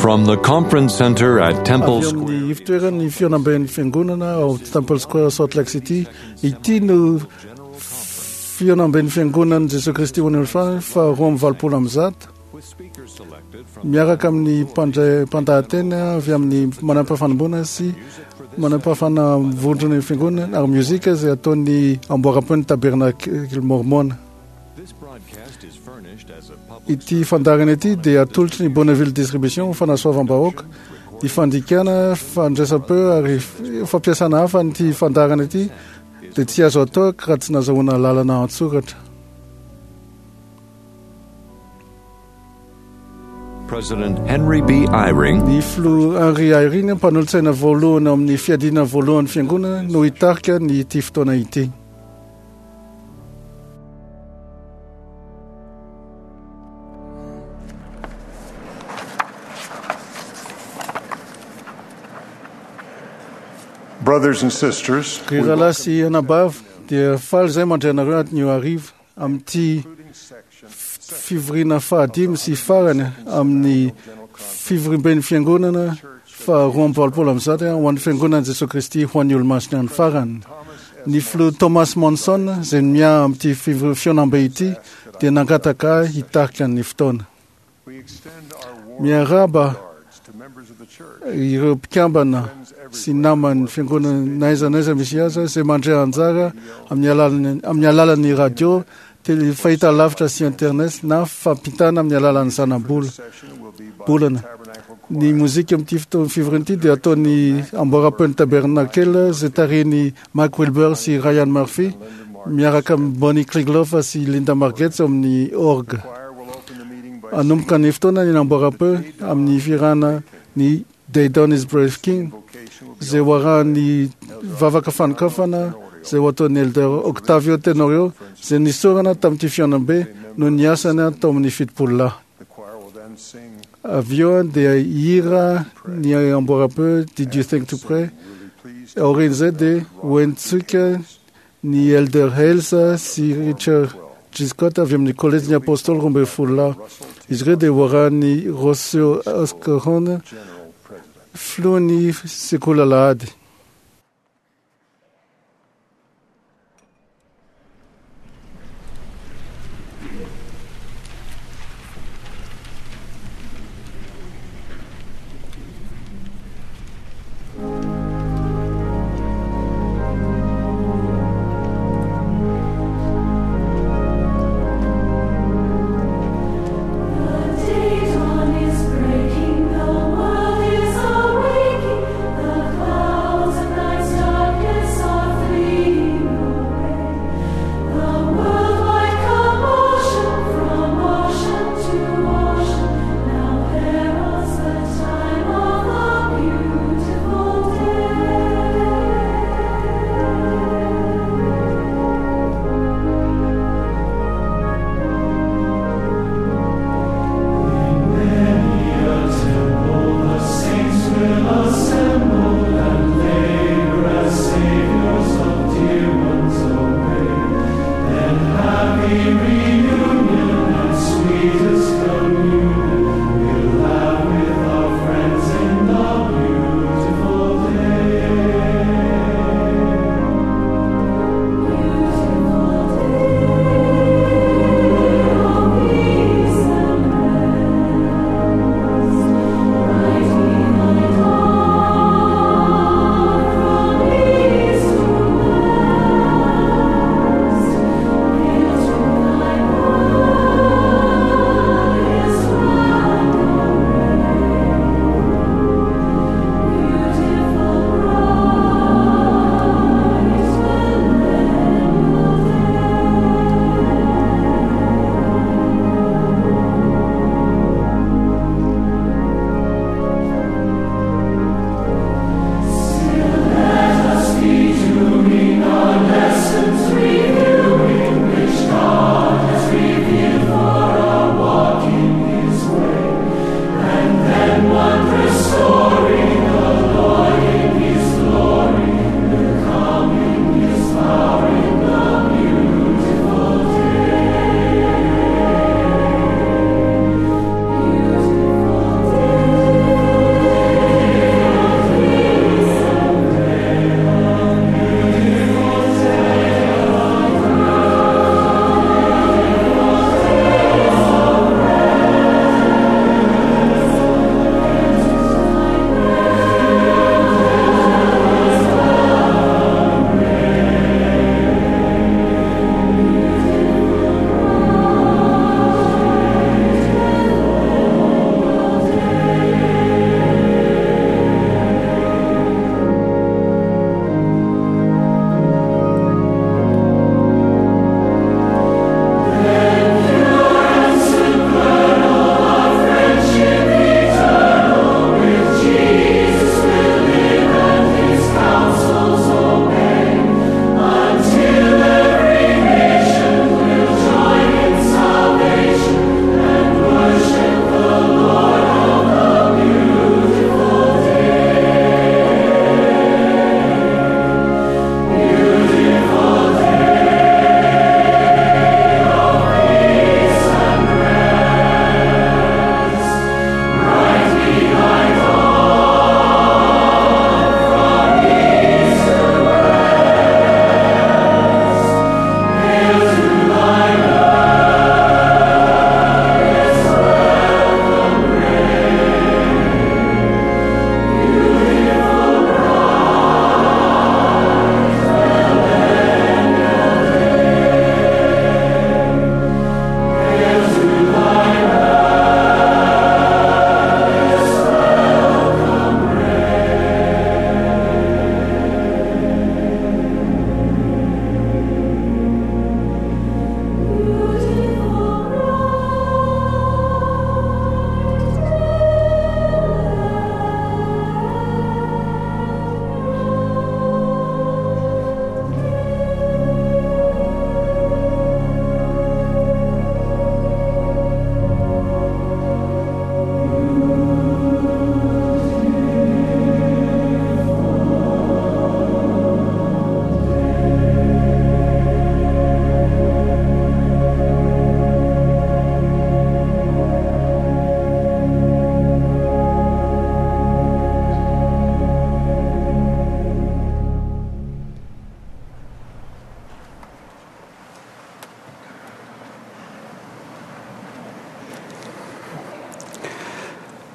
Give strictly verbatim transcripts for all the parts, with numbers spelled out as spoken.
From the Conference Center at Temple Avy amin'ny ivontoeran'ny fihaonamben'ny fiangonana ao Temple Square Salt Lake City, ity no fihaonamben'ny fiangonan'i Jesosy Kristy ho an'ny olona fa roa amby valopolo amby zato, miaraka amin'ny mpandray mpandahateny avy amin'ny manam-pahafanomboana sy manam-pahafana vondrona ny fiangonana ary mozika izay ataon'ny amboaram-peon'ny Tabernakely Mormona. Ity fandaharana ity dia atolotry ny Bonneville Distribution ho fanasoavam-bahoaka, ny fandikana, fandraisam-peo ary fampiasana hafa an'ity fandaharana ity dia tsy azo atao raha tsy nazahoana lalana an-tsoratra. President Henry B. Eyring, Ny filoha Henry Eyring, mpanolotsaina voalohany ao amin'ny fiadiana voalohan'ny fiangonana, no hitarika ny ity fotoana ity. Brothers and sisters, Ry rahalahy sy anabavy, dia faly izay mandray anareo anio hariva amin'ity fivoriana fahadimy sy farany amin'ny fivoriamben'ny fiangonana faharoa amby valopolo amby zato ho an'ny fiangonan'i Jesosy Kristy ho an'ny olomasina ny farany. Ny filoha Thomas Monson izay miahy amin'ity fivori- fihaonambe ity dia nangataka ahy hitarika ny fotoana. we extend our warm Miarahaba regards to members of the church, ireo mpikambana sy naman'ny fiangonana na aiza na aiza misy azy izay mandray anjara amin'ny alalan'ny amin'ny alalan'ny radio, tele fahitalavitra sy internet na fampitana amin'ny alalan'ny zanabola. session will be by Bolana. Tabernacle Ny mozika amin'ity fotoana fivoriana ity dia ataon'ny amboaram-peon'ny Tabernacle izay tarihin'i Mike Wilbur sy Ryan Murphy miaraka amin'ny Bonnie Krigloff sy Linda Margetts ao amin'ny orgue. Choir will open the meeting by Hanomboka ny fotoana ny amboaram-peo amin'ny firana ny Day Dawn is Breaking vocation will be izay ho arahan'ny vavaka fanokafana izay ho ataon'ny Elder Octavio Tenorio izay nisorana tamin'ity fihaonambe no niasany tao amin'ny fitopolo lahy. the choir will then sing Avy eo dia hira ny amboaram-peo Did You Think to Pray? really pleased Aorian'izay dia hoentsika ny Elder Hales sy Richard G. Scott avy amin'ny Kolejin'ny Apôstôly roa ambin'ny folo lahy. Izy ireo dia ho arahan'ny Rossio Oscaron, general president. filohan'ny sekoly alahady. The day dawn is breaking, the world is awaking, the clouds.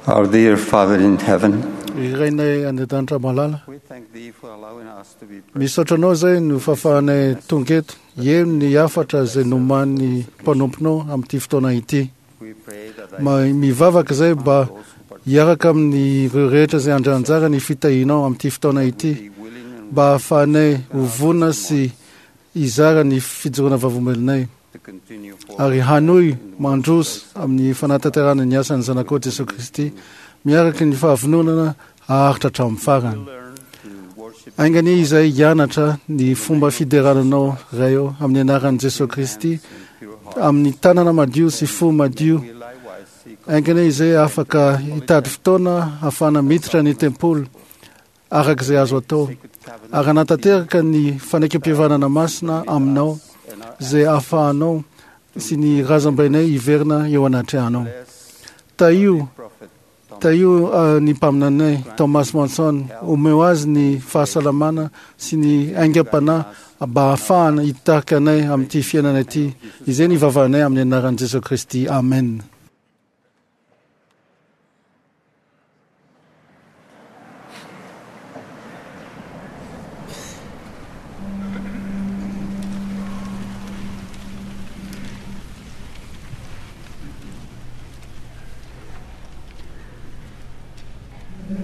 Our dear Father in heaven, Rainay any an-danitra malala, we thank thee for allowing us to be present misaotra anao izay no fahafahanay tonga eto eo ny hafatra izay noman'ny mpanomponao amin'ity fotoana ity. We pray that thy Ma- Mivavaka izay mba those who participate hiaraka amin'ireo rehetra izay handray anjara ny fitahianao amin'ity fotoana ity, be willing and mba hahafahanay ho vonona sy hizara ny fijoroana vavolombelonay to continue forward ary hanohy mandroso amin'ny fanatanterahana ny asan'ny Zanakao Jesosy Kristy miaraka ny fahavononana haharitra hatramin'ny farany. learn to worship Aingany izay hianatra ny fomba fiderananao Ray ô amin'ny anaran'i Jesosy Kristy in pure heart. amin'ny tanana madio sy fo madio. We likewise seek Aingany izay afaka hitady fotoana ahafahana miditra ny tempoly araka izay azo atao sacred covenant ary hanatanteraka ny fanekempihavanana masina aminao and our izay ahafahanao sy ny razambainay hiverina eo anatrehanao. bless Tahio prophet Thomas Tahio uh, ny mpaminanay Thomas Monson, omeo azy ny fahasalamana sy ny aingam-panahy mba hahafahana hitarika anay amin'ity fiainana ity. Izay ny vavahanay amin'ny anaran'i Jesosy Kristy. Amen. Did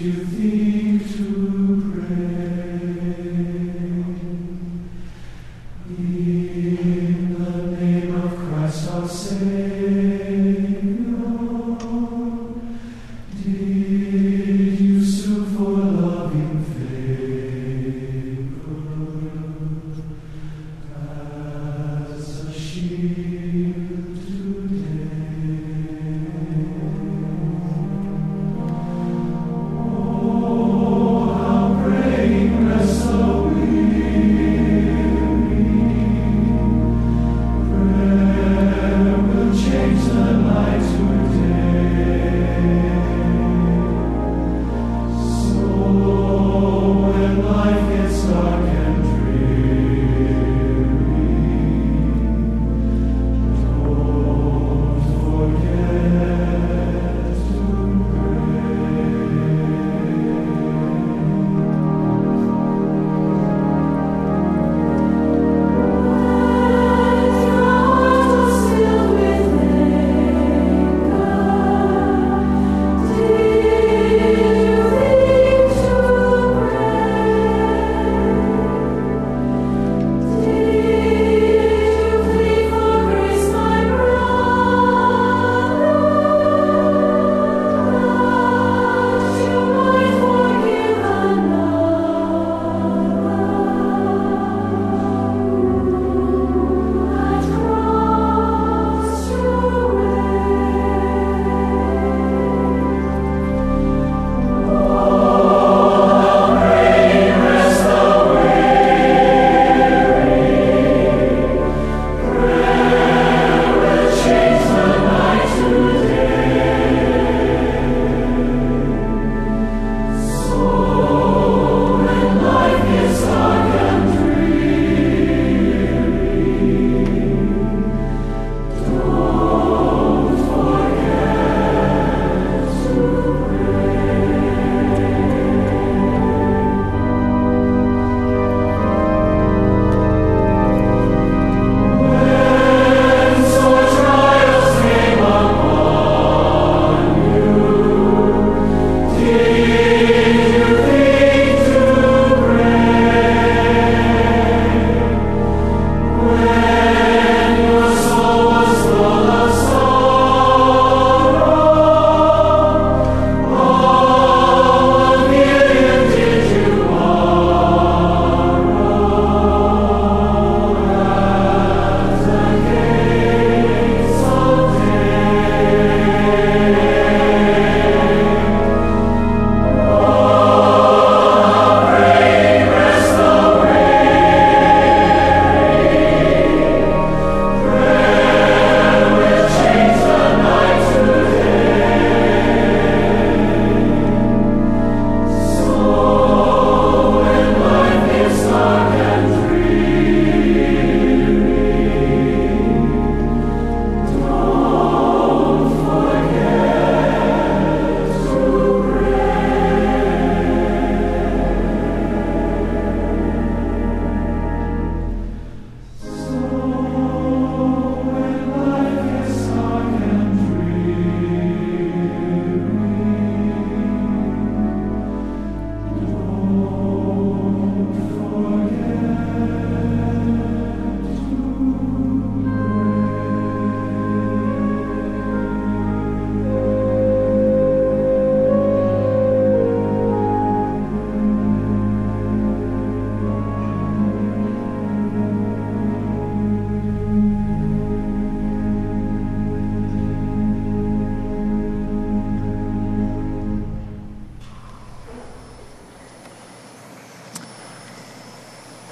you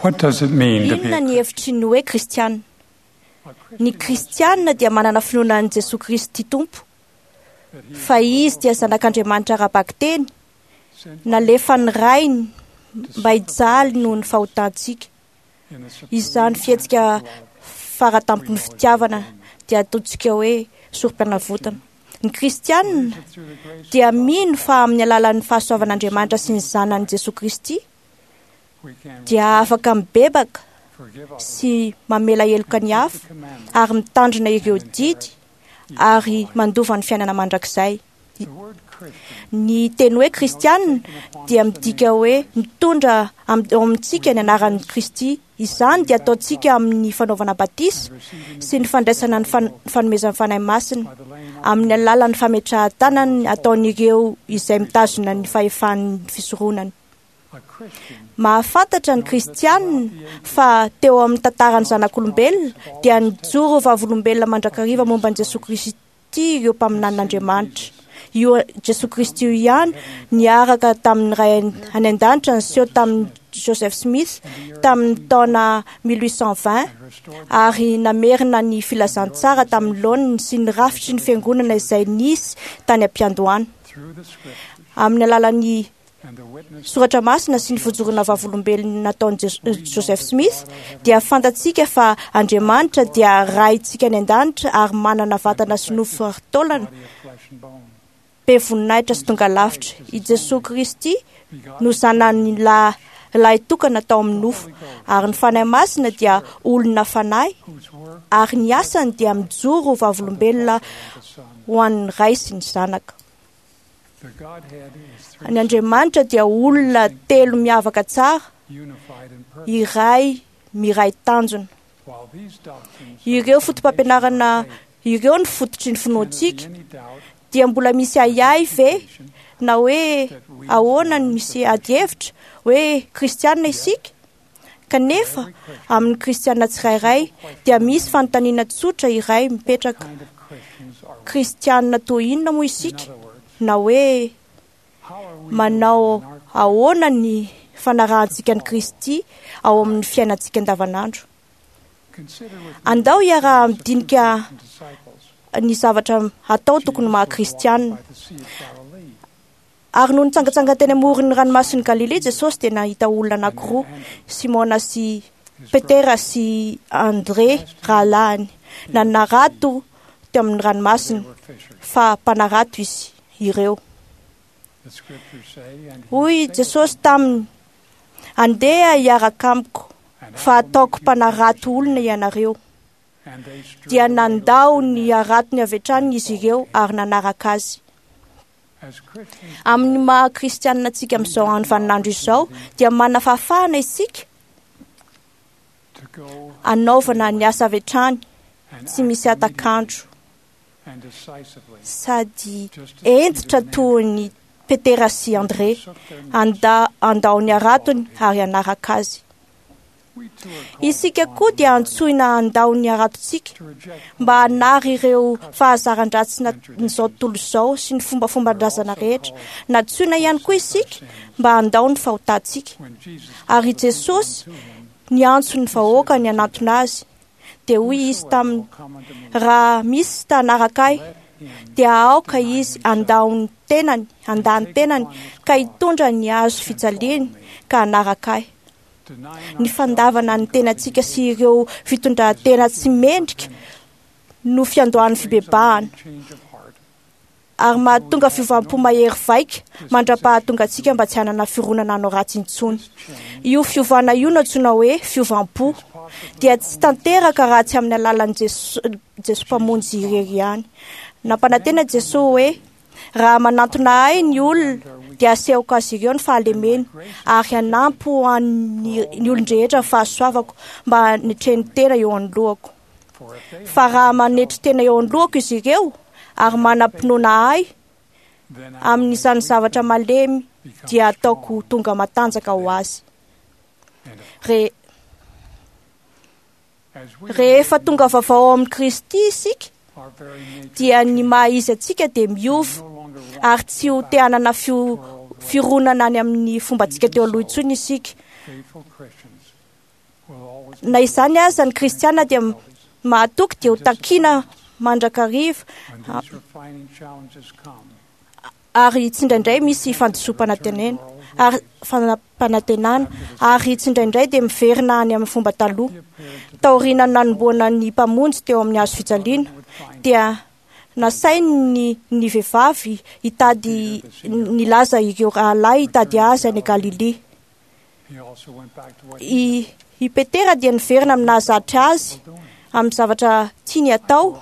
What does it mean to be Inona a ny hevitry ny hoe kristiana? Ny kristiana dia manana finoana an'i Jesosy Kristy Tompo, fa izy dia zanak'Andriamanitra ara-bakiteny, nalefan'ny Rainy mba hijaly noho ny fahotantsika. Izany fihetsika faratampon'ny fitiavana dia ataontsika hoe sorom-panavotana. Ny kristianina dia mino fa amin'ny alalan'ny fahasoavan'Andriamanitra sy ny zanany Jesosy Kristy dia afaka mibebaka sy mamela heloka ny hafa ary mitandrina ireo didy ary mandova ny fiainana mandrakizay. Ny teny hoe kristianina dia midika hoe mitondra am- ao amintsika ny anaran'i Kristy. Izany dia ataontsika amin'ny fanaovana batisa sy ny fandraisana ny fan- fanomezan'ny Fanahy Masina amin'ny alalan'ny fametrahan-tanana ataon'ireo izay mitazona ny fahefan'ny fisoronana. Mahafantatra ny kristianina fa teo amin'ny tantaran'ny zanak'olombelona dia nijoro vavolombelona mandrakariva momba an'i Jesosy Kristy ireo mpaminanin'Andriamanitra. Io Jesosy Kristy io ihany niaraka tamin'ny Ray any an-danitra niseho tamin'i Joseph Smith tamin'ny taona mille huit cent vingt ary namerina ny filazantsara tamin'ny laoniny sy ny rafitry ny fiangonana izay nisy tany am-piandohana. Amin'ny alalan'ny soratra masina sy ny fijoroana vavolombelona nataon'i Jes- Joseph Smith dia fantatsika fa Andriamanitra dia Raintsika any an-danitra ary manana vatana sy nofo ary taolana be voninahitra sy tonga lavitra. I Jesosy Kristy no zanany lahy lahy tokana tao amin'ny nofo ary ny Fanahy Masina dia olona fanahy ary ny asany dia mijoro ho vavolombelona ho an'ny Ray sy ny Zanaka. Ny Andriamanitra dia olona telo miavaka tsara, iray miray tanjona. Ireo foto-pampianarana ireo ny fototry ny finoantsika dia mbola misy ahiahy ve na hoe ahoana ny misy adihevitra hoe kristianina isika? Kanefa amin'ny kristianina tsirairay dia misy fanontaniana tsotra iray mipetraka. Kristianina toy inona moa isika? Na hoe manao ahoana ny fanarahantsika an'i Kristy ao amin'ny fiainantsika andavanandro? Andao hiara-midinika ny zavatra atao tokony maha kristianina. Ary noho nitsangatsanga teny amoron'ny ranomasin'i Galilea Jesosy dia nahita olona anankiroa, Simona sy Petera sy André rahalahiny, nanarato teo amin'ny ranomasina, fa mpanarato izy ireo. Hoy Jesosy taminy: "Andeha hiaraka amiko, fa ataoko mpanarato olona ianareo." Dia nandao ny haratony avy hatrany izy ireo ary nanaraka azy. Amin'ny maha kristianina antsika amin'izao andro vaninandro izao dia manana fahafahana isika hanaovana ny asa avy hatrany tsy misy hatak'andro sady hentitra toy ny Petera sy André anda andao ny haratony ary hanaraka azy. Isika koa dia antsoina handao ny haratontsika mba hanary ireo fahazaran-dratsin'izao tontolo izao sy ny fombafomban-drazana rehetra. Nantsoina ihany koa isika mba handao ny fahotantsika. Ary Jesosy niantso ny vahoaka ny hanantona azy. Dia hoy izy taminy: "Raha misy ta hanaraka ahy, dia aoka izy handao ny tenany, handà ny tenany ka hitondra ny hazo fijaliany ka hanaraka ahy." Ny fandavana ny tenantsika sy ireo fitondran-tena tsy mendrika no fiandohan'ny fibebahana ary mahatonga fiovam-po mahery vaika mandra-pahatonga antsika mba tsy hanana fironana hanao ratsy intsony. Io fiovana io no antsoina hoe fiovam-po dia tsy tanteraka raha tsy amin'ny alalan'i Jeso Jeso Mpamonjy irery ihany. Nampanantena Jesosy hoe raha manantona ahy ny olona dia asehoko azy ireo ny fahalemeny ary hanampy ho an'ny ny olon-drehetra ny fahasoavako mba hanetreny tena eo anoloako. Fa raha manetry tena eo anoloako izy ireo ary manam-pinoana ahy amin'izany zavatra malemy dia ataoko tonga matanjaka ho azy. Re, rehefa tonga vaovao ao amin'i Kristy isika dia ny maha izy antsika dia miova ary tsy ho te hanana fio- fironana any amin'ny fombantsika teo aloha intsony isika. Na izany aza, ny kristiana dia mahatoky dia ho takiana mandrakariva, ary tsindraindray misy fandisoam-panantenana ary fanampanantenana, ary tsindraindray dia miverina any amin'ny fomba taloha. Taoriana nanomboana ny mpamonjy teo amin'ny hazo fijaliana, dia nasainy ny ny vehivavy hitady nilaza ireo rahalahy hitady azy any Galilia. I i Petera dia niverina amin'ny nahazatra azy amin'ny zavatra tiany atao.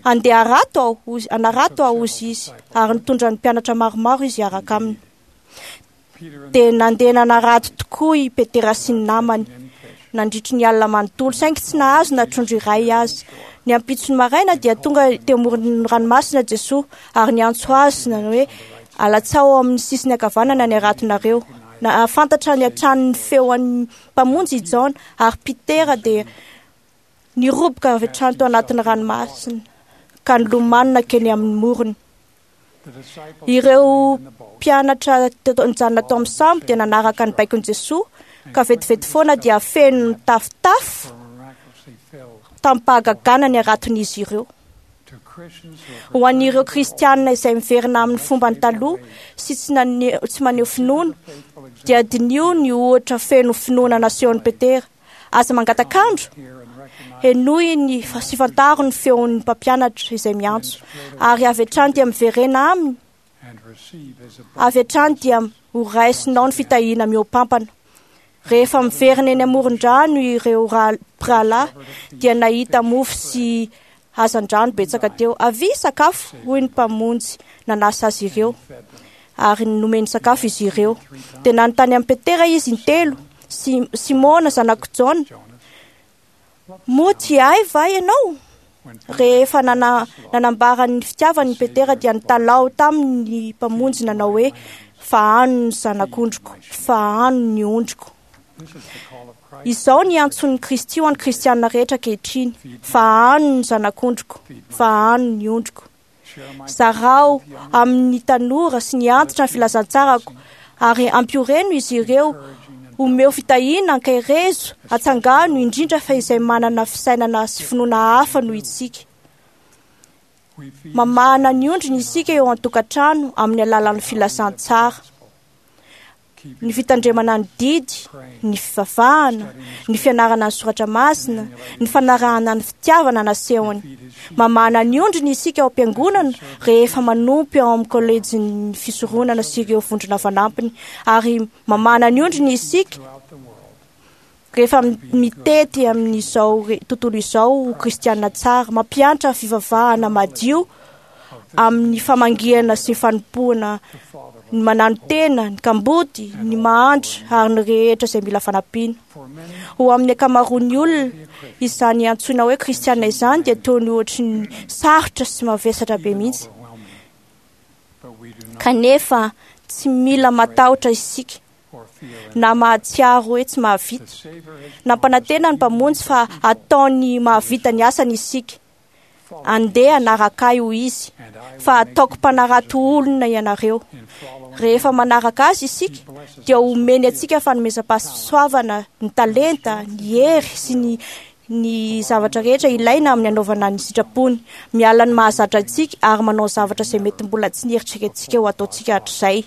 Andeha harato aho, hanarato aho, hozy izy, ary nitondra ny mpianatra maromaro izy hiaraka aminy. Dia nandeha nanarato tokoa i Petera sy ny namany nandritry ny alina manontolo, saingy tsy nahazo na trondro iray azy. Ny ampitsony maraina dia tonga teo amoron'ny ranomasina Jesoa ary niantso azy nanao hoe: alatsao amin'ny sisiny ankavanana ny haratonareo. Nahafantatra ny hatrany ny feon'ny mpamonjy i Jaona, ary Petera dia niroboka avy hatrany tao anatin'ny ranomasina ka nilomano nankeny amin'ny morony. Ireo mpianatra nijanona tao amin'ny sambo dia nanaraka ny baikon'i Jesoa, ka vetivety foana dia feno nitafotafo tamin'ny-pahagagana ny haraton'izy ireo. Ho an'ireo kristianina izay miverina amin'ny fomba ny taloha sy tsy nane- tsy maneho finoana, dia diniho ny ohatra feno finoana nasehon'i Petera. Aza mangatak'andro, henoy ny sy fantaro ny feon'ny mpampianatra izay miantso, ary avy hatrany dia miverena aminy, avy hatrany dia ho raisinao ny fitahiana mihoapampana. Rehefa miverina eny amoron-drano ireo mpirahalahy dia nahita mofo sy hazandrano betsaka teo. Avia sakafo, hoy ny mpamonjy nanasa azy ireo, ary nomeny sakafo izy ireo. Dia nanontany amin'i Petera izy intelo: Simona zanak'i Jaona, moa tia ahy va ianao? Rehefa nana nanambara ny fitiavany Petera dia nitalaho taminy ny mpamonjy nanao hoe: fahano ny zanak'ondriko, fahano ny ondriko. Izao ny antson'ny Kristy ho an'ny kristianina rehetra ankehitriny: fahano ny zanak'ondriko, fahano ny ondriko. Zarao amin'ny tanora sy ny antitra ny filazantsarako, ary ampioreno izy ireo. Omeo fitahiana, ankaherezo, atsangano, indrindra fa izay manana fisainana sy finoana hafa noho isika. Mamahana ny ondriny isika eo an-tokantrano amin'ny alalan'ny filazantsara, ny fitandremana ny didy, ny fivavahana, ny fianarana ny soratra masina, ny fanarahana ny fitiavana nasehony. Mamahana ny ondriny isika ao am-piangonana rehefa manompo ao amin'ny kolejin'ny fisoronana sy ireo vondrona fanampiny, ary mamahana ny ondriny isika rehefa mitety amin'izao tontolo izao ho kristiana tsara, mampiantra fivavahana madio amin'ny famangiana sy fanompoana ny mananotena, ny kamboty, ny mahantra ary ny rehetra izay mila fanampiana. Ho amin'ny ankamaroan'ny olona, izany antsoina hoe kristiana izany dia toy ny ohatry ny sarotra sy mavesatra be mihitsy. Kanefa tsy mila matahotra isika na mahatsiaro hoe tsy mahavita. Nampanantena ny mpamonjy fa ataony mahavita ny asany isika. Andeha hanaraka ahy, hoy izy, fa ataoko mpanarato olona ianareo. Rehefa manaraka azy isika dia omeny antsika fanomezam-pahasoavana, ny talenta, ny hery sy ny ny zavatra rehetra ilaina amin'ny anaovana ny sitrapony. Miala ny mahazatra antsika ary manao zavatra izay mety mbola tsy nieritreretintsika ho ataontsika hatrizay.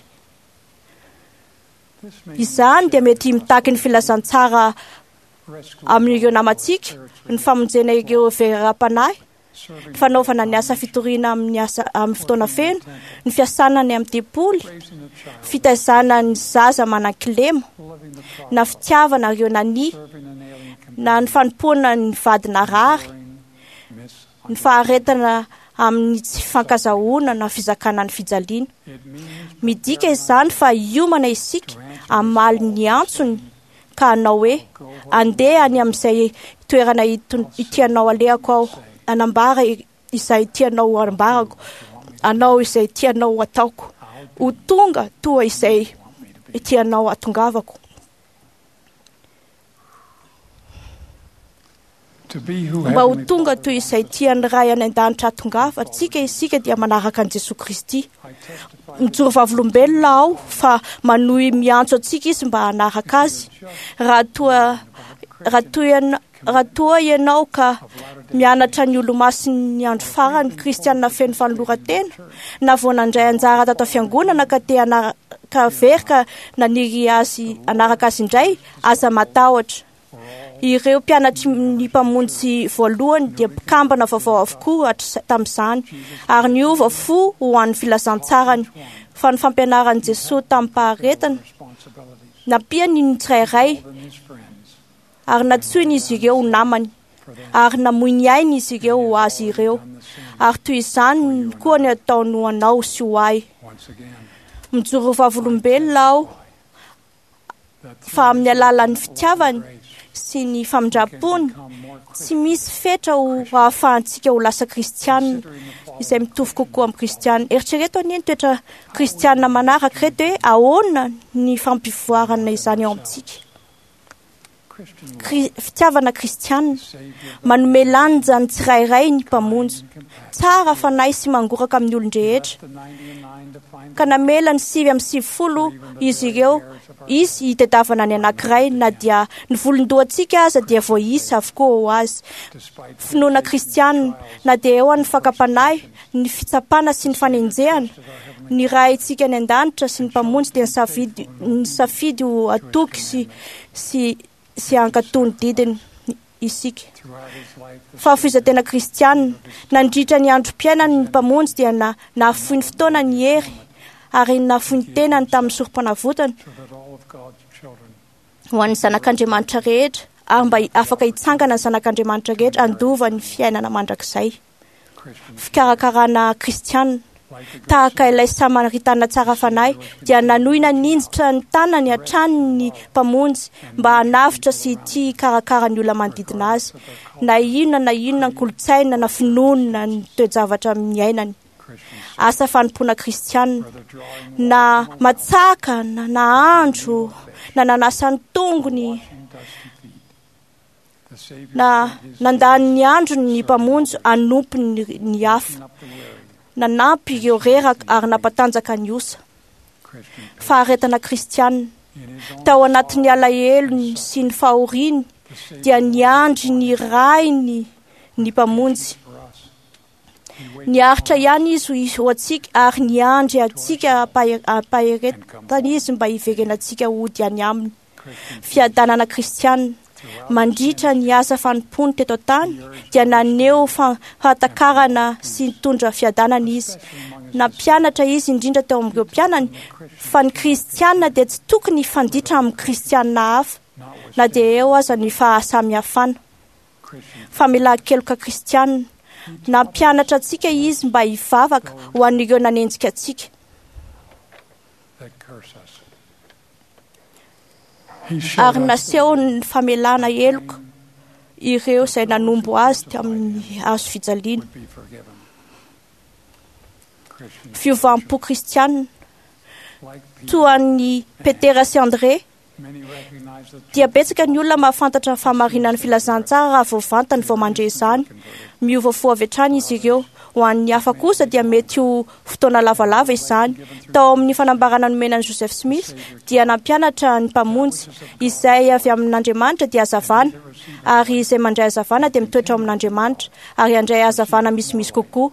Izany dia mety mitaky ny filazantsara amin'ireo namantsika, ny famonjena ireo veram-panahy, ny fanaovana ny asa fitoriana amin'ny asa amin'ny fotoana feno, ny fiasana ny amin'ny tempoly, fitaizana ny zaza manan-kilema, na fitiavana ireo nania, na ny fanompoana ny vady narary, ny faharetana amin'ny tsy fankazahoana na fizakana ny fijaliana. Midika izany fa hiomana isika hamaly ny antsony ka hanao hoe: andeha any amin'izay toerana tianao alehako aho, hanambara izay tianao ambarako, hanao izay tianao ataoko, ho tonga toa izay tianao hatongavako. Mba ho tonga toy izay tian'ny Ray any an-danitra hatongavantsika isika dia manaraka an'i Jesoa Kristy. Mijoro vavolombelona aho fa manohy miantso antsika izy mba hanaraka azy. Raha toa Raha toa raha toa ianao ka mianatra ny Olomasin'ny Andro Farany, kristianina feno fanoloran-tena, na vao nandray anjara tato fiangonana ka te hanaraka very ka naniry azy hanaraka azy indray, aza matahotra. Ireo mpianatry ny Mpamonjy voalohany dia mpikambana vaovao avokoa tamin'izany ary niova fo ho an'ny filazantsarany, fa ny fampianaran'i Jesoa tamin'ny-paharetana nampiany ny tsirairay ary nantsoiny izy ireo ho namany ary namoy ny ainy izy ireo ho azy ireo, ary toy izany koa ny ataony ho anao sy ho ahy. Mijoro vavolombelona aho fa amin'ny alalan'ny fitiavany sy ny famindrampony tsy misy fetra ho ahafahantsika ho lasa kristianina izay mitovy kokoa amin'ny kristianina. Eritrereto anie ny toetra kristianina manaraka ireto hoe ahoana ny fampivoarana izany ao amintsika. Fitiavana kristianina manome lanja ny tsirairay ny Mpamonjy, tsara fanahy sy mangoraka amin'ny olon-drehetra, ka namela ny sivy amin'ny sivifolo izy ireo izy hitadiavana ny anankiray, na dia ny volon-dohantsika aza dia voaisa avokoa ho azy. Finoana kristianina, na dia eo an'ny fakam-panahy, ny fitsapana sy ny fanenjehana, ny Raintsika any an-danitra sy ny Mpamonjy dia nisafidy nisafidy ho atoky sy sy sy hankatò ny didiny isika. Fahafoizan-tena kristianina, nandritra ny androm-piainany ny Mpamonjy dia na nahafoy ny fotoana ny hery ary nahafoy ny tenany tamin'ny sorom-panavotana ho an'ny zanak'Andriamanitra rehetra, ary mba afaka hitsangana ny zanak'Andriamanitra rehetra handova ny fiainana mandrakizay. Fikarakarana kristianina, tahaka ilay Samaritana tsara fanahy dia nanohy naninjitra ny tanany hatrany ny Mpamonjy mba hanavotra sy tia hikarakara ny olona manodidina azy, na inona na inona ny kolontsaina na finoana ny toe-javatra niainany. Asa fanompoana kristianina, na matsaka na nahandro na nanasa ny tongony na nandany ny androny ny Mpamonjy hanompo ny, ny hafa, nanampy ireo reraka ary nampatanjaka ny osa. Faharetana kristianina, tao anatin'ny alahelony sy ny fahoriany dia niandry ny Rainy ny Mpamonjy. Niaritra ihany izy ho antsika ary niandry antsika ampaheretana izy mba hiverenantsika hody any aminy. Fiadanana kristianina, mandritra ny asa fanompoany teto an-tany dia naneho fahatakarana sy nitondra fiadanana izy. Nampianatra izy indrindra teo amin'ireo mpianany fa ny kristianina dia tsy tokony hifanditra amin'ny kristianina hafa na dia eo aza ny fahasamihafana. Famelan-keloka kristianina, nampianatra antsika izy mba hivavaka ho an'ireo nanenjika antsika. Ary nasehony ny famelana heloka ireo izay nanombo azy tamin'ny hazo fijaliana. Fiovam-po kristianina, toa an'i Petera sy André, dia betsaka ny olona mahafantatra ny fahamarinan'ny filazantsara raha vao vantany vao mandre izany. Miova fo avy hatrany izy ireo. Ho an'ny hafa kosa dia mety ho fotoana lavalava izany. Tao amin'ny fanambarana nomena an'i Joseph Smith dia nampianatra ny Mpamonjy izay avy amin'Andriamanitra dia hazavana, ary izay mandray hazavana dia mitoetra ao amin'Andriamanitra ary handray hazavana misimisy kokoa.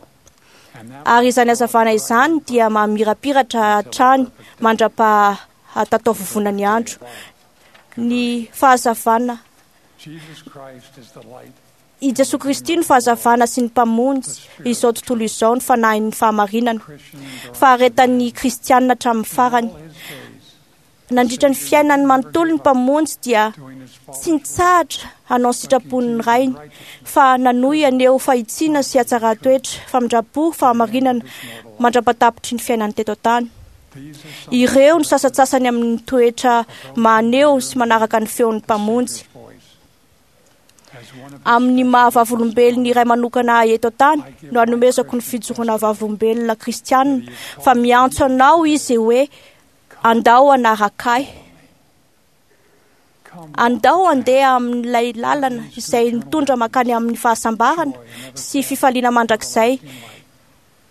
Ary izany hazavana izany dia mamirapiratra hatrany mandra-pahatataovovona ny andro. Ny fahazavana, i Jesoa Kristy no fahazavana sy ny Mpamonjy izao tontolo izao, ny fanahin'ny fahamarinana. Faharetan'ny kristianina hatramin'ny farany. Nandritra ny fiainany manontolo ny Mpamonjy dia tsy nitsahatra hanao ny sitrapon'ny Rainy, fa nanohy haneho fahitsiana sy hatsaran-toetra, famindram-po, fahamarinana mandra-patapitry ny fiainany teto an-tany. Ireo no sasantsasany amin'ny toetra maneho sy manaraka ny feon'ny Mpamonjy. Amin'ny maha vavolombelona iray manokana ahy eto an-tany no anomezako ny fijoroana vavolombelona kristianina fa miantso anao izy hoe andao hanaraka ahy. Andao handeha amin'ilay lalana izay mitondra mankany amin'ny fahasambarana sy fifaliana mandrakizay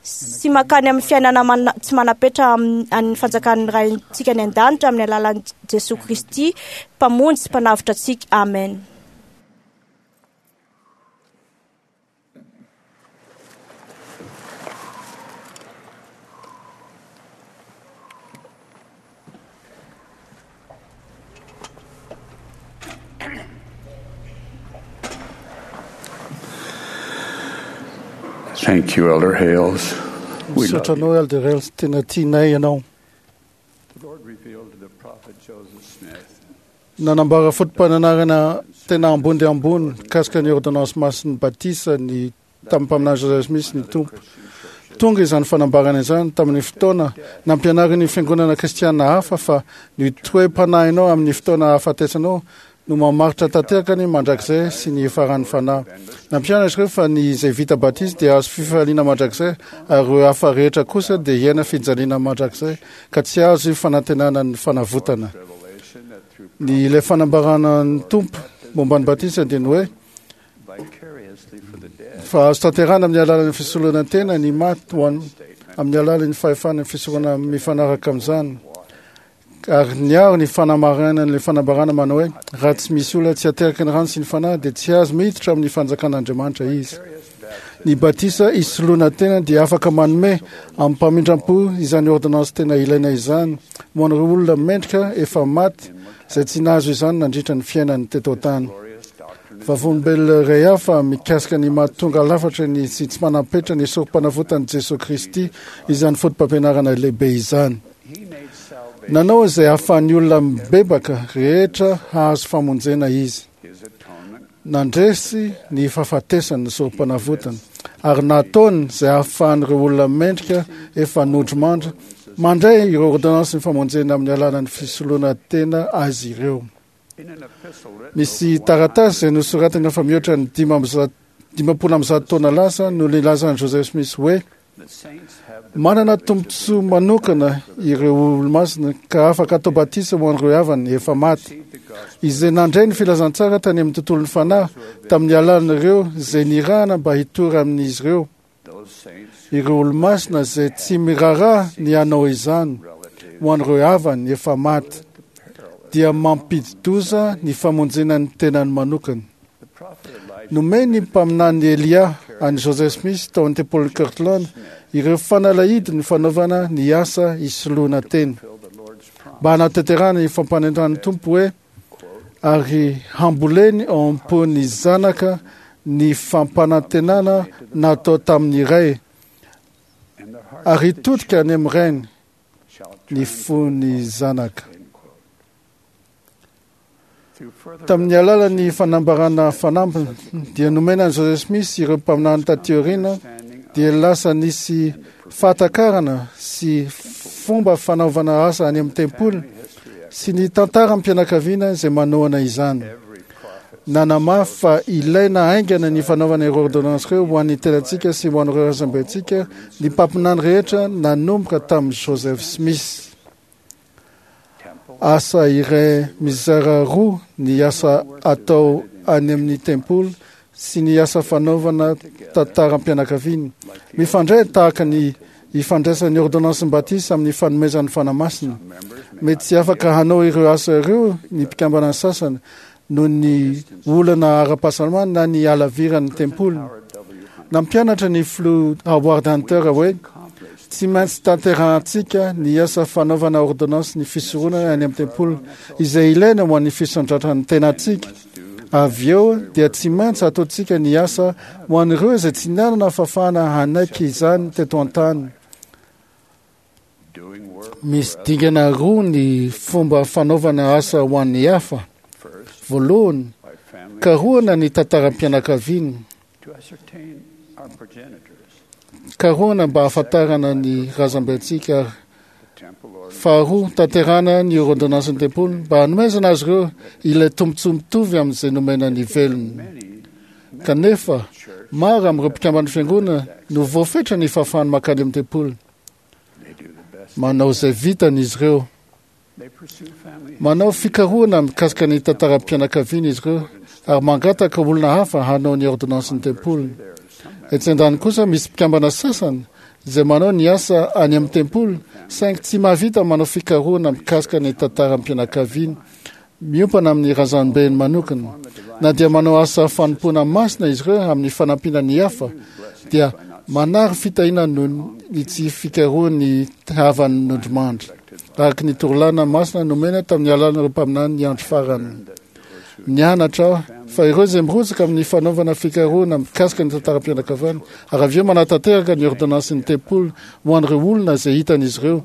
sy mankany amin'ny fiainana mana, tsy manapetra amin'ny fanjakan'ny Raintsika any an-danitra amin'ny alalan'i Jesoa Kristy Mpamonjy sy Mpanavotra antsika. Amen. Thank you, Elder Hales. We love Misaotra you. anao, Elder Hales, tena tianay ianao. The Lord revealed to the prophet Joseph Smith Nanambara foto-pananarana tena ambony dia ambony mikasika ny ordonnance masin'ny batisa ny tamin'ny mpaminany Joseph Smith ny Tompo. Tonga izany fanambarana izany tamin'ny fotoana nampianarin'ny fiangonana kristiana hafa fa ny toe-panahinao amin'ny fotoana ahafatesanao no mamaritra tanteraka ny mandrakizay sy ny faran'ny fanahy. Nampianatra izy ireo fa ny izay vita batisa dia azo fifaliana mandrakizay ary ireo hafa rehetra kosa dia hiaina fijaliana mandrakizay ka tsy azo fanantenana ny fanavotana. revelation that through Ny ilay fanambarana ny Tompo momba ny batisa dia ny hoe vicariously for the dead fa azo tanterahana amin'ny alalan'ny fisoloana tena ny maty ho an- amin'ny alalan'ny fahefana ny fisorona mifanaraka amin'izany. Ary niaro ny fanamarihana ny fanambarana manao hoe raha tsy misy olona tsy ateraky ny rano sy ny fanahy dia tsy azo miditra amin'ny fanjakan'Andriamanitra izy. Ny batisa isoloana tena dia afaka manome amin'ny mpamindram-po izany ordonnance tena ilaina izany ho an'ireo olona mendrika efa maty izay tsy nahazo izany nandritra ny fiainany teto an-tany. glorious doctrine Vavolombelona iray hafa mikasika ny mahatonga lafatra ny sy tsy manam-petra ny sorom-panavotan'i Jesosy Kristy izany foto-pampianarana lehibe izany. He made salvation Nanao izay ahafahan'ny olona mibebaka rehetra hahazo famonjena izy. his atonement Nandresy ny fahafatesany ny sorom-panavotana ary nataony izay ahafahan'ireo olona mendrika efa nodrimandry mandray ireo ordonnance ny famonjena amin'ny alalan'ny fisoloana tena azy ireo. in an epistle written Misy taratasy izay nosoratana fa mihoatra ny dimy amby zato- dimampolo amby zato taona lasa no nilazan'i Joseph Smith hoe the saints have the manana tombontsoa manokana ireo olomasina ka afaka atao batisa ho an'ireo havany efa maty received the gospel izay nandray ny filazantsara tany amin'ny tontolon'ny fanahy tamin'ny alalan'ireo izay nirahana mba hitory amin'izy ireo those saints ireo olomasina izay tsy miraharaha ny hanao izany relatives ho an'ireo havany efa maty dia mampidi-doza ny famonjena ny tenany manokana. the prophet Elijah Nomeny mpaminany Elia an'i Joseph Smith tao amin'ny tempolin'i Kirtland ireo fanalahidy ny fanaovana ny asa isoloana tena fulfilled the Lord's promise mba hanatanterahana ny fampanentan'ny Tompo hoe ary hamboleny ao am-pon'ny zanaka ny fampanantenana natao tamin'ny ray and the heart ary hitodika any amin'ny rainy shall ny turn fon'ny zanaka. end quote. Through further Tamin'ny alalan'ny fanambarana fanampiny dia nomena an'i Joseph Smith ireo mpaminany taty aoriana understanding of dia lasa nisy fahatakarana sy fomba fanaovana asa any amin'ny tempoly history sy ny tantaram-pianakaviana izay manohana izany. every prophet Nanamafy fa ilaina haingana ny fanaovana ireo ordonnance ireo ho an'ny tenantsika sy ho an'ireo razambentsika ny mpaminany rehetra nanomboka tamin'i Joseph Smith. temple Asa iray mizara roa ny asa atao any amin'ny tempoly sy ny asa fanaovana tantaram-pianakaviana. Mifandray tahaka ny ifandraisan'ny ordonnance batisa amin'ny fanomezan'ny Fanahy Masina. members Mety tsy afaka hanao ireo asa ireo ny mpikambana sasany noho ny olana ara-pahasalamana na ny halaviran'ny tempoly. Howard W. Hunter Nampianatra ny filoha Howard Hunter hoe accomplished tsy maintsy tanterahantsika ny asa fanaovana ordonnance ny fisoronana any amin'ny tempoly izay ilaina ho an'ny fisandratran'ny tenantsika. must do Avy eo dia tsy maintsy ataontsika ny asa ho an'ireo izay tsy nanana fahafahana hanaiky izany teto an-tany. doing work Misy dingana roa ny fomba fanaovana asa ho an'ny hafa. first Voalohany, by family karohana ny tantaram-pianakaviana. to ascertain our progenitors Karohana mba hahafantarana ny razambentsika ary the temple or faharoa tanterahana ny ordonnance ny tempoly mba hanomezana azy ireo ilay tombontsoa mitovy amin'izay nomena ny velona. many Kanefa, church maro amin'ireo mpikamban'ny fiangonana no voafetra ny fahafahany mankany amin'ny tempoly. they do the best Manao izay vitany izy ireo. they pursue family Manao fikarohana mikasika ny tantaram-pianakaviana izy ireo ary mangataka olona hafa hanao ny ordonnance ny tempoly. there are some Etsy an-daniny kosa misy mpikambana sasany izay manao ny asa any amin'ny tempoly saingy tsy mahavita manao fikarohana mikasika ny tantaram-pianakaviana miompana amin'ny razambeny manokana. Na dia manao asa fanompoana masina izy ireo amin'ny fanampiana ny hafa dia manary fitahiana noho ny tsy fikarohany havany nodrimandry araka ny torolana masina nomena tamin'ny alalan'ireo mpaminany ny andro farany. Nianatra aho fa ireo izay mirotsaka amin'ny fanaovana fikarohana mikasika ny tantaram-pianakaviana ary avy eo manatanteraka ny ordonnansin'ny tempoly ho an'ireo olona izay hitan'izy ireo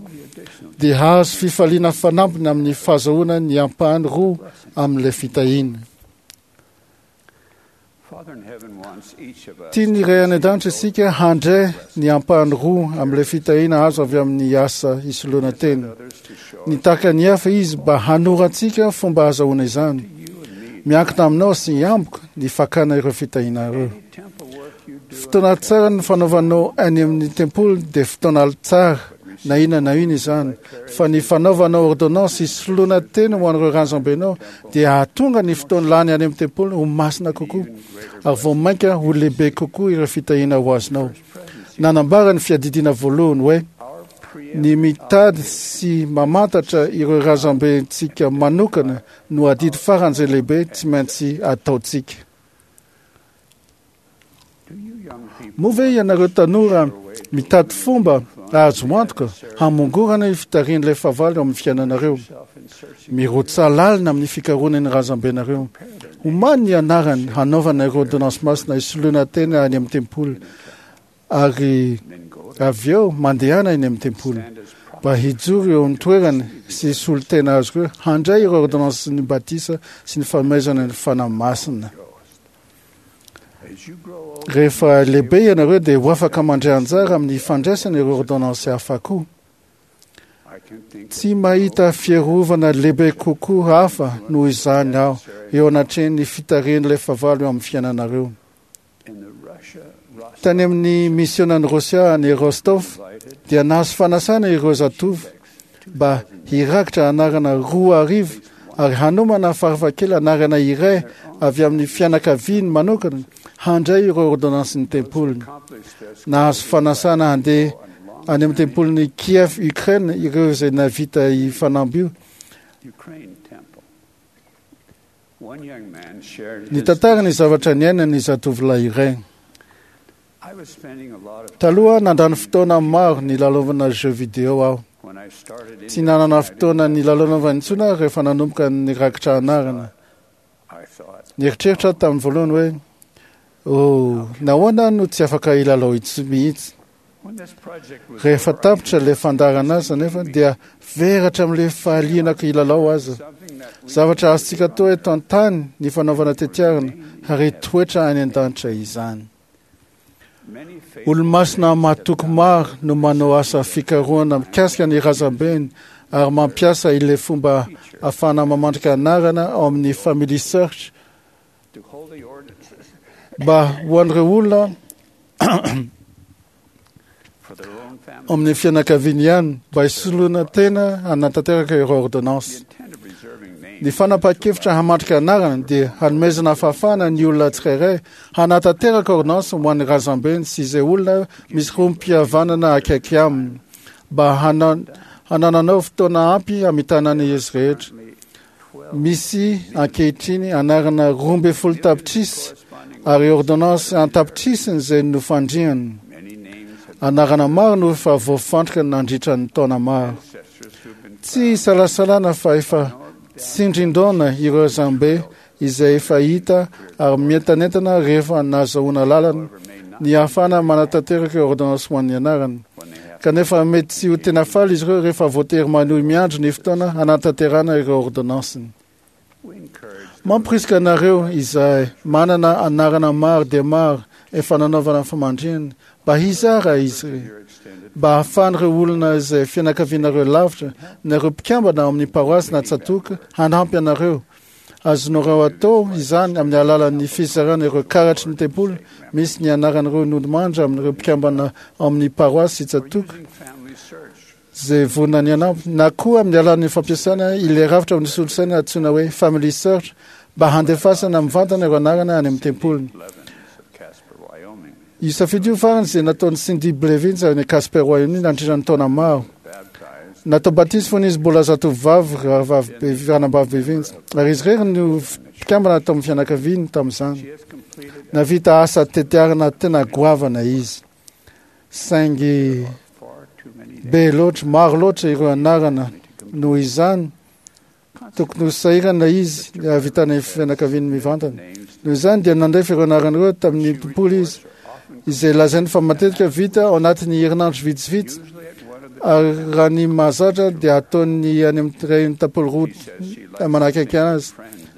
dia hahazo fifaliana fanampiny amin'ny fahazahoana ny ampahany roa amin'ilay fitahiana. Tian'ny Ray any an-danitra isika handray ny ampahany roa amin'ilay fitahiana azo avy amin'ny asa isoloana tena. Nitaka ny hafa izy mba hanorantsika fomba ahazahoana izany. Miankina aminao sy amiko ny fakana ireo fitahiana ireo. Fotoana tsara ny fanaovanao any amin'ny tempoly dia fotoana tsara na inona na inona izany, fa ny fanaovanao ordonnance isoloana tena ho an'ireo razambenao dia hahatonga ny fotoana lany any amin'ny tempoly ho masina kokoa ary vao mainka ho lehibe kokoa ireo fitahiana ho azonao. Nanambara ny fiadidiana voalohany hoe ny mitady sy mamantatra ireo razambentsika manokana no adidy faran'izay lehibe tsy maintsy ataontsika. Moa ve ianareo tanora mitady fomba ahazo antoka hamongorana io fitarihan'ilay fahavalo amin'ny fiainanareo? Mirotsa lalina amin'ny fikarohana ny razambenareo. Omany ny anarany hanaovana ireo ordonnance masina isoloana tena any amin'ny tempoly ary avy eo mandehana eny amin'ny tempoly mba hijoro eo amin'ny toerany sy hisolo tena azy ireo handray ireo ordonnance ny batisa sy ny fanomezana ny Fanahy Masina. Rehefa lehibe ianareo dia ho afaka mandray anjara amin'ny fandraisana ireo ordonnance hafa koa. Tsy mahita fiarovana lehibe kokoa hafa noho izany aho eo anatrehan'ny fitarihan'ilay fahavalo eo amin'ny fiainanareo. Tany amin'ny misionan'i Rosia any Rostov dia nahazo fanasana ireo zatovo mba hirakitra anarana roa arivo ary hanomana farafakely anarana iray avy amin'ny fianakaviany manokana handray ireo ordonnansin'ny tempoliny. Nahazo fanasana handeha any amin'ny tempolin'i Kiev, Ukraine ireo izay navita fanamby io. Nitantara ny zavatra niainany ny zatovolahy iray. Taloha nandany fotoana maro nilalaovana jeux vidéo aho. Tsy nanana fotoana nilalaovana intsony aho rehefa nanomboka nirakitra anarana. Nieritreritra aho tamin'ny voalohany hoe oh, nahoana no tsy afaka hilalao intsony mihitsy. Rehefa tapitra ilay fandaharana azy nefa dia veratra amin'ilay fahalianako hilalao aza. Zavatra azontsika atao eto an-tany ny fanaovana tetiarana ary hitoetra any an-danitra izany. Olomasina mahatoky maro no manao asa fikarohana mikasika ny razambeny ary mampiasa ilay fomba ahafahana mamandrika anarana ao amin'ny Family Search mba ho an'ireo olona amin'ny fianakaviany ihany mba hisoloana tena hanatanteraka ireo ordonnance. Ny fanapahan-kevitra hamandrika anarana dia hanomezana fahafahana ny olona tsirairay hanatanteraka ordonnance ho an'ny razambeny sy izay olona misy rohim-pihavanana akaiky aminy mba hanananao fotoana ampy hamitana ny izy rehetra. Misy ankehitriny anarana roa ambin'ny folo tapitrisa ary ordonnance an-tapitrisany izay nofandriany. Anarana maro no efa voafandrika nandritra ny taona maro. Tsy isalasalana fa efa tsindrin-daona ireo razambe izay efa hita ary mientanentana rehefa nahazahoana lalana ny ahafahana manatanteraka ireo ordonnance ho an'ny anarana. Kanefa mety tsy ho tena faly izy ireo rehefa voatery manohy miandry ny fotoana hanatanterahana ireo ordonnanceny. Mampirisika anareo izay manana anarana maro dia maro efa nanaovana famandrihana mba hizara izy ireo mba hahafahan'ireo olona izay fianakavianareo lavitra na ireo mpikambana ao amin'ny paroasy na tsatoka hanampy anareo. Azonareo atao izany amin'ny alalan'ny fizarana ireo karatry ny tempoly misy ny anaran'ireo nodimandry amin'ireo mpikambana ao amin'ny paroasy sy tsatoka izay vonona ny hanampy, na koa amin'ny alalan'ny fampiasana ilay rafitra amin'ny solosaina antsoina hoe Family Search mba handefasana mivantana ireo anarana any amin'ny tempoliny. Io safidy io farany izay nataon'i Cindy Blevins avy any Casper, Wyoming nandritra ny taona maro. Natao batisa fony izy mbola zatovovavy rahavavy ranabavy Blevins ary izy irery no mpikambana tao amin'ny fianakaviany tamin'izany. Navita asa tetiarana tena goavana izy. Saingy be loatra, maro loatra ireo anarana noho izany Tokony ho sahirana izy ny hahavitana ny fianakaviany mivantana. Noho izany dia nandefa ireo anarana ireo tamin'ny tempoly izy, izay lazainy fa matetika vita ao anatin'ny herinandro vitsivitsy, ary raha ny mahazatra dia ataony any amin'ny iray tempoly roa manakaiky azy.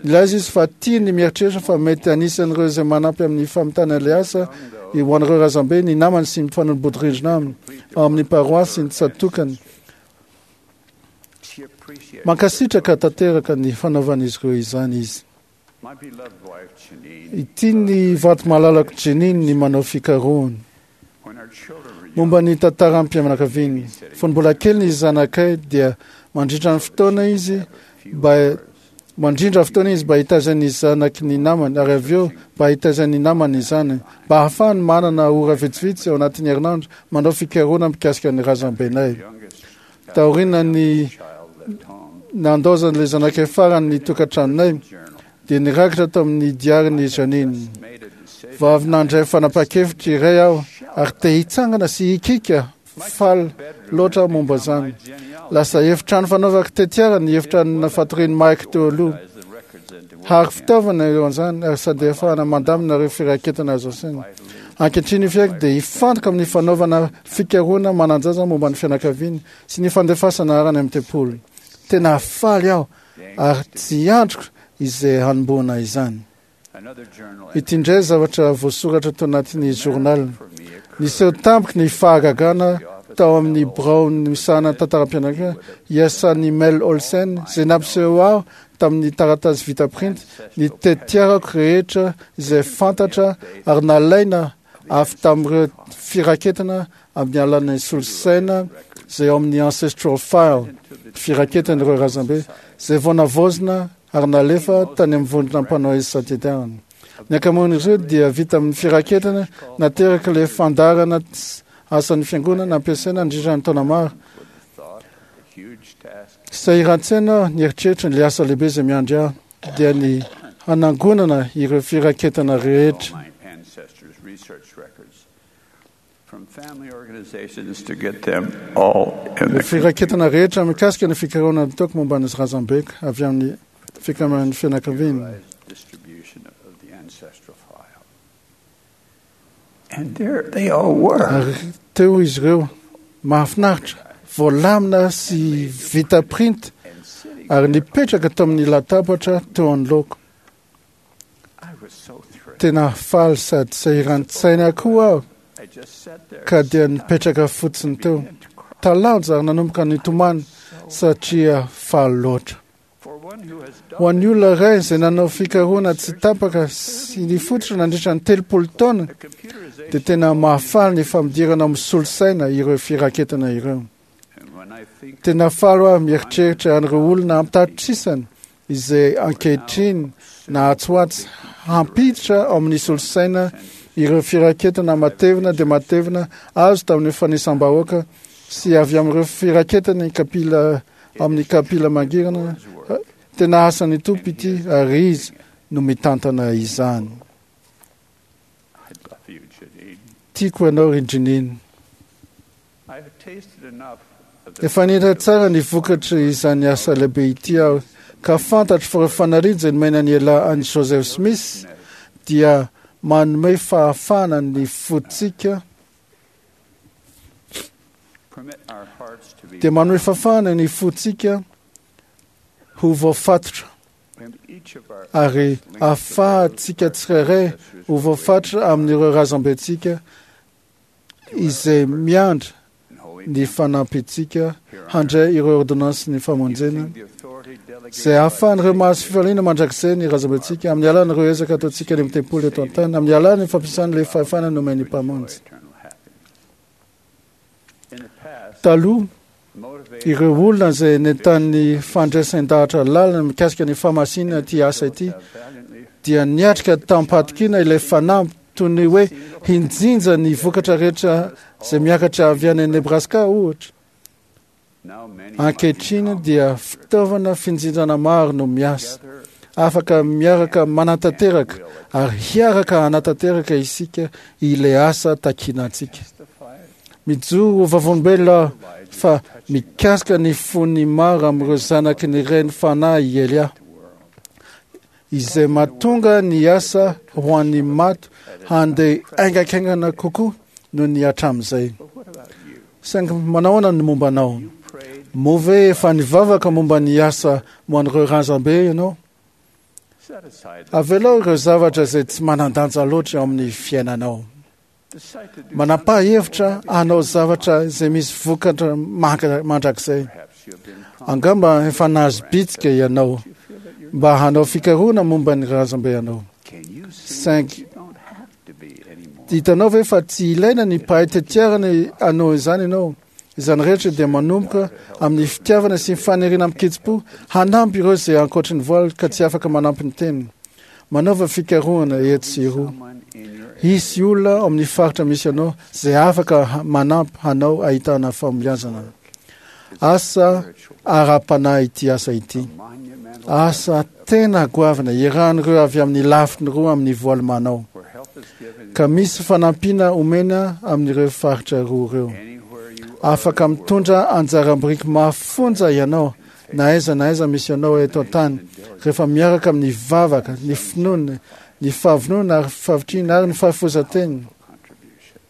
Nilaza izy fa tia ny mieritreritra fa mety anisan'ireo izay manampy amin'ny famitana ilay asa ho an'ireo razambe ny namany sy ny mpifanolo-bodirindrina aminy ao amin'ny paroasy sy ny tsatokany. Mankasitraka tanteraka ny fanaovan'izy ireo izany izy. Ity ny vady malalako Jeanine ny manao fikarohana momba ny tantaram-pianakaviany. Fony mbola kely ny zanakay dia mandrindra ny fotoana izy mba mandrindra fotoana izy mba hitaizan'ny zanaky ny namany, ary avy eo mba hitaizan'ny namany izany, mba ahafahany manana ora vitsivitsy ao anatin'ny herinandro manao fikarohana mikasika ny razambenay. Taorian'ny nandaozan'ilay zanakay farany ny tokantranonay, dia nirakitra tamin'ny diarin'i Jeanine. Vao avy nandray fanapahan-kevitra iray aho ary te hitsangana sy hikika faly loatra momba izany. Lasa efitrano fanaovako tetiara ny efitrano fatorian'i Mike teo aloha. Ary fitaovana eo an'izany ary sady ahafahana mandamina ireo firaketana azo asaina. Ankehitriny io fiaiko dia hifantoka amin'ny fanaovana fikarohana manan-jaza momba ny fianakaviany sy ny fandefasana arany amin'ny tempoly. Tena faly aho ary tsy andriko izay hanombohana izany. Ity indray zavatra voasoratra tao anatin'ny journal. Niseho tampoka ny fahagagana tao amin'ny birao misahana tantaram-pianakaviana iasan'i Mel Olsen, izay nampiseho aho tamin'ny taratasy vita printy ny tetiarako rehetra izay fantatra ary nalaina avy tamin'ireo firaketana amin'ny alalan'ny solosaina izay ao amin'ny ancestral file, firaketan'ireo razambe izay vao navaozina ary nalefa tany amin'ny vondrona mpanao isan-tetiarana. Ny ankamaroan'izy ireo dia vita amin'ny firaketana nateraka ilay fandaharana asan'ny fiangonana nampiasaina nandritra ny taona maro. Sahiran-tsaina aho nieritreritra ny asa lehibe izay miandry ahy, dia ny hanangonana ireo firaketana rehetra. My ancestors' research records from family organizations to get them all in Ireo the firaketana rehetra mikasika ny fikarohana nataoko momba ny razambeko avy amin'ny fikambanan'ny fianakaviana. computerized distribution of the ancestral file. And there they all were. Ary teo izy ireo, mahafinaritra, voalamina sy vita printy And sitting ary nipetraka tamin'ny latabatra teo anoloako. I was so thrilled. Tena faly sady sahiran-tsaina koa aho I just sat there ka dia nipetraka fotsiny teo. began to cry. Talanjo ary nanomboka nitomany satria faly loatra. For one who has Ho done an'ny olona iray izay nanao fikarohana tsy tapaka sy nifototra nandritra ny telopolo taona, the computerization, dia tena mahafaly ny fampidirana amin'ny solosaina ireo firaketana ireo. and when I think Tena faly aho mieritreritra an'ireo olona ampitapitrisany izay ankehitriny na atsy ho atsy hampiditra ao amin'ny solosaina ireo firaketana matevina dia matevina azo tamin'ny fanisam-bahoaka sy avy amin'ireo firaketana ny kapila amin'ny kapila mangirana. Tena asan'ny Tompo ity ary izy no mitantana izany. I love you, Janine. Tiako ianao ry Jeanine. I've tasted enough of the Efa nihira tsara ny vokatra izany asa lehibe ity aho ka fantatro fa ireo fanariana izay nomena ny ela an'i Joseph Smith dia manome fahafahana ny fontsika, permit our hearts to be dia manome fahafahana ny fontsika ho voafatotra and each of our ary ahafahantsika tsirairay ho voafatotra amin'ireo razambentsika izay miandry and holy ny fanampintsika handray ireo ordonnance ny famonjena using the authority delegated izay ahafahan'ireo mahazo fifaliana mandrakizay ny razambentsika amin'ny alalan'ireo ezaka ataontsika any amin'ny tempoly eto an-tany, amin'ny alalan'ny fampiasana ilay fahefana nomen'ny Mpamonjy. eternal happiness. In the past, Taloha, motivated ireo olona izay nentanin'ny fandraisan-dahatra lalina mikasika ny famasinana ity asa ity valiantly dia niatrika tamim-pahatokiana ilay fanamby toy ny hoe hinjinja ny vokatra rehetra izay miakatra avy any Nebraska ohatra. now many Ankehitriny dia fitaovana finjinjana maro no miasa. together Afaka miaraka manatanteraka ary hiaraka hanatanteraka isika ilay asa takiana antsika. testify Mijoro ho vavolombelona fa mikasika ny fon'ny maro amin'ireo zanaky ny reny fanahy i Elia, izay mahatonga ny asa ho an'ny maty handeha haingankaingana kokoa noho ny hatramin'izay. Saingy manahoana ny momba anao? Moa ve efa nivavaka momba ny asa ho an'ireo razambe ianao? Set aside the Avelao ireo zavatra izay tsy manan-danja loatra eo amin'ny fiainanao. decide to do Manapaha hevitra hanao zavatra izay misy vokatra manka- mandrakizay. Perhaps you have been prompted. Angamba efa nahazo bitsika ianao You feel that you're mba hanao fikarohana momba ny razambe ianao. Can you see Saingy that you don't have to be anymore? hitanao ve fa tsy ilaina ny mpahay tetiarana hanao izany ianao? Izany rehetra dia manomboka amin'ny fitiavana sy ny faniriana amin-kitsim-po hanampy ireo izay ankoatry ny voaly ka tsy afaka manampy ny teniny. Manaova fikarohana etsy sy eroa. Someone in your Hisy olona ao amin'ny faritra misy anao izay afaka ha- manampy hanao ahitana fahombiazana. Asa ara-panahy ity asa ity. monumental Asa tena goavana iarahan'ireo avy amin'ny lafiny roa amin'ny voaly manao. where help is given Ka misy fanampiana omena amin'ireo faritra roa ireo. anywhere you are Afaka mitondra anjara-biriky mafonja ianao na aiza na aiza misy anao eto an-tany rehefa miaraka amin'ny vavaka, ny finoana, ny fahavonona ary fahavitrihana ary ny fahafozan-teny. contribution.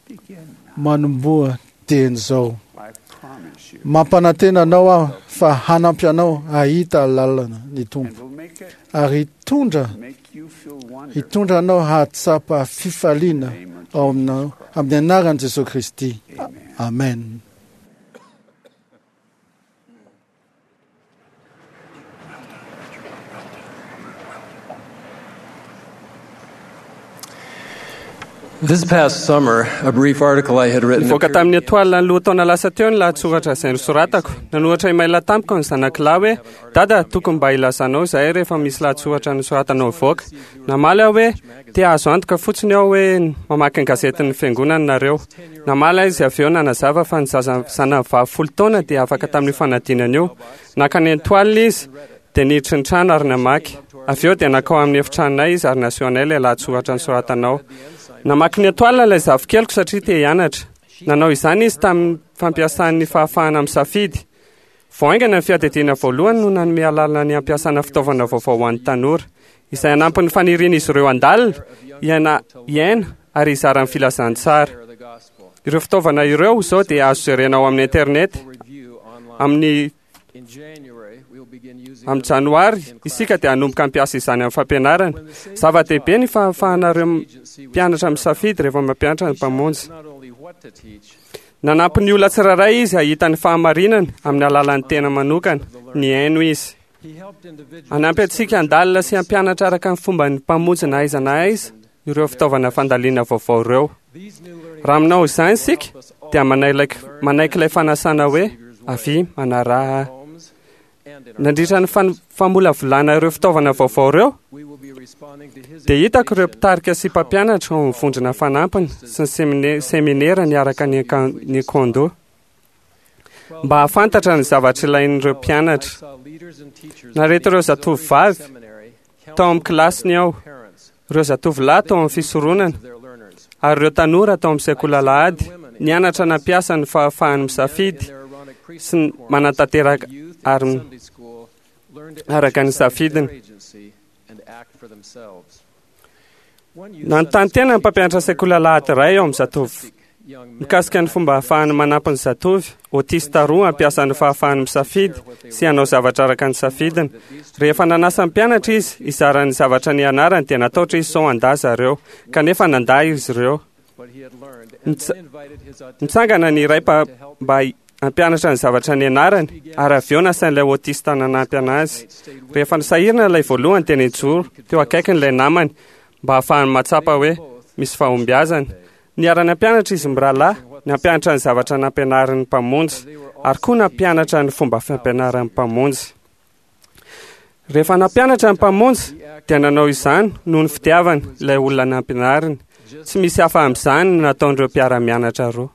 Begin now. Manomboha dieny izao. I promise you. Mampanantena anao aho fa hanampy anao hahita lalana ny And Tompo will make it ary hitondra make you feel wonderful. hitondra anao hahatsapa fifaliana ao aminao amin'ny anaran'i Jesosy Kristy. Amen. Amen. This past summer, a brief article I had written Nivoaka appeared tamin'ny etoile ny lohataona lasa teo ny lahatsoratra izay nosoratako. Nanoratra email tamiko ny zanak'lahy hoe dada tokony mba ilazanao izahay rehefa misy lahatsoratra nosoratanao mivoaka. Namaly aho hoe te hahazo antoka fotsiny aho hoe mamaky ny gazetin'ny fiangonana nareo. Namaly izy avy eo nanazava fa ny zaza zanany vavy folo taona dia afaka tamin'io fanadinana io. Naka ny etoile izy dia niditra ny trano ary namaky. Avy eo dia nankao amin'ny efitranonay izy ary naseho anay ilay lahatsoratra nosoratanao. Namaky ny etoile ilay zafikeliko satria te hianatra. Nanao izany izy tamin'ny fampiasan'ny fahafahana misafidy. Vao haingana ny fiadidiana voalohany no nanome alalana ny hampiasana fitaovana vaovao ho an'ny tanora, izay hanampy ny fanirian'izy ireo handalina, hiaina hiaina ary hizara ny filazantsara. Ireo fitaovana ireo izao dia azo jerena ao amin'ny internet amin'ny amin'ny janoary isika dia hanomboka hampiasa izany amin'ny fampianarana. Zava-dehibe ny fahafahanareo mpianatra misafidy rehefa mampianatra ny mpamonjy. Nanampy ny olona tsirairay izy hahita ny fahamarinana amin'ny alalan'ny tena manokana, nihaino izy. Hanampy antsika handalina sy hampianatra araka ny fomba ny mpamonjy na aiza na aiza ireo fitaovana fandalina vaovao ireo. Raha aminao izany isika dia manaiky manaiky ilay fanasana hoe avia manaraha ahy. Nandritra ny fan- famolavolana ireo fitaovana vaovao ireo dia hitako ireo mpitarika sy mpampianatra ao amin'ny vondrona fanampiny sy ny semine- seminera niaraka ny aka- ny kondo mba hahafantatra ny zavatra ilain'ireo mpianatra. Nareto ireo zatovovavy tao amin'ny kilasiny aho, ireo zatovolahy tao amin'ny fisoronana ary ireo tanora tao amin'ny sekoly alahady nianatra nampiasa ny fahafahany misafidy sy ny manatanteraka ary araka ny safidiny. Nanontany tena ny mpampianatra sekoly alahady iray ao amin'ny zatovo mikasika ny fomba ahafahany manampy ny zatovy autista roa hampiasa ny fahafahany misafidy sy hanao zavatra araka ny safidiny. Rehefa nanasa ny mpianatra izy hizara ny zavatra nianarany dia nataotra izy sao handà zareo, kanefa nandà izy ireo. Nitsa- Nitsangana ny iray mpa- mba hampianatra ny zavatra nianarany ary avy eo nasain'ilay autista nanampy anazy. Rehefa nisahirana ilay voalohany dia nijoro teo akaikiny ilay namany mba hahafahany mahatsapa hoe misy fahombiazana. Niara-nampianatra izy mirahalahy, nampianatra ny zavatra nampianarin'ny mpamonjy ary koa nampianatra ny fomba fampianaran'ny mpamonjy. Rehefa nampianatra ny mpamonjy dia nanao izany noho ny fitiavany ilay olona nampianariny. Tsy misy hafa amin'izany no nataon'ireo mpiara-mianatra roa.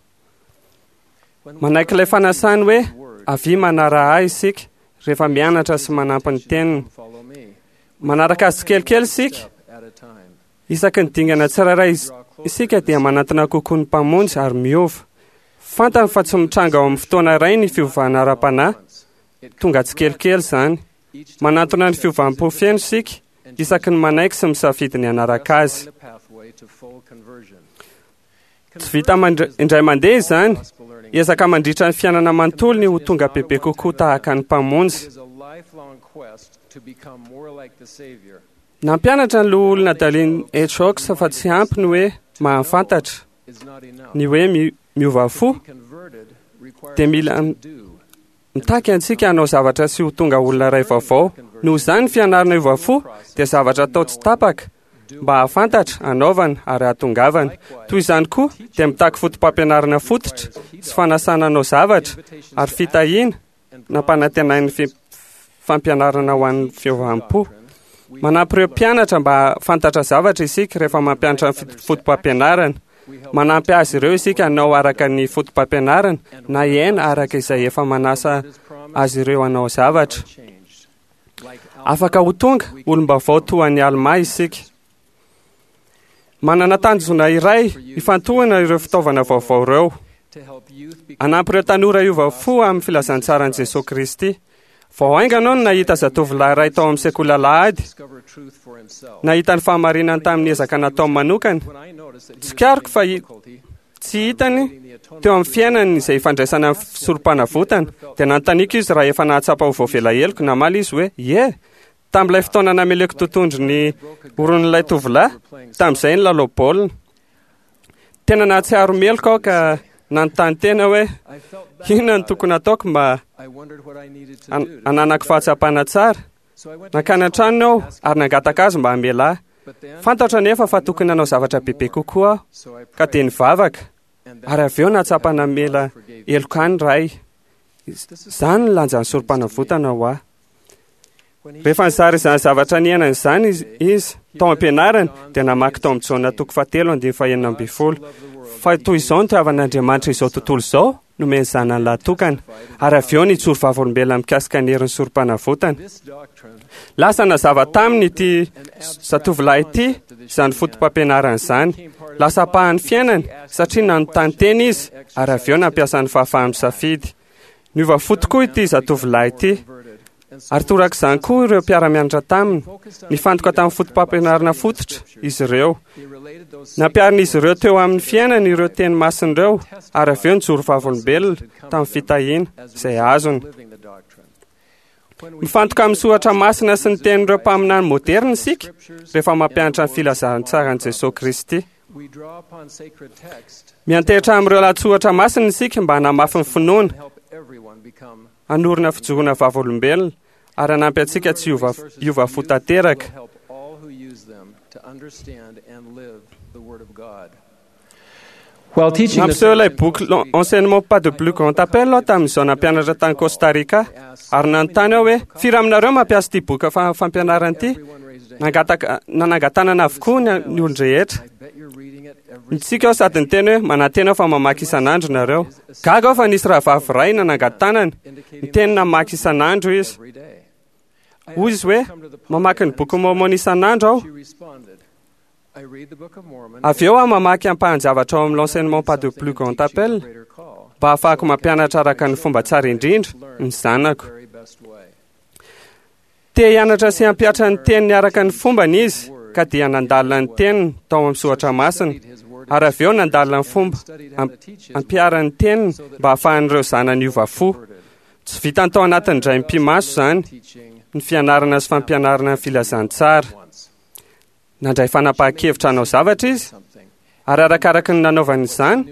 Manaiky ilay fanasany hoe avia manaraha ahy isika rehefa mianatra sy manampy ny teniny. Manaraka azy tsikelikely isika. Isaky ny dingana tsirairay is- isika dia manantona kokoa ny mpamonjy ary miova. Fantany fa tsy mitranga ao amin'ny fotoana iray ny fiovana ara-panahy, tonga tsikelikely izany. Manantona ny fiovam-po feno isika isaky ny manaiky sy misafidy ny hanaraka azy. Tsy vita indray mandeha izany, ezaka mandritra ny fiainana manontolo ny ho tonga bebe kokoa tahaka ny Mpamonjy. Nampianatra ny loholona Dallin H. Oaks fa tsy ampy ny hoe mahafantatra, ny hoe miova fo dia mila mitaky antsika hanao zavatra sy ho tonga olona iray vaovao. Noho izany, ny fianarana hiova fo dia zavatra atao tsy tapaka mba hahafantatra, hanaovana ary hahatongavana. Toy izany koa dia mitaky foto-pampianarana fototra sy fanasana hanao zavatra ary fitahiana nampanantenain'ny fampianarana ho an'ny fiovam-po. Manampy ireo mpianatra mba hahafantatra zavatra isika rehefa mampianatra ny foto-pampianarana. Manampy azy ireo isika hanao araka ny foto-pampianarana na hiaina araka izay efa manasa azy ireo hanao zavatra. Afaka ho tonga olom-baovao toa an'i Alma isika. Manana tanjona iray ifantohana ireo fitaovana vaovao ireo. Hanampy ireo tanora hiova fo amin'ny filazantsaran'i Jesosy Kristy. Vao haingana aho no nahita zatovolahy iray tao amin'ny sekoly alahady. Nahita ny fahamarinany tamin'ny ezaka nataony manokana. Tsikariko fa tsy hitany teo amin'ny fiainany izay ifandraisana amin'ny sorom-panavotana. Dia nanontaniako izy raha efa nahatsapa ho voavela heloka. Namaly izy hoe, "Ie, tamin'ilay fotoana nameleko totohondry ny oron'ilay tovolahy, tamin'izay ny lalao baolina. Tena nahatsiaro meloka aho ka nanontany tena hoe inona no tokony hataoko mba hananako fahatsapana tsara. Nankany an-tranony aho ary nangataka azy mba hamela ahy. Fantatro anefa fa tokony hanao zavatra bebe kokoa aho, ka dia nivavaka ary avy eo nahatsapa namela heloka ahy ny Ray. Izany no lanjan'ny sorom-panavotana ho ahy. Rehefa nizara izany zavatra niainany izany izy tao am-pianarana, dia namaky tao amin'ny Jaona toko fahatelo andininy fahenina ambin'ny folo fa toy izao no tiavan'Andriamanitra izao tontolo izao, nomeny zanany lahy tokana, ary avy eo nijoro vavolombelona mikasika ny herin'ny sorom-panavotana. Lasa nazava taminy ity zatovolahy ity izany foto-pampianarana izany. Lasa ampahan'ny fiainany satria nanontany tena izy ary avy eo nampiasa ny fahafahany misafidy. Niova fo tokoa ity zatovolahy ity. Ary torak'izany koa ireo mpiara-mianatra taminy. Nifantoka tamin'ny foto-pampianarana fototra izy ireo. Nampiharin'izy ireo teo amin'ny fiainany ireo teny masina ireo ary avy eo nijoro vavolombelona tamin'ny fitahiana izay azony. Mifantoka amin'ny soratra masina sy ny tenin'ireo mpaminany moderna isika rehefa mampianatra ny filazantsaran'i Jesosy Kristy. Miantehitra amin'ireo lahatsoratra masina isika mba hanamafy ny finoana, hanorina fijoroana vavolombelona ary hanampy antsika tsy hiova fo tanteraka. Nampiseho ilay boky Enseignement pas de plus grand appel aho tamin'izao nampianatra tany Costa Rica ary nanontany aho hoe firy aminareo mampiasa ity boky fampianarana ity. Nangataka nanangan-tanana avokoa ny olon-drehetra. Nitsika aho sady niteny hoe manantena aho fa mamaky isan'andro nareo. Gaga aho fa nisy rahavavy iray nanangan-tanana, niteny namaky isan'andro izy. Hoy izy hoe mamaky ny boky Mormon isan'andro aho. Avy eo aho mamaky ampahan-javatra ao amin'ny L'enseignement pas de plus grand appel mba hahafahako mampianatra araka ny fomba tsara indrindra ny zanako. Te hianatra sy hampihatra ny teniny araka ny fombany izy ka dia nandalina ny teniny tao amin'ny soratra masina ary avy eo nandalina ny fomba ampiharany ny teniny mba hahafahan'ireo zanany hiova fo. Tsy vitany tao anatin'ny indray mipi-maso izany ny fianarana sy fampianarana ny filazantsara. Nandray fanapahan-kevitra hanao zavatra izy ary arakaraka ny nanaovany izany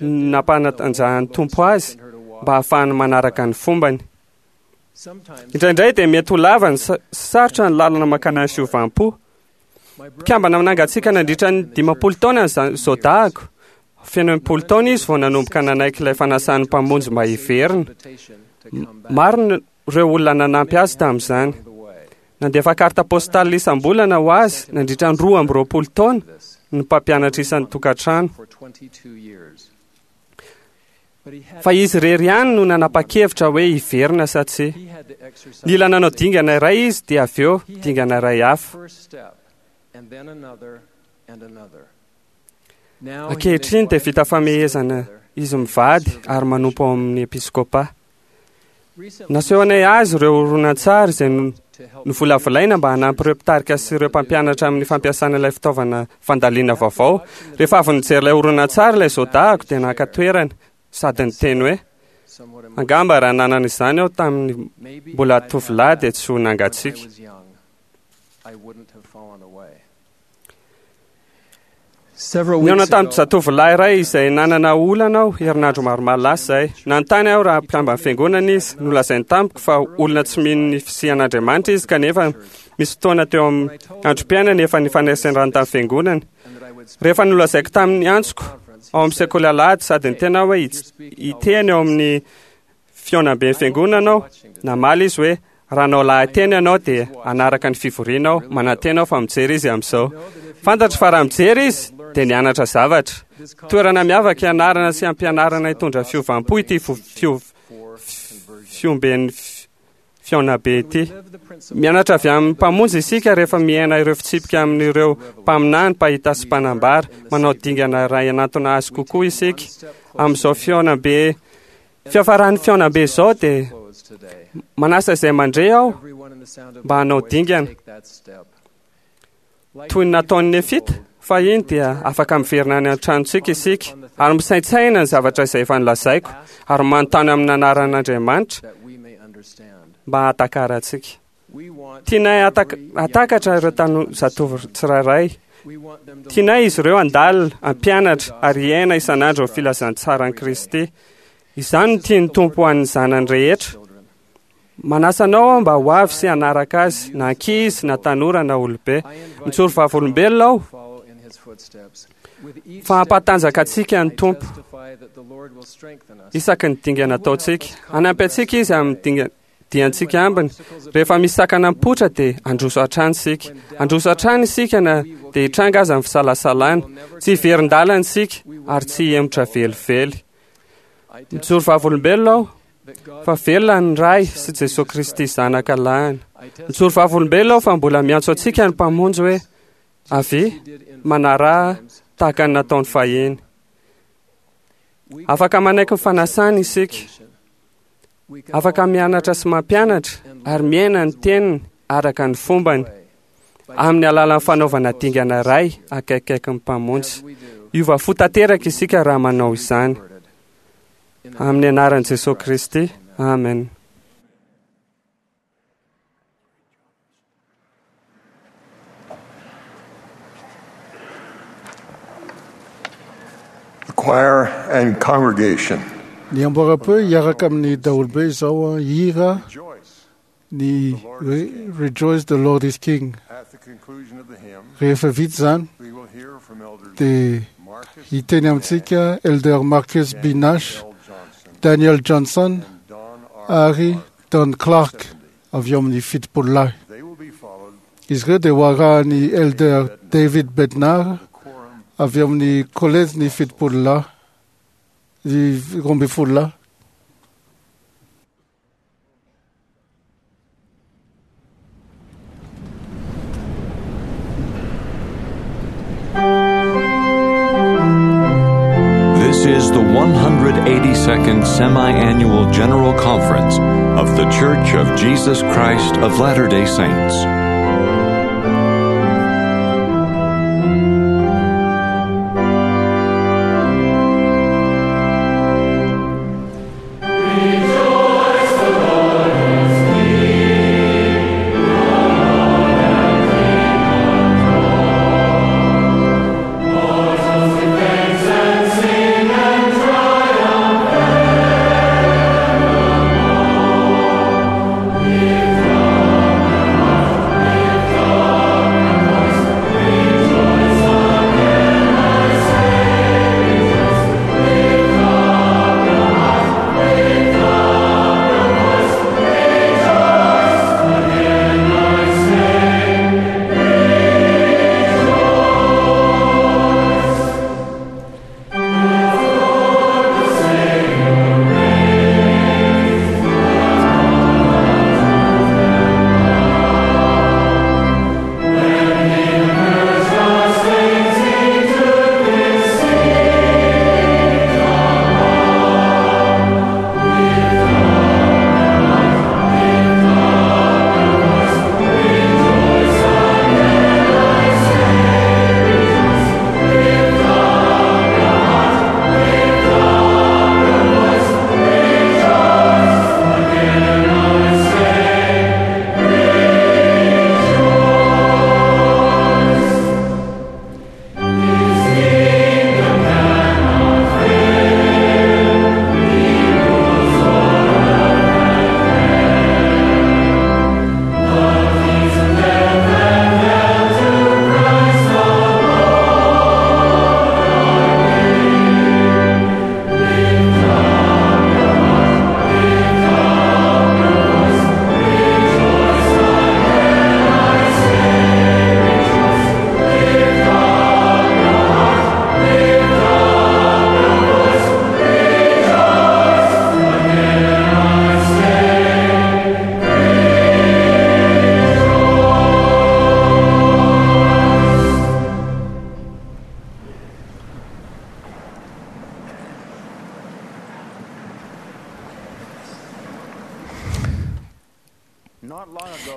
no nampanatanjahan'ny Tompo azy mba hahafahany manaraka ny fombany. Indraindray dia mety ho lava ny sarotra ny lalana mankany amin'ny fiovam-po. Mpikambana nangatsiaka nandritra ny dimampolo taona ny zaodahako. Feno enimpolo taona izy vao nanomboka nanaiky ilay fanasan'ny Mpamonjy mba hiverina. Maro ireo olona nanampy azy tamin'izany. Nandefa carte postale isam-bolana ho azy nandritra ny roa amby roapolo taona ny mpampianatra isan'ny tokantrano. Fa izy irery ihany no nanapa-kevitra hoe hiverina sa tsia. Nila nanao dingana iray izy dia avy eo dingana iray hafa. Ankehitriny dia vita famehezana izy mivady ary manompo ao amin'ny episkopa. Nasehonay azy ireo horonantsary izay novolavolaina mba hanampy ireo mpitarika sy ireo mpampianatra amin'ny fampiasana ilay fitaovana fandalina vaovao. Rehefa avy nijery ilay horonantsary ilay zaodahako dia naka toerana sady niteny hoe angamba raha nanana izany aho tamin'ny mbola tovolahy dia tsy ho nangatsiaka. Nihaona tamin'ny zatovolahy iray izay nanana olana aho herinandro maromaro lasa izay. Nanontany aho raha mpikamban'ny fiangonana izy. Nolazainy tamiko fa olona tsy mino ny fisian'Andriamanitra izy, kanefa misy fotoana teo amin'ny androm-piainany efa nifaneraserany tamin'ny fiangonana. Rehefa nolazaiko tamin'ny antsoko ao amin'ny sekoly alahady sady niteny aho hoe hiteny ao amin'ny fihaonamben'ny fiangonana aho, namaly izy hoe raha hanao lahateny ianao dia hanaraka ny fivoriana aho, manantena aho fa mijery izy amin'izao. Fantatro fa raha mijery izy dia nianatra zavatra. Toerana miavaka ianarana sy ampianarana hitondra fiovam-po ity fiomben'ny fihaonambe ity. Mianatra avy amin'ny Mpamonjy isika rehefa miaina ireo fitsipika amin'ireo mpaminany, mpahita sy mpanambara. Manao dingana iray hanantona azy kokoa isika. Amin'izao fihaonambe fiafaran'ny fihaonambe izao dia manasa izay mandre aho mba hanao dingana. Toy ny nataon'ny Nefita fahiny dia afaka miverina any an-tranontsika isika ary misaintsaina ny zavatra izay efa nolazaiko ary manontany amin'ny anaran'Andriamanitra mba hahatakarantsika. Tianay hatakatra ireo tano zatovo tsirairay. Tianay izy ireo handalina, hampianatra ary hiaina isan'andro ny filazantsaran'i Kristy. Izany no tian'ny Tompo ho an'ny zanany rehetra. Manasa anao aho mba ho avy sy hanaraka azy, na ankizy, na tanora, na olobe. Mijoro vavolombelona aho fa hampatanjaka antsika ny Tompo isaky ny dingana ataontsika. Hanampy antsika izy amin'ny dinga diantsika ambiny. Rehefa misy sakana mipoitra dia handroso hatrany isika. Handroso hatrany isika na dia hitranga aza ny fisalasalana. Tsy hiverin-dalana isika ary tsy hihemotra velively. Mijoro vavolombelona aho fa velona ny Ray sy Jesosy Kristy zanaka lahiny. Mijoro vavolombelona aho fa mbola miantso antsika ny Mpamonjy hoe avia, manaraha tahaka ny nataony fahiny. Afaka manaiky ny fanasany isika. Afaka mianatra sy mampianatra ary miaina ny teniny araka ny fombany amin'ny alalan'ny fanaovana dingana iray akaikikaiky ny Mpamonjy. Hiova fo tanteraka isika raha manao izany. Amin'ny anaran'i Jesosy Kristy. Amen. The choir and congregation. Ny amboara-peo hiaraka amin'ny daholobe izao hira ny Rejoice the Lord is King. At the conclusion of the hymn, Rehefa vita izany we will hear from Elders dia Marcus hiteny amintsika Elder Marcus B. Nash, L. Johnson, Daniel Johnson and Don R. ary Don Clark avy eo amin'ny fitopolo lahy. They will be followed Izy ireo dia ho arahan'ny Elder David Bednar the quorum avy eo amin'ny kolejy ny fitopolo lahy, ny roa ambin'ny folo lahy. This is the one hundred eighty-second Semi-Annual General Conference of The Church of Jesus Christ of Latter-day Saints.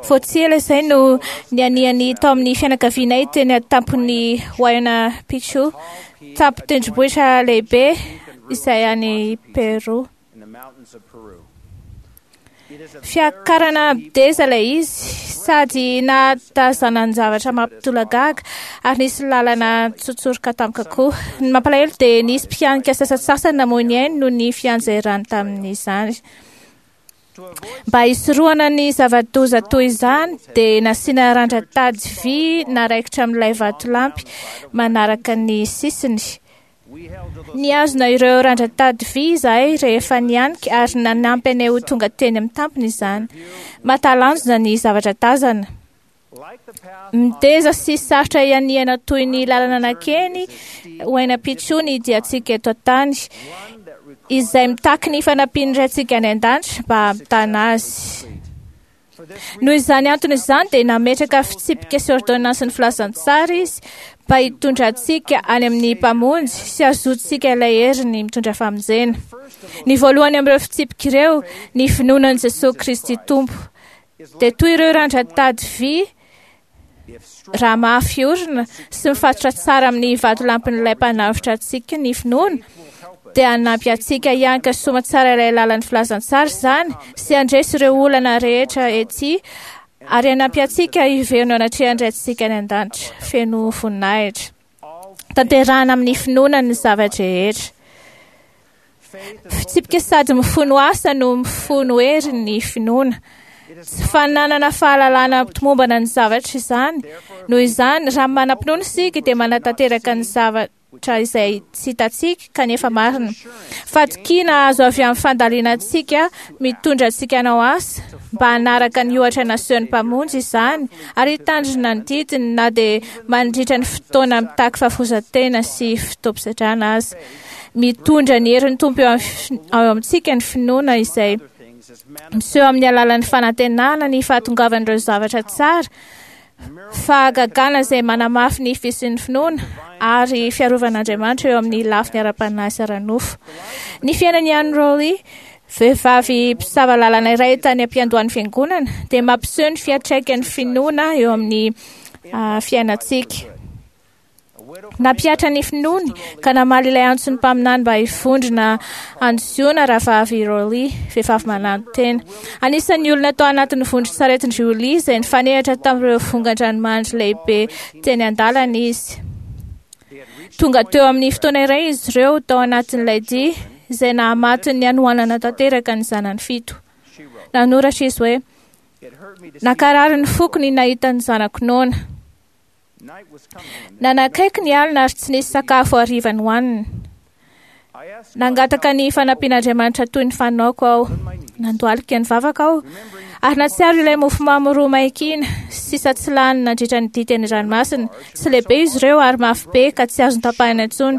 Vao tsy ela izay no nianihany tao amin'ny fianakavianay teny an-tampon'ny Huayna Picchu, tampon-tendrombohitra lehibe izay any Peru. Fiakarana mideza ilay izy sady nahatazanany-javatra mampitolagaga ary nisy lalana tsotsoroka tampoka koa. Ny mampalahelo dia nisy mpihanika sasantsasany namoy ny ainy noho ny fianjerany tamin'izany. Mba hisorohana ny zava-doza toy izany dia nasiana randran-tady vy naraikitra amin'ilay vatolampy manaraka ny sisiny. Nihazona ireo randran-tady vy izahay rehefa nihanika ary nanampy anay ho tonga teny amin'ny tampony izany. Mahatalanjona ny zavatra tazana. Mideza sy sarotra ianihana toy ny lalana nankeny Huayna Picchu ny diantsika eto an-tany, izay mitaky ny fanampian'ny Raintsika any an-danitra mba hampitana azy. Noho izany antony izany dia nametraka fitsipika sy ordonnansin'ny filazantsara izy mba hitondra antsika any amin'ny Mpamonjy sy hahazoantsika ilay heriny mitondra famonjena. Ny voalohany amin'ireo fitsipika ireo, ny finoana an'i Jesosy Kristy Tompo, dia toy ireo randran-tady vy raha mafy orina sy mifatotra tsara amin'ny vatolampin'ilay mpanavotra antsika ny finoana, dia hanampy antsika hianka soma tsara ilay lalan'ny filazantsara izany sy handresy ireo olana rehetra ety ary hanampy antsika hiverina eo anatrehan'ny Raintsika any an-danitra feno voninahitra. Tanterahana amin'ny finoana ny zava-drehetra. Fitsipika sady mifono asa no mifono hery ny finoana. Tsy fananana fahalalana tomombana ny zavatra izany. Noho izany, raha manam-pinoana isika dia manatanteraka ny zavatra izay tsy hitantsika kanefa marina. Fatokiana azo avy amin'ny fandalinantsika mitondra antsika hanao asa mba hanaraka ny ohatra nasehon'ny Mpamonjy izany ary hitandrina ny didiny na dia mandritra ny fotoana mitaky fahafoizan-tena sy fotoam-pisedrana aza. Mitondra ny herin'ny Tompo eo amintsika ny finoana izay miseho amin'ny alalan'ny fanantenana ny fahatongavan'ireo zavatra tsara, fahagagana izay manamafy ny fisian'ny finoana ary fiarovan'Andriamanitra eo amin'ny lafiny ara-panahy sy ara-nofo. Ny fiainan'i Ann Rowley, vehivavy mpisava lalana iray tany am-piandohan'ny fiangonana, dia mampiseho ny fiantraikan'ny finoana eo amin'ny fiainantsika. Nampihatra ny finoany ka namaly ilay antson'ny mpaminany mba hivondrona any Ziona rahavavy Rowley, vehivavy mananotena. Anisan'ny olona tao anatin'ny vondron-tsaretin-dry Rowley izay nifanehatra tamin'ireo vongan-dranomandry lehibe teny an-dalana izy. Tonga teo amin'ny fotoana iray izy ireo tao anatin'ilay dia izay nahamaty ny hanoanana tanteraka ny zanany fito. Nanoratra izy hoe: "Nankarary ny foko ny nahita ny zanako noana. Nanakaiky ny alina ary tsy nisy sakafo hariva nohanina. Nangataka ny fanampian'Andriamanitra toy ny fanaoko aho. Nandohalika ny vavaka aho ary nahatsiaro ilay mofomamy roa maikina sisa tsy lany nandritra ny dia teny an-dranomasina. Tsy lehibe izy ireo ary mafy be ka tsy azo notapahina intsony.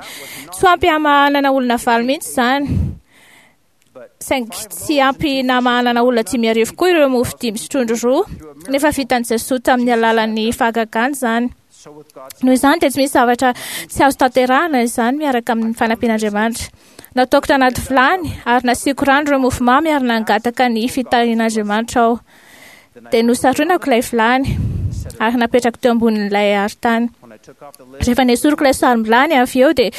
Tsy ho ampy hamahanana olona valo mihitsy izany. Saingy tsy ampy namahanana olona dimy arivo koa ireo mofo dimy sy trondro roa, nefa vitan'i Jesoa tamin'ny alalan'ny fahagagana izany. Noho izany dia tsy misy zavatra tsy azo tanterahana izany miaraka amin'ny fanampian'Andriamanitra. Nataoko tanaty vilany ary nasiako rano ireo mofomamy ary nangataka ny fitahian'Andriamanitra aho. Dia nosaronako ilay vilany ary napetrako teo ambonin'ilay arintany. Rehefa nesoriko ilay sarom-bilany avy eo dia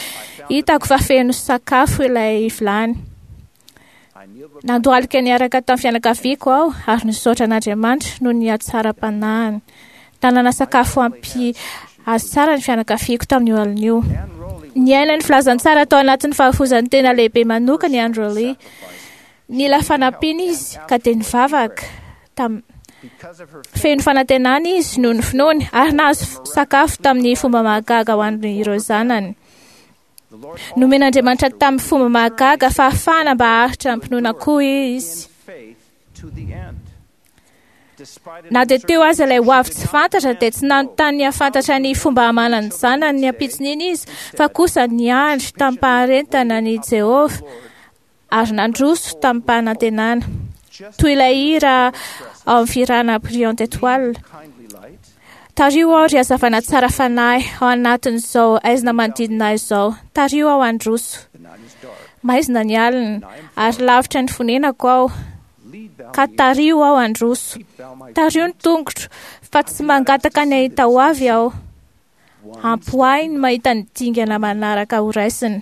hitako fa feno sakafo ilay vilany. Nandohalika niaraka tamin'ny fianakaviako aho ary nisaotra an'Andriamanitra noho ny hatsaram-panahiny. Nanana sakafo ampy azy tsara ny fianakaviako tamin'io alina io. Niaina ny filazantsara tao anatin'ny fahafoizan'ny tena lehibe manokana i Ann Rowley. Nila fanampiana izy ka dia nivavaka tam feno fanantenana izy noho ny finoany ary nahazo sakafo tamin'ny fomba mahagaga ho an'ireo zanany. Nomen'Andriamanitra tamin'ny fomba mahagaga fahafahana mba haharitra am-pinoana koa izy. Na dia teo aza ilay ho avy tsy fantatra dia tsy nanontany ny hahafantatra ny fomba hamanany zanany ny ampitson'iny izy, fa kosa niandry tamim-paharentana ny Jehovah ary nandroso tamim-panantenana. Toy ilay hira ao amin'ny fihirana Brillante Étoile. Tariho aho ry hazavana tsara fanahy ao anatin'izao aizina manodidina ahy izao. Tariho aho handroso. Maizina ny alina ary lavitra ny fonenako aho. ka tariho aho handroso. Tariho ny tongotro, fa tsy mangataka ny hahita ho avy aho. Ampy ahy ny mahita ny dingana manaraka horaisina.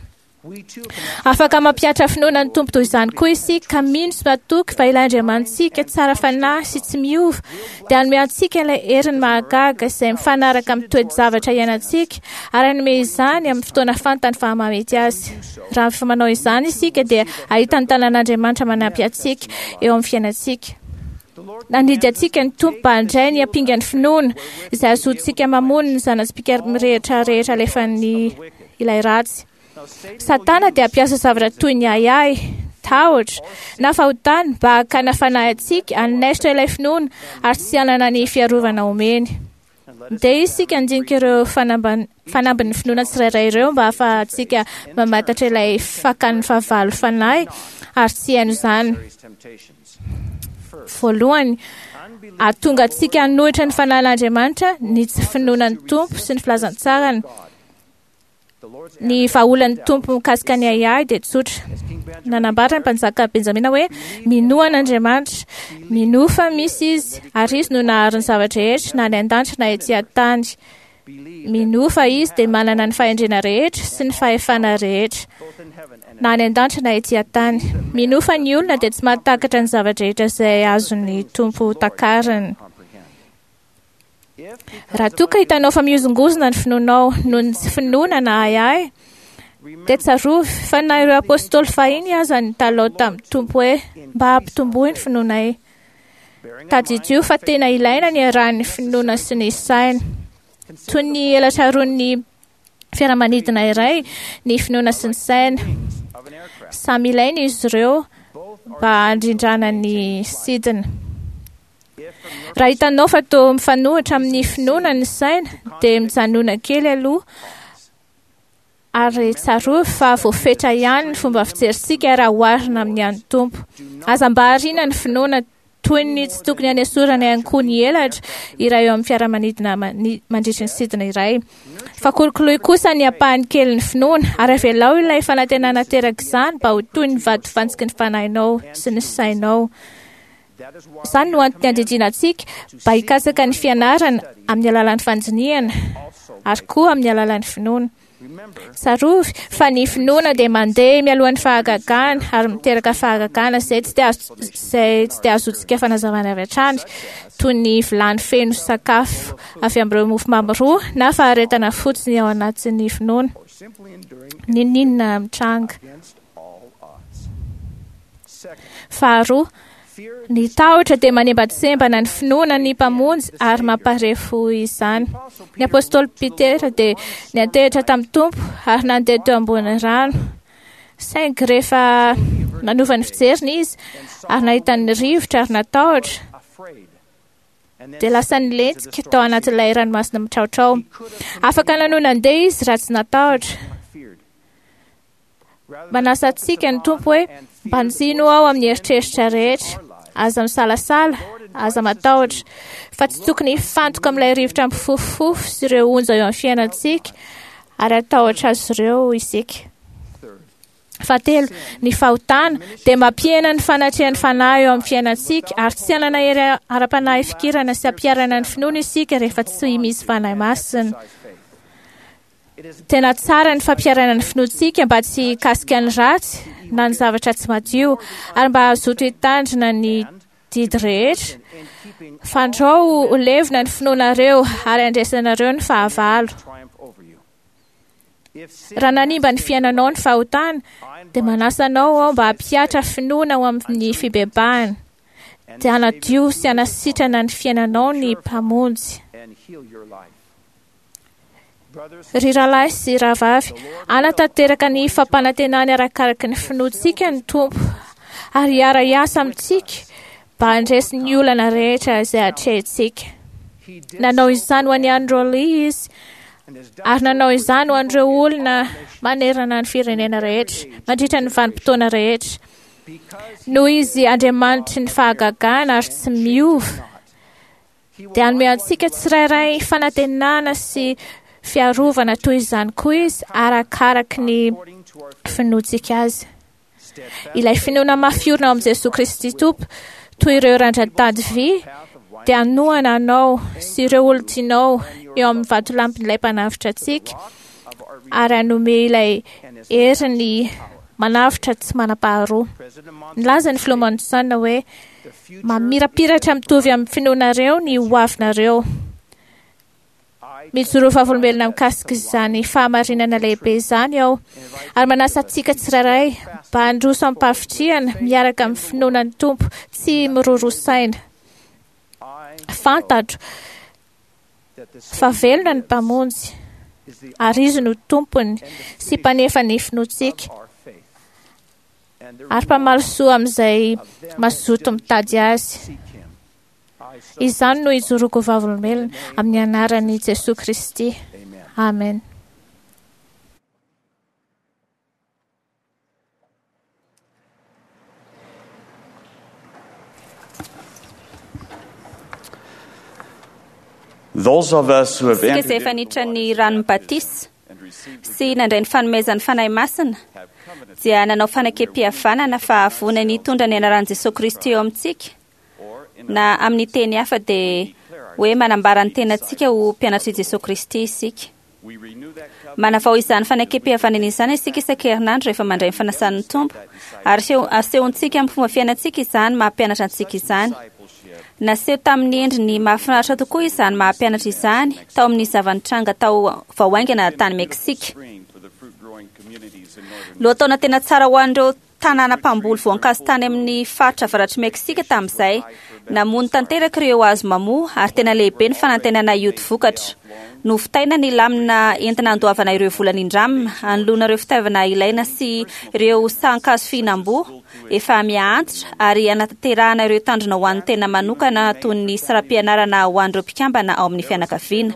Afaka mampihatra finoana ny Tompo toy izany koa isika, ka mino sy matoky fa ilay Andriamanitsika tsara fanahy sy tsy miova dia hanome antsika ilay heriny mahagaga izay mifanaraka amin'ny toe-javatra iainantsika, ary hanome izany amin'ny fotoana fantany fa mahamety azy. Raha manao izany isika dia hahita ny tanan'Andriamanitra manampy antsika eo amin'ny fiainantsika. Nandidy antsika ny Tompo mba handray ny ampingan'ny finoana izay ahazoantsika mamono ny zana-tsipìka mirehitra rehetra alefan'ny ilay ratsy. Satana dia hampiasa zavatra toy ny ahiahy, tahotra na fahotana mba hakana fanahy antsika hanaisitra ilay finoana ary tsy hanana ny fiarovana omeny. Ndeha isika handinika ireo fanambin'ny finoana tsirairay ireo mba hahafahantsika mamantatra ilay fakan'ny fahavalo fanahy ary tsy haino izany. Voalohany, hahatonga antsika hanohitra ny fanahin'Andriamanitra ny tsy finoana ny Tompo sy ny filazantsarany. Ny vahaolan'ny Tompo mikasika ny ahiahy dia tsotra. Nanambara ny mpanjaka Benjamina hoe minoa an'Andriamanitra, minoa fa misy izy, ary izy no nahary ny zava-drehetra na any an-danitra na ety an-tany. Minoa fa izy dia manana ny fahendrena rehetra sy ny fahefana rehetra na any an-danitra na ety an-tany. Minoa fa ny olona dia tsy mahatakatra ny zava-drehetra izay azon'ny Tompo takarina. Raha toa ka hitanao fa mihozongozona ny finoanao noho ny tsy finoana na ahiahy, dia tsarovy fa na ireo apôstôly fahiny aza nitalao tamin'ny Tompo hoe mba hampitomboy ny finoanay. Tadidio fa tena ilaina ny iarahan'ny finoana sy ny saina. Toy ny elatra roan'ny fiaramanidina iray ny finoana sy ny saina. Samy ilaina izy ireo mba handrindrana ny sidina. Raha hitanao fa toa mifanohitra amin'ny finoana ny saina, dia mijanona kely aloha ary tsarovy fa voafetra ihany ny fomba fijerintsika raha oharina amin'ny an'ny Tompo. Aza mba ariana ny finoana toy ny tsy tokony hanesorana ihany koa ny elatra iray eo amin'ny fiaramanidina mandritry ny sidina iray. Fa kolokoloy kosa ny ampahany kely ny finoana ary avelao ilay fanantenana teraka izany mba ho toy ny vatofantsiky ny fanahinao sy ny sainao. Izany no antony andidiana antsika mba hikatsaka ny fianarana amin'ny alalan'ny fandinihana ary koa amin'ny alalan'ny finoana. Tsarovy fa ny finoana dia mandeha mialohan'ny fahagagana ary miteraka fahagagana izay tsy dia izay tsy dia azontsika fanazavana avy hatrany, toy ny vilany feno sakafo avy amin'ireo mofomamy roa na faharetana fotsiny ao anatin'ny finoana. N'inon'inona mitranga. Faharoa, ny tahotra dia manembatsembana ny finoana ny Mpamonjy ary mamparefo izany. Ny apôstôly Petera dia niantehitra tamin'ny Tompo ary nandeha teo ambony rano. Saingy rehefa nanova ny fijeriny izy ary nahita ny rivotra ary natahotra, dia lasa nilentika tao anatin'ilay ranomasina mitraotrao. Afaka nanohy nandeha izy raha tsy natahotra. Manasa antsika ny Tompo hoe mbanjino aho amin'ny eritreritra rehetra, aza misalasala, aza matahotra, fa tsy tokony hifantoka amin'ilay rivotra mifofofofo sy ireo onja eo amin'ny fiainantsika ary hatahotra azy ireo isika. Fahatelo, ny fahotana dia mampihena ny fanatrehan'ny fanahy eo amin'ny fiainantsika ary tsy hanana hery ara-panahy fikirana sy hampiharana ny finoana isika rehefa tsy misy fanahy masina. Tena tsara ny fampiharana ny finoantsika mba tsy hikasika ny ratsy na ny zavatra tsy madio ary mba hazoto hitandrina ny didy rehetra. Fandrao ho levona ny finoanareo ary handresenareo ny fahavalo. Raha nanimba ny fiainanao ny fahotana, dia manasa anao aho mba hampihatra finoana ho amin'ny fibebahana. Dia hanadio sy hanasitrana ny fiainanao ny Mpamonjy. Ry rahalahy sy rahavavy, hanatanteraka ny fampanantenany arakaraky ny finoantsika ny Tompo ary hiara-hiasa amintsika mba handresy ny olana rehetra izay atrehintsika. Nanao izany ho an'i Andrew Lee izy ary nanao izany ho an'ireo olona manerana ny firenena rehetra mandritra ny vanim-potoana rehetra. Noho izy Andriamanitry ny fahagagana ary tsy miova, dia hanome antsika tsirairay fanantenana sy fiarovana toy izany koa izy arakaraky ny finoantsika azy. Ilay finoana mafy orina ao amin'i Jesoa Kristy Tompo, Toy ireo randra-tady vy dia hanohana anao sy ireo olon-tianao eo amin'ny vatolampin'ilay mpanavotra antsika ary hanome ilay heriny manavotra tsy manam-paharoa. Nilaza ny filoha Monson hoe mamirapiratra mitovy amin'ny finoanareo ny hoavinareo. Mijoro vavolombelona mikasika izany fahamarinana lehibe izany aho ary manasa antsika tsirairay mba handroso amim-pahavitrihana miaraka amin'ny finoana ny Tompo tsy miroroa saina. Fantatro fa velona ny Mpamonjy ary Izy no Tompony sy mpanefa ny finoantsika ary mpamaly soa amin'izay mazoto mitady Azy. Izany no ijoroako vavolombelona amin'ny anaran'i Jesoa Kristy. Amen. Those of us who have Isika entered izay efa niditra ny ranon'ny batisa sy nandray ny fanomezan'ny Fanahy Masina dia nanao fanekempihavanana fa vonona ny hitondra ny anaran'i Jesoa Kristy eo amintsika, na amin'ny teny hafa dia hoe manambara ny tenantsika ho mpianatr'i Jesoa Kristy isika. Manavao izany fanekempihavanana izany isika isan-kerinandro rehefa mandray ny fanasan'ny Tompo, ary aseo- asehontsika amin'ny fomba fiainantsika izany maha-mpianatra antsika izany. Naseho tamin'ny endriny mahafinaritra tokoa izany maha-mpianatra izany tao amin'ny zava-nitranga tao vao haingana tany Meksika. Lohataona tena tsara ho an'ireo tanàna mpamboly voankazo tany amin'ny faritra avaratr'i Meksika tamin'izay. Namono tanteraka ireo hazo mamoa ary tena lehibe ny fanantenana hioty vokatra. Novitaina ny lamina entina andoavana ireo vola nindramina, anoloana ireo fitaovana ilaina sy ireo sahan-kazo fihinam-boa efa miha-antitra ary hanatanterahana ireo tanjona ho an'ny tena manokana toy ny saram-pianarana ho an'ireo mpikambana ao amin'ny fianakaviana.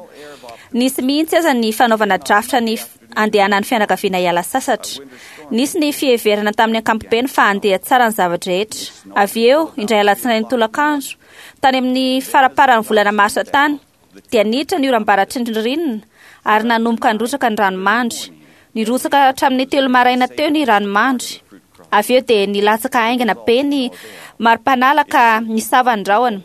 Nisy mihitsy aza ny fanaovana drafitra ny andehanan'ny fianakaviana hiala sasatra. Nisy ny fiheverana tamin'ny ankapobeny fa handeha tsara ny zava-drehetra. Avy eo, indray alatsinainy tolakandro, tany amin'ny faramparan'ny volana marsa tany, dia niditra ny oram-baratry ny ririnina ary nanomboka nirotsaka ny ranomandry. Nirotsaka hatramin'ny telo maraina teo ny ranomandry. Avy eo dia nilatsaka haingana be ny mari-panala ka nisava ny rahona.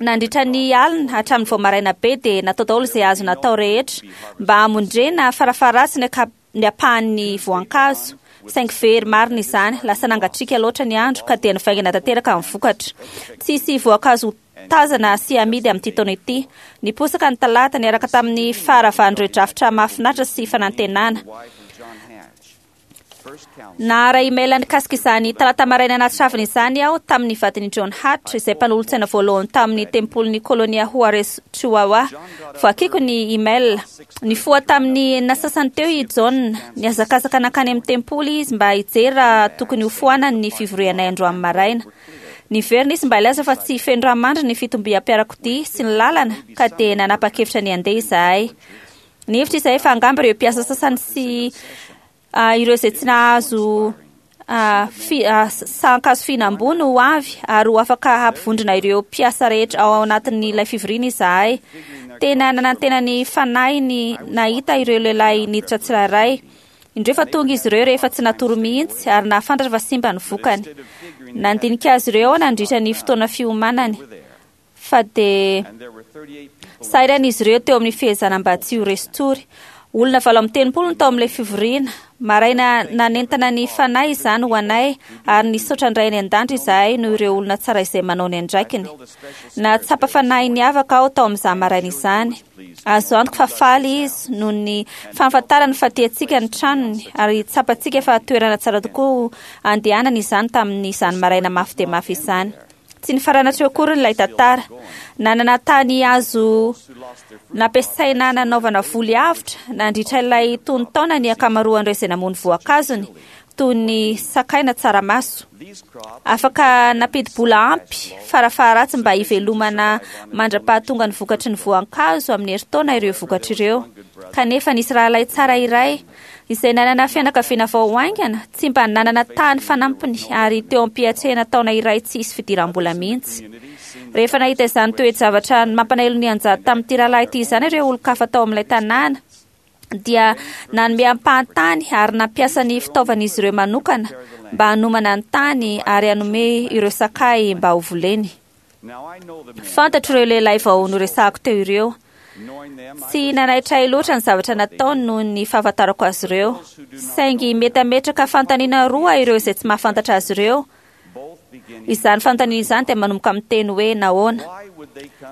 Nandritra ny alina hatramin'ny vao maraina be dia natao daholo izay azo natao rehetra mba hamondrena farafaharatsiny ny ny ampahan'ny voankazo. Saingy very marina izany, lasa nangatsiaka loatra ny andro ka dia nivaingana tanteraka ny vokatra. Tsisy voankazo tazana sy amidy amin'ity taona ity. Niposaka ny talata niaraka tamin'ny faharavan'ireo drafitra mahafinaritra sy fanantenana. Naharay email nikasika izany talata maraina nahatsiravina izany aho tamin'ny vadin'i John Hatch, izay mpanolotsaina voalohany tamin'ny tempolin'ny kolonia Juarez Chihuahua. Voakiko ny email. Nifoha tamin'ny enina sasany teo i John. Nihazakazaka nankany amin'ny tempoly izy mba hijery raha tokony hofoanany ny fivorianay androany maraina. Niverina izy mba hilaza fa tsy feno ranomandry ny fitombiam-piarakodia sy ny lalana, ka dia nanapa-kevitra ny handeha izahay. Nihevitra izahay fa angamba ireo mpiasa sasany sy ireo izay tsy nahazo fi- sahan-kazo fihinam-boa no ho avy ary ho afaka hampivondrona ireo mpiasa rehetra ao anatin'ilay fivoriana izahay. Tena nanantena ny fanahiny nahita ireo lehilahy niditra tsirairay. Indreo fa tonga izy ireo rehefa tsy natory mihitsy ary nahafantatra fa simba ny vokany. Nandinika azy ireo aho nandritra ny fotoana fiomanany, fa dia sahirana izy ireo teo amin'ny fihezana mba tsy ho resin-tory. Olona valo amby telopolo no tao amin'ilay fivoriana. Maraina nanentana ny fanahy izany ho anay ary nisaotra ny Ray any an-danitra izahay noho ireo olona tsara izay manao ny andraikiny. Nahatsapa fanahy niavaka aho tao amin'izany maraina izany. Azo antoka fa faly izy noho ny fahafantarany fa tiantsika ny tranony ary tsapantsika fa toerana tsara tokoa andehanana izany tamin'izany maraina mafy dia mafy izany. Tsy nifarana hatreo akory ilay tantara. Nanana tany azo nampiasaina nanaovana voly avotra nandritra ilay tonon-taona ny ankamaroan'ireo izay namono voankazony, toy ny sakay na tsaramaso. Afaka nampidi-bola ampy farafaharatsy mba hivelomana mandra-pahatonga ny vokatry ny voankazo amin'ny herintaona ireo vokatra ireo. Kanefa nisy rahalahy tsara iray izay nanana fianakaviana vao haingana, tsy mba nanana tany fanampiny ary teo am-piatrehana taona iray tsy hisy fidiram-bola mihitsy. Rehefa nahita izany toe-javatra mampalahelo nianjady tamin'ity rahalahy ity izany ireo olon-kafa tao amin'ilay tanàna, Dia nanome ampahantany ary nampiasa ny fitaovan'izy ireo manokana mba hanomana ny tany ary hanome ireo sakay mba ho voleny. Fantatro ireo lehilahy vao noresahako teo ireo. Tsy nanaitra ahy loatra ny zavatra nataony noho ny fahafantarako azy ireo. Saingy mety hametraka fanontaniana roa ireo izay tsy mahafantatra azy ireo. Izany fanontaniana izany dia manomboka amin'ny teny hoe nahoana.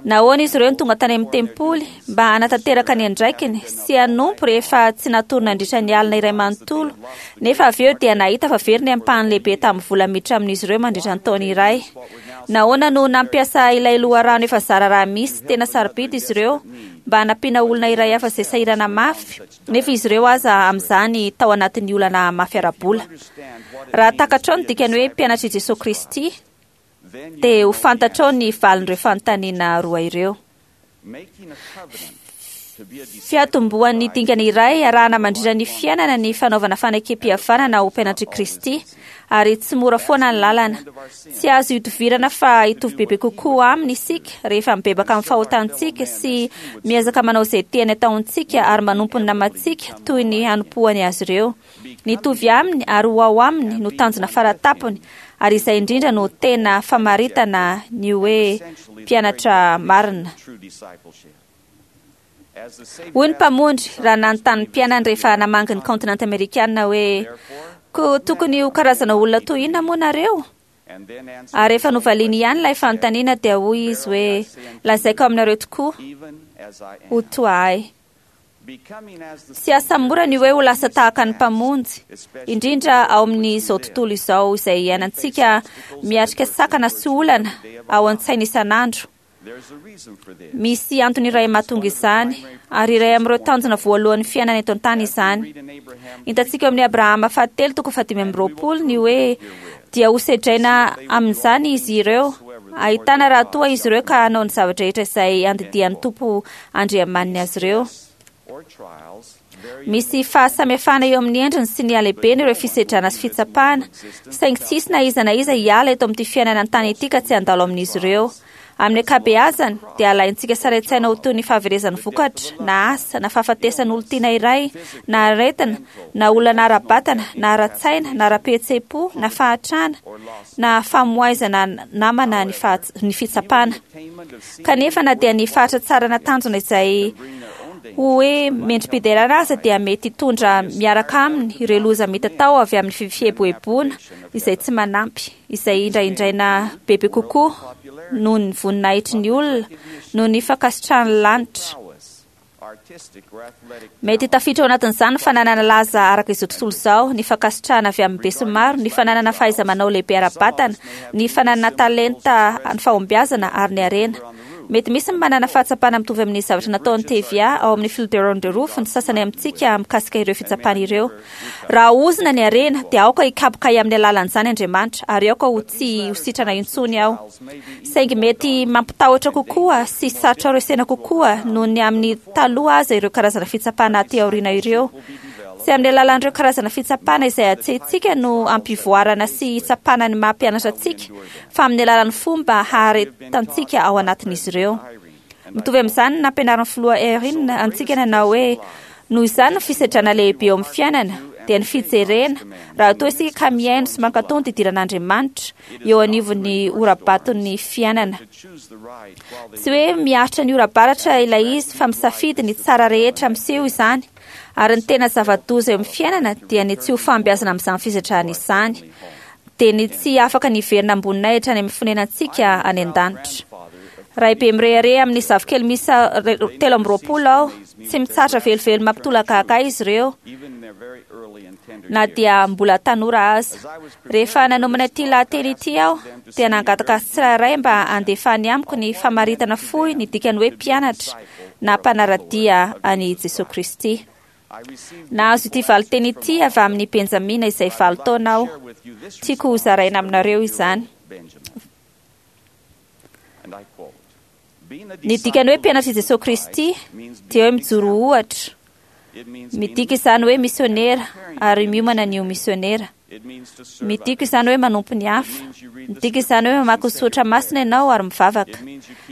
Nahoana izy ireo no tonga tany amin'ny tempoly mba hanatanteraka ny andraikiny sy hanompo rehefa tsy natory nandritra ny alina iray manontolo, nefa avy eo dia nahita fa very ny ampahany lehibe tamin'ny vola miditra amin'izy ireo mandritra ny taona iray. Nahoana no nampiasa ilay loharano efa zara raha misy tena sarobidy izy ireo mba hanampiana olona iray hafa izay sahirana mafy, nefa izy ireo aza amin'izany tao anatin'ny olana mafy ara-bola. Raha takatrao ny dikany hoe mpianatr'i Jesosy Kristy, dia ho fantatrao ny valin'ireo fanontaniana roa ireo. Fiatombohan'ny dingana iray arahana mandritra ny fiainana ny fanaovana fanekem-pihavanana ho mpianatr'i Kristy, ary tsy mora foana ny lalana. Tsy azo idovirana fa hitovy bebe kokoa aminy isika rehefa mibebaka amin'ny fahotantsika sy miezaka manao izay tiany ataontsika ary manompo ny namantsika toy ny hanompoany azy ireo. Nitovy aminy ary ho ao aminy no tanjona faratapony, ary izay indrindra no tena famaritana ny hoe mpianatra marina. Hoy ny Mpamonjy raha nanontany ny mpianany rehefa namangy ny kaontinanta amerikana hoe ko tokony ho karazana olona toy inona moa nareo? Ary rehefa novaliany ihany ilay fanontaniana dia hoy izy hoe lazaiko aminareo tokoa ho toa ahy. Tsy asa mora ny hoe ho lasa tahaka ny Mpamonjy, indrindra ao amin'izao tontolo izao izay iainantsika miatrika sakana sy olana ao an-tsaina isan'andro. Misy antony iray mahatonga izany, ary iray amin'ireo tanjona voalohan'ny fiainana eto an-tany izany. Hitantsika eo amin'ny Abrahama fahatelo toko fahadimy amby roapolo ny hoe dia hosedraina amin'izany izy ireo, ahitana raha toa izy ireo ka hanao ny zavatra rehetra izay andidian'ny Tompo Andriamaniny azy ireo. Misy fahasamihafana eo amin'ny endriny sy ny halehibeny ireo fisedrana sy fitsapana, saingy tsy hisy na iza na iza hiala eto amin'ity fiainana an-tany ity ka tsy handalo amin'izy ireo. Amin'ny ankabeazany dia alaintsika sary an-tsaina ho toy ny fahaverezan'ny vokatra, na asa, na fahafatesan'olon-tiana iray, na aretina, na olana ara-batana, na ara-tsaina, na ara-pihetseham-po, na fahatrana, na famoizana namana ny, ny fitsapana. Kanefa na dia ny fahatratsarana tanjona izay ho hoe mendri-piderana aza dia mety hitondra miaraka aminy ireo loza mitatao avy amin'ny fieboeboana izay tsy manampy, izay indraindraina bebe kokoa noho ny voninahitry ny olona, noho ny fankasitrahan'ny lanitra. Mety tafiditra ao anatin'izany ny fananana laza araka izao tontolo izao, ny fankasitrahana avy amin'ny besinimaro, ny fananana fahaiza-manao lehibe ara-batana, ny fananana talenta ny fahombiazana ary ny harena. Mety misy ny manana fahatsapana mitovy amin'ny zavatra nataon'ny T V A ao amin'ny Fielder on the Roof ny sasany amintsika mikasika ireo fitsapana ireo. Raha ozona ny harena dia aoka hikapoka ahy amin'ny alalan'izany Andriamanitra, ary aoka ho tsy ho sitrana intsony aho. Saingy mety mampitahotra kokoa sy sarotra resena kokoa noho ny amin'ny taloha aza ireo karazana fitsapana aty aoriana ireo. Tsy amin'ny alalan'ireo karazana fitsapana izay atsehintsika no ampivoarana sy hitsapana ny maha mpianatra antsika, fa amin'ny alalan'ny fomba haharetantsika ao anatin'izy ireo. Mitovy amin'izany ny nampianarin'ny filoha Eyring antsika nanao hoe noho izany ny fisedrana lehibe eo amin'ny fiainana dia ny fijerena raha toa isika ka mihaino sy mankatò ny didiran'Andriamanitra eo anivon'ny ora-baton'ny fiainana. Tsy hoe miaritra ny ora-baratra ilay izy fa misafidy ny tsara rehetra miseho izany, ary ny tena zava-doza eo amin'ny fiainana dia ny tsy ho fahombiazana amin'izany fisedrana izany, dia ny tsy afaka ny hiverina amboninahitra any amin'ny fonenantsika any an-danitra. Raibe mirehareha amin'ny zafikely miisa telo amby roapolo aho, tsy mitsahatra velively mampitolagaga ahy izy ireo na dia mbola tanora aza. Rehefa nanomana ity lahateny ity aho dia nangataka azy tsirairay mba handefany amiko ny famaritana fohy ny dikany hoe mpianatra na mpanara-dia an'i Jesoa Kristy. Nahazo ity valinteny ity avy amin'ny Benjamina izay valo taona aho. Tiako hozaraina aminareo izany. Ny dikany hoe mpianatr'i Jesoa Kristy dia hoe mijoro ohatra. Midika izany hoe misionera ary miomana ny ho misionera. Midika izany hoe manompo ny hafa. Midika izany hoe mamaky ny soratra masina ianao ary mivavaka.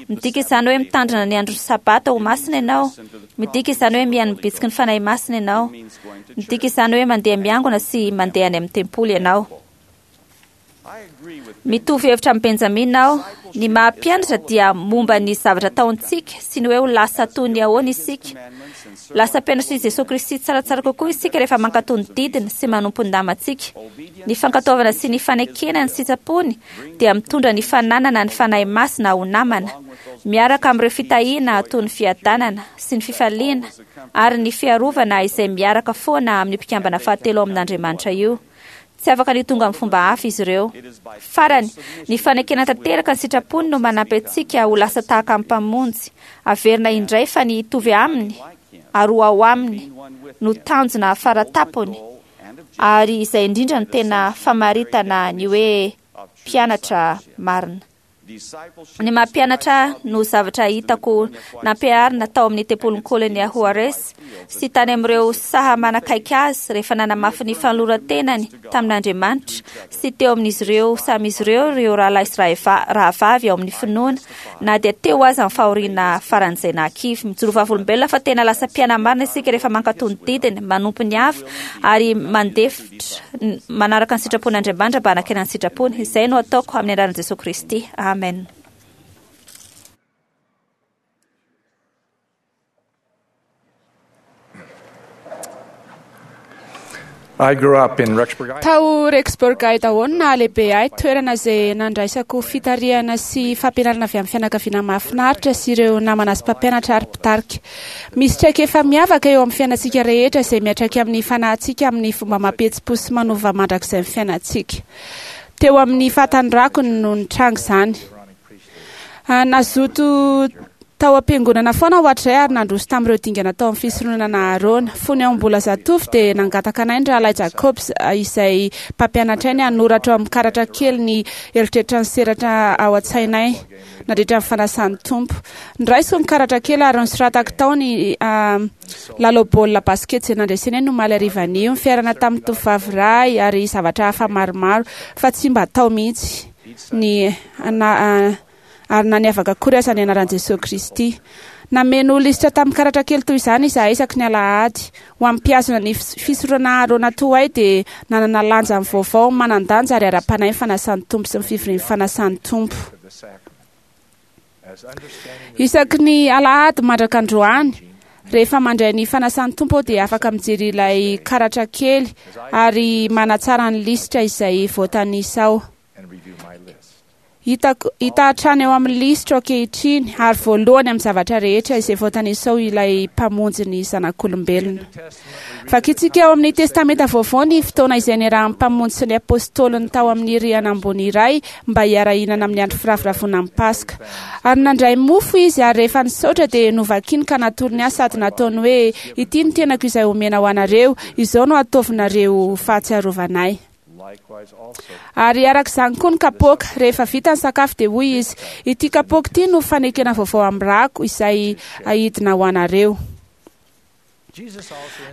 Midika izany hoe mitandrina ny andro sabata ho masina ianao Midika izany hoe mihaino ny bitsiky ny Fanahy Masina ianao. Midika izany hoe mandeha miangona sy mandeha any amin'ny tempoly ianao. Mitovy hevitra amin'i Benjamina aho. Ny maha mpianatra dia momba ny zavatra ataontsika sy ny hoe ho lasa toy ny ahoana isika. Lasa mpianatr'i Jesosy Kristy tsaratsara kokoa isika rehefa mankatò ny didiny sy manompo ny namantsika. Ny fankatoavana sy ny fanekena ny sitrapony dia mitondra ny fananana ny Fanahy Masina ho namana, miaraka amin'ireo fitahiana toy ny fiadanana sy ny fifaliana ary ny fiarovana izay miaraka foana amin'ny mpikambana fahatelo ao amin'Andriamanitra io. Tsy afaka ny ho tonga amin'ny fomba hafa izy ireo. Farany, ny fanekena tanteraka ny sitrapony no manampy antsika ho lasa tahaka ny Mpamonjy. Averina indray fa ny hitovy aminy ary ho ao aminy no tanjona faratapony, ary izay indrindra no tena famaritana ny hoe mpianatra marina. Ny maha mpianatra ahy no zavatra hitako nampiharina tao amin'ny tempolin'i Colonia Juarez sy tany amin'ireo saha manakaiky azy rehefa nanamafy ny fanoloran-tenany tamin'Andriamanitra sy teo amin'izy ireo samy izy ireo ireo rahalahy sy rahavavy ao amin'ny finoana na dia teo aza ny fahoriana faran'izay nahakivy. Mijoro vavolombelona fa tena lasa mpiana-marina isika rehefa mankatò ny didiny, manompo ny hafa ary mandefitra manaraka ny sitrapon'Andriamanitra mba hanakena ny sitrapony. Izay no ataoko amin'ny anaran'i Jesosy Kristy. Amen. I grew up in Rexburg, Tao Rexburg, Idaho no nahalehibe ahy, toerana izay nandraisako fitarihana sy fampianarana avy amin'ny fianakaviana mahafinaritra sy ireo namana sy mpampianatra ary mpitarika. Misy traikefa miavaka eo amin'ny fiainantsika rehetra izay miantraika amin'ny fanahintsika amin'ny fomba mampihetsi-po sy manova mandrakizay ny fiainantsika. Teo amin'ny fahatanorako no nitranga izany. Nazoto tao am-piangonana foana aho hatrizay ary nandroso tamin'ireo dingana tao amin'ny fisoronana Aharôna. Fony aho mbola zatovo dia nangataka anay ny Rahalahy Jacobs izay mpampianatray ny hanoratra ao amin'ny karatra kely ny eritreritra niseratra ao an-tsainay nandritra ny fanasan'ny Tompo. Noraisiko ny karatra kely ary nosoratako tao ny lalao baolina basikety izay nandresenay ny omaly harivan'io, ny fiarahana tamin'ny tovovavy iray ary zavatra hafa maromaro, fa tsy mba tao mihitsy ny ary na niavaka akory aza ny anaran'i Jesoa Kristy. Nameno lisitra tamin'ny karatra kely toy izany izahay isaky ny alahady. Ho an'ny mpihazona ny fisoronana Aharôna toa ahy dia nanana lanjany vaovao manan-danja ary ara-panahy ny fanasan'ny Tompo sy ny fivorian'ny fanasan'ny Tompo. Isaky ny alahady mandraka androany, rehefa mandray ny fanasan'ny Tompo aho dia afaka mijery ilay karatra kely ary manatsara ny lisitra izay voatanisa ao. Hitako, hita hatrany eo amin'ny lisitro ankehitriny ary voalohany amin'ny zavatra rehetra izay voatanisa ao ilay Mpamonjy ny zanak'olombelona. Vakintsika ao amin'ny Testamenta Vaovao ny fotoana izay niarahan'ny Mpamonjy sy ny Apôstôliny tao amin'ny rihana ambony iray mba hiara-hihinana amin'ny andro firavoravoana amin'ny Paska. Ary nandray mofo Izy ary rehefa nisaotra dia novakiny ka natolony ahy sady nataony hoe, Ity ny tenako izay omena ho anareo, izao no ataovinareo ho fahatsiarovana Ahy. Ary araka izany koa ny kapoaka. Rehefa vita ny sakafo dia hoy izy, Ity kapoaka ity no fanekena vaovao amin'ny rako, izay ahidina ho anareo.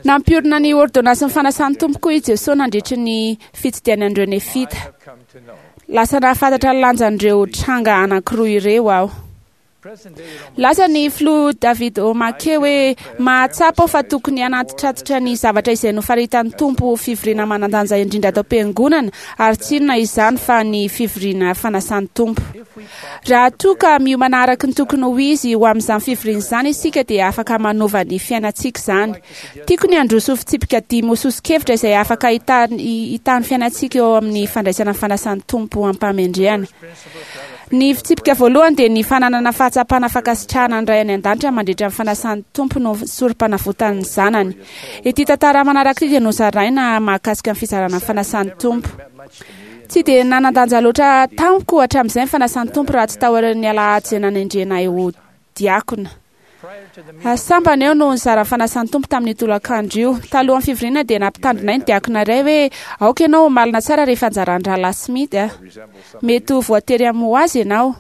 Nampiorina ny ôrdônansin'ny fanasan'ny Tompo koa i Jesoa nandritry ny fitsidihany an'ireo Nefita. Lasa nahafantatra ny lanjan'ireo tranga anankiroa ireo aho. Lasa ny filoha David O. McKay hoe, Mahatsapa aho fa tokony hanatitratitra ny zavatra izay nofaritan'ny Tompo ho fivoriana manan-danja indrindra ato am-piangonana, ary tsy inona izany fa ny fivoriana fanasan'ny Tompo. Raha toa ka miomana araka ny tokony ho izy ho amin'izany fivoriana izany isika dia afaka manova ny fiainantsika izany. Tiako ny handroso fitsipika dimy ho soso-kevitra izay afaka hitahy ny fiainantsika eo amin'ny fandraisana ny fanasan'ny Tompo am-pahamendrehana. Ny fitsipika voalohany dia ny fananana fahatsapana fankasitrahana ny Ray any An-danitra mandritra ny fanasan'ny Tompo no sorompanavotan'ny Zanany. Ity tantara manaraka ity dia nozaraina mahakasika ny fizarana ny fanasan'ny Tompo. Tsy dia nanan-danja loatra tamiko hatramin'izay ny fanasan'ny Tompo raha tsy taorian'ny alahady izay nanendrena ahy ho diakona. Sambany aho no nizara ny fanasan'ny Tompo tamin'io tolakandro io. Talohan'ny fivoriana dia nampitandrina ahy ny diakona iray hoe, Aoka ianao ho malina tsara rehefa anjaran'ny Rahalahy Smith a! Mety ho voatery hamoha azy ianao.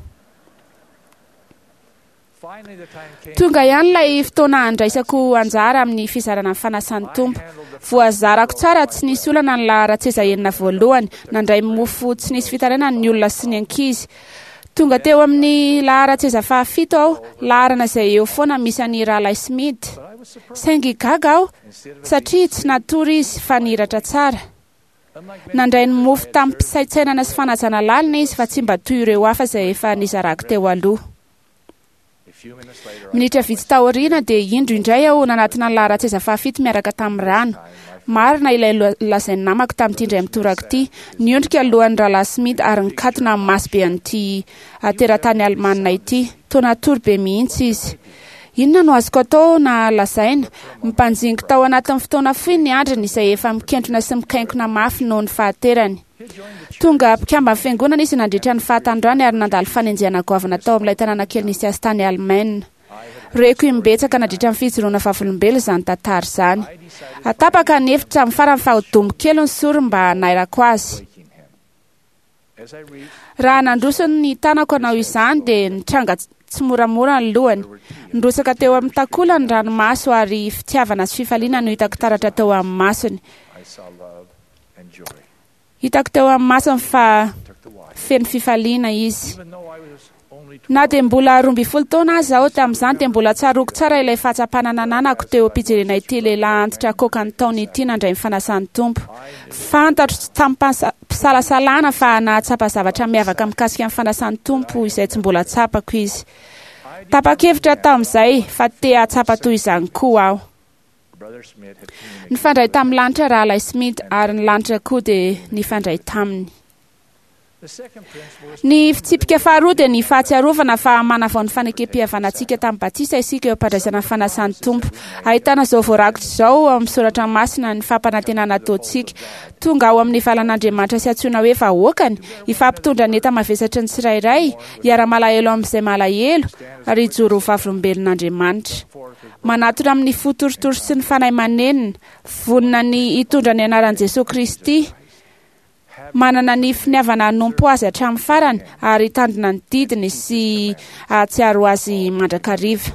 Tonga ihany ilay fotoana handraisako anjara amin'ny fizarana ny fanasan'ny Tompo. Voazarako tsara tsy nisy olana ny laharan-tseza enina voalohany. Nandray mofo tsy nisy fitarainana ny olona sy ny ankizy. Tonga teo amin'ny laharan-tseza fahafito aho, laharana izay eo foana misy an'i Rahalahy Smith. Saingy gaga aho satria tsy natory izy fa nihiratra tsara. Nandray ny mofo tamim-pisaintsainana sy fanajana lalina izy fa tsy mba toy ireo hafa izay efa nizarako teo aloha. Minitra vitsy taoriana dia indro indray aho nanatona ny laharan-tseza fahafito miaraka tamin'ny rano. Marina ilay lazain'ny namako tamin'ity indray mitoraka ity. Niondrika alohan'ny rahalahy Smith ary nikatona amin'ny maso be an'ity teratany alemanina ity. Toa natory be mihitsy izy. Inona no azoko atao na lazaina? Mpanjingo tao anatin'ny fotoana fohy ny andriny izay efa mikentrona sy mikainkona mafy noho ny fahaterany. Tonga mpikamban'ny fiangonana izy nandritra ny fahatanorany ary nandalo fanenjehana goavana tao amin'ilay tanàna kely nisy azy tany Alemaina. Reko imbetsaka nandritra ny fijoroana vavolombelona izany tantara izany. Atapaka ny hevitra amin'ny farany fa ho domo kely ny sorony mba hanairako azy. Raha nandroso ny tanako hanao izany dia nitranga tsy moramora ny lohany. Nirosaka teo amin'ny takola ny ranomaso ary fitiavana sy fifaliana no hitako taratra teo amin'ny masony. Hitako teo amin'ny masony fa feno fifaliana izy. Na dia mbola roa ambin'ny folo taona aza aho tamin'izany dia mbola tsaroako tsara ilay fahatsapana nananako teo am-pijerena ity lehilahy antitra koka ny taona ity nandray ny fanasan'ny Tompo. Fantatro tamim-pisalasalana fa nahatsapa zavatra miavaka mikasika ny fanasan'ny Tompo izay tsy mbola tsapako izy. Tapa-kevitra tamin'izay fa te hahatsapa toy izany koa aho. Nifandray tamin'ny lanitra rahalahy Smith ary ny lanitra koa dia nifandray taminy. Ny fitsipika faharoa dia ny fahatsiarovana fa manavao ny fanekem-pihavanantsika tamin'ny batisa isika eo am-pandraisana ny fanasan'ny Tompo. Ahitana izao voarakitra izao amin'ny soratra masina ny fampanantenana ataontsika. Tonga ao amin'ny valan'Andriamanitra sy antsoina hoe vahoakany, hifampitondra ny enta-mavesatry ny tsirairay, hiara-malahelo amin'izay malahelo, ary hijoro ho vavolombelon'Andriamanitra. Manatona amin'ny fo torotoro sy ny fanahy manenina, vonona ny hitondra ny anaran'i Jesoa Kristy, manana ny finiavana hanompo azy hatramin'ny farany ary hitandrina ny didiny sy hahatsiaro azy mandrakariva.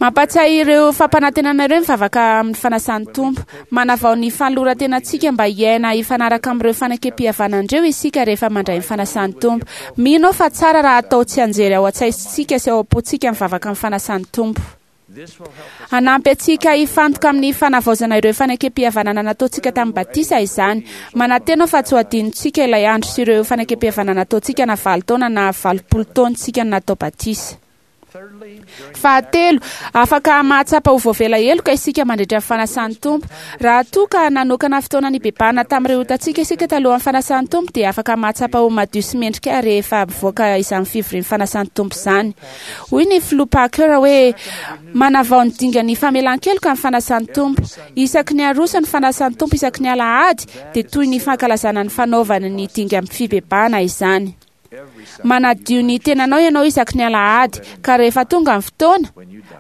Mampatsiahy ireo fampanantenana ireo mivavaka amin'ny fanasan'ny Tompo. Manavao ny fanoloran-tenantsika mba hiaina hifanaraka amin'ireo fanekem-pihavanana ireo isika rehefa mandray ny fanasan'ny Tompo. Mino aho fa tsara raha atao tsianjery ao an-tsaintsika sy ao am-pontsika mivavaka amin'ny fanasan'ny Tompo. Hanampy antsika hifantoka amin'ny fanavaozana ireo fanekem-pihavanana nataontsika tamin'ny batisa izany. Manantena aho fa tsy ho adinontsika ilay andro sy ireo fanekem-pihavanana nataontsika na valo taona na valopolo taontsika natao batisa. Fahatelo, afaka mahatsapa ho voavela heloka isika mandritra ny fanasan'ny Tompo. Raha toa ka nanokana fotoana nibebahana tamin'ireo otantsika isika talohan'ny fanasan'ny Tompo dia afaka mahatsapa ho madio sy mendrika rehefa mivoaka izany fivorian'ny fanasan'ny Tompo izany. Hoy ny filoha Parker hoe manavao ny dingan'ny famelan-keloka ny fanasan'ny Tompo. Isaky ny aroso ny fanasan'ny Tompo isaky ny alahady dia toy ny fankalazana ny fanaovany ny dingan'ny fibebahana izany. Manadio ny tenanao ianao isaky ny alahady ka rehefa tonga ny fotoana,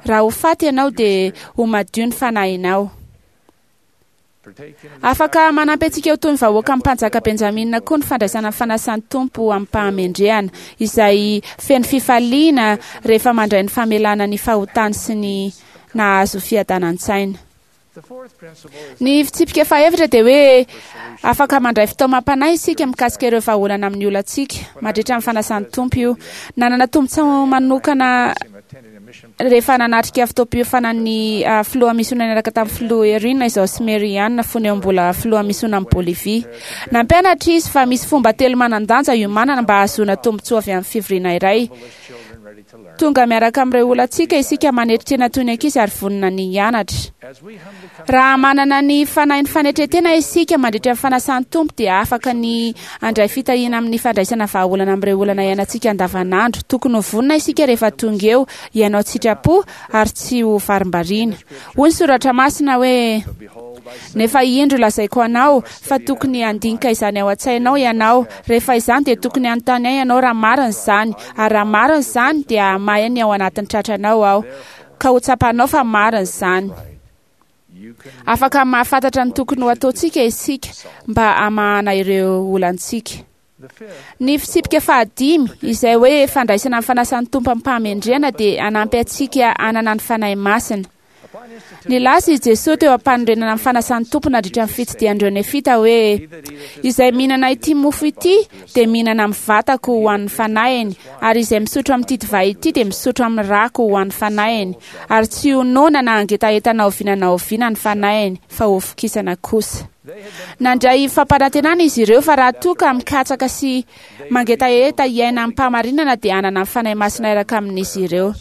raha ho faty ianao dia ho madio ny fanahinao. Afaka manampy antsika ho toy ny vahoaka amin'ny mpanjaka Benjamina koa ny fandraisana ny fanasan'ny Tompo amim-pahamendrehana, izay feno fifaliana rehefa mandray ny famelana ny fahotany sy ny nahazo fiadanan-tsaina. Ny fitsipika fahefatra dia hoe afaka mandray fitaomam-panahy isika mikasika ireo vahaolana amin'ny olantsika mandritra ny fanasan'ny Tompo io. Nanana tombontsoa manokana rehefa nanatrika fotoam-piofanan'ny filoha misiona niaraka tamin'ny filoha Erwin izao sy Mary Ann fony eo mbola filoha misiona amin'i Bolivia. Nampianatra izy fa misy fomba telo manan-danja iomanana mba hahazoana tombontsoa avy amin'ny fivoriana iray. Tonga miaraka amin'ireo olantsika isika manetry tena toy ny ankizy ary vonona ny hianatra. Raha manana ny fanahin'ny fanetren-tena isika mandritra ny fanasan'ny Tompo dia afaka ny handray fitahiana amin'ny fandraisana vahaolana amin'ireo olana iainantsika andavanandro. Tokony ho vonona isika rehefa tonga eo, hiainao tsitrapo ary tsy ho varimbariana. Hoy ny soratra masina hoe nefa indro lazaiko anao fa tokony handinika izany ao an-tsainao ianao. Rehefa izany dia tokony hanontany ahy ianao raha marina izany, ary raha marina izany dia hamahy ny ao anatin'ny tratranao aho, ka ho tsapanao fa marina izany. Afaka mahafantatra ny tokony ho ataontsika isika mba hamahana ireo olantsika. Ny fitsipika fahadimy, izay hoe fandraisana ny fanasan'ny Tompo amim-pahamendrehana dia hanampy antsika hanana ny Fanahy Masina. Nilaza i Jesoa teo am-panorenana ny fanasan'ny Tompo nandritra ny fitsidihan'ireo Nefita hoe: "Izay mihinana ity mofo ity dia mihinana amin'ny vatako ho an'ny fanahiny, ary izay misotro amin'ity divay ity dia misotro amin'ny rako ho an'ny fanahiny, ary tsy ho noana na hangetaheta na oviana na oviana ny fanahiny, fa ho vokisana kosa." Nandray fampanantenana izy ireo fa raha toa ka mikatsaka sy mangetaheta hiaina amim-pahamarinana dia hanana ny Fanahy Masina hiaraka amin'izy ireo.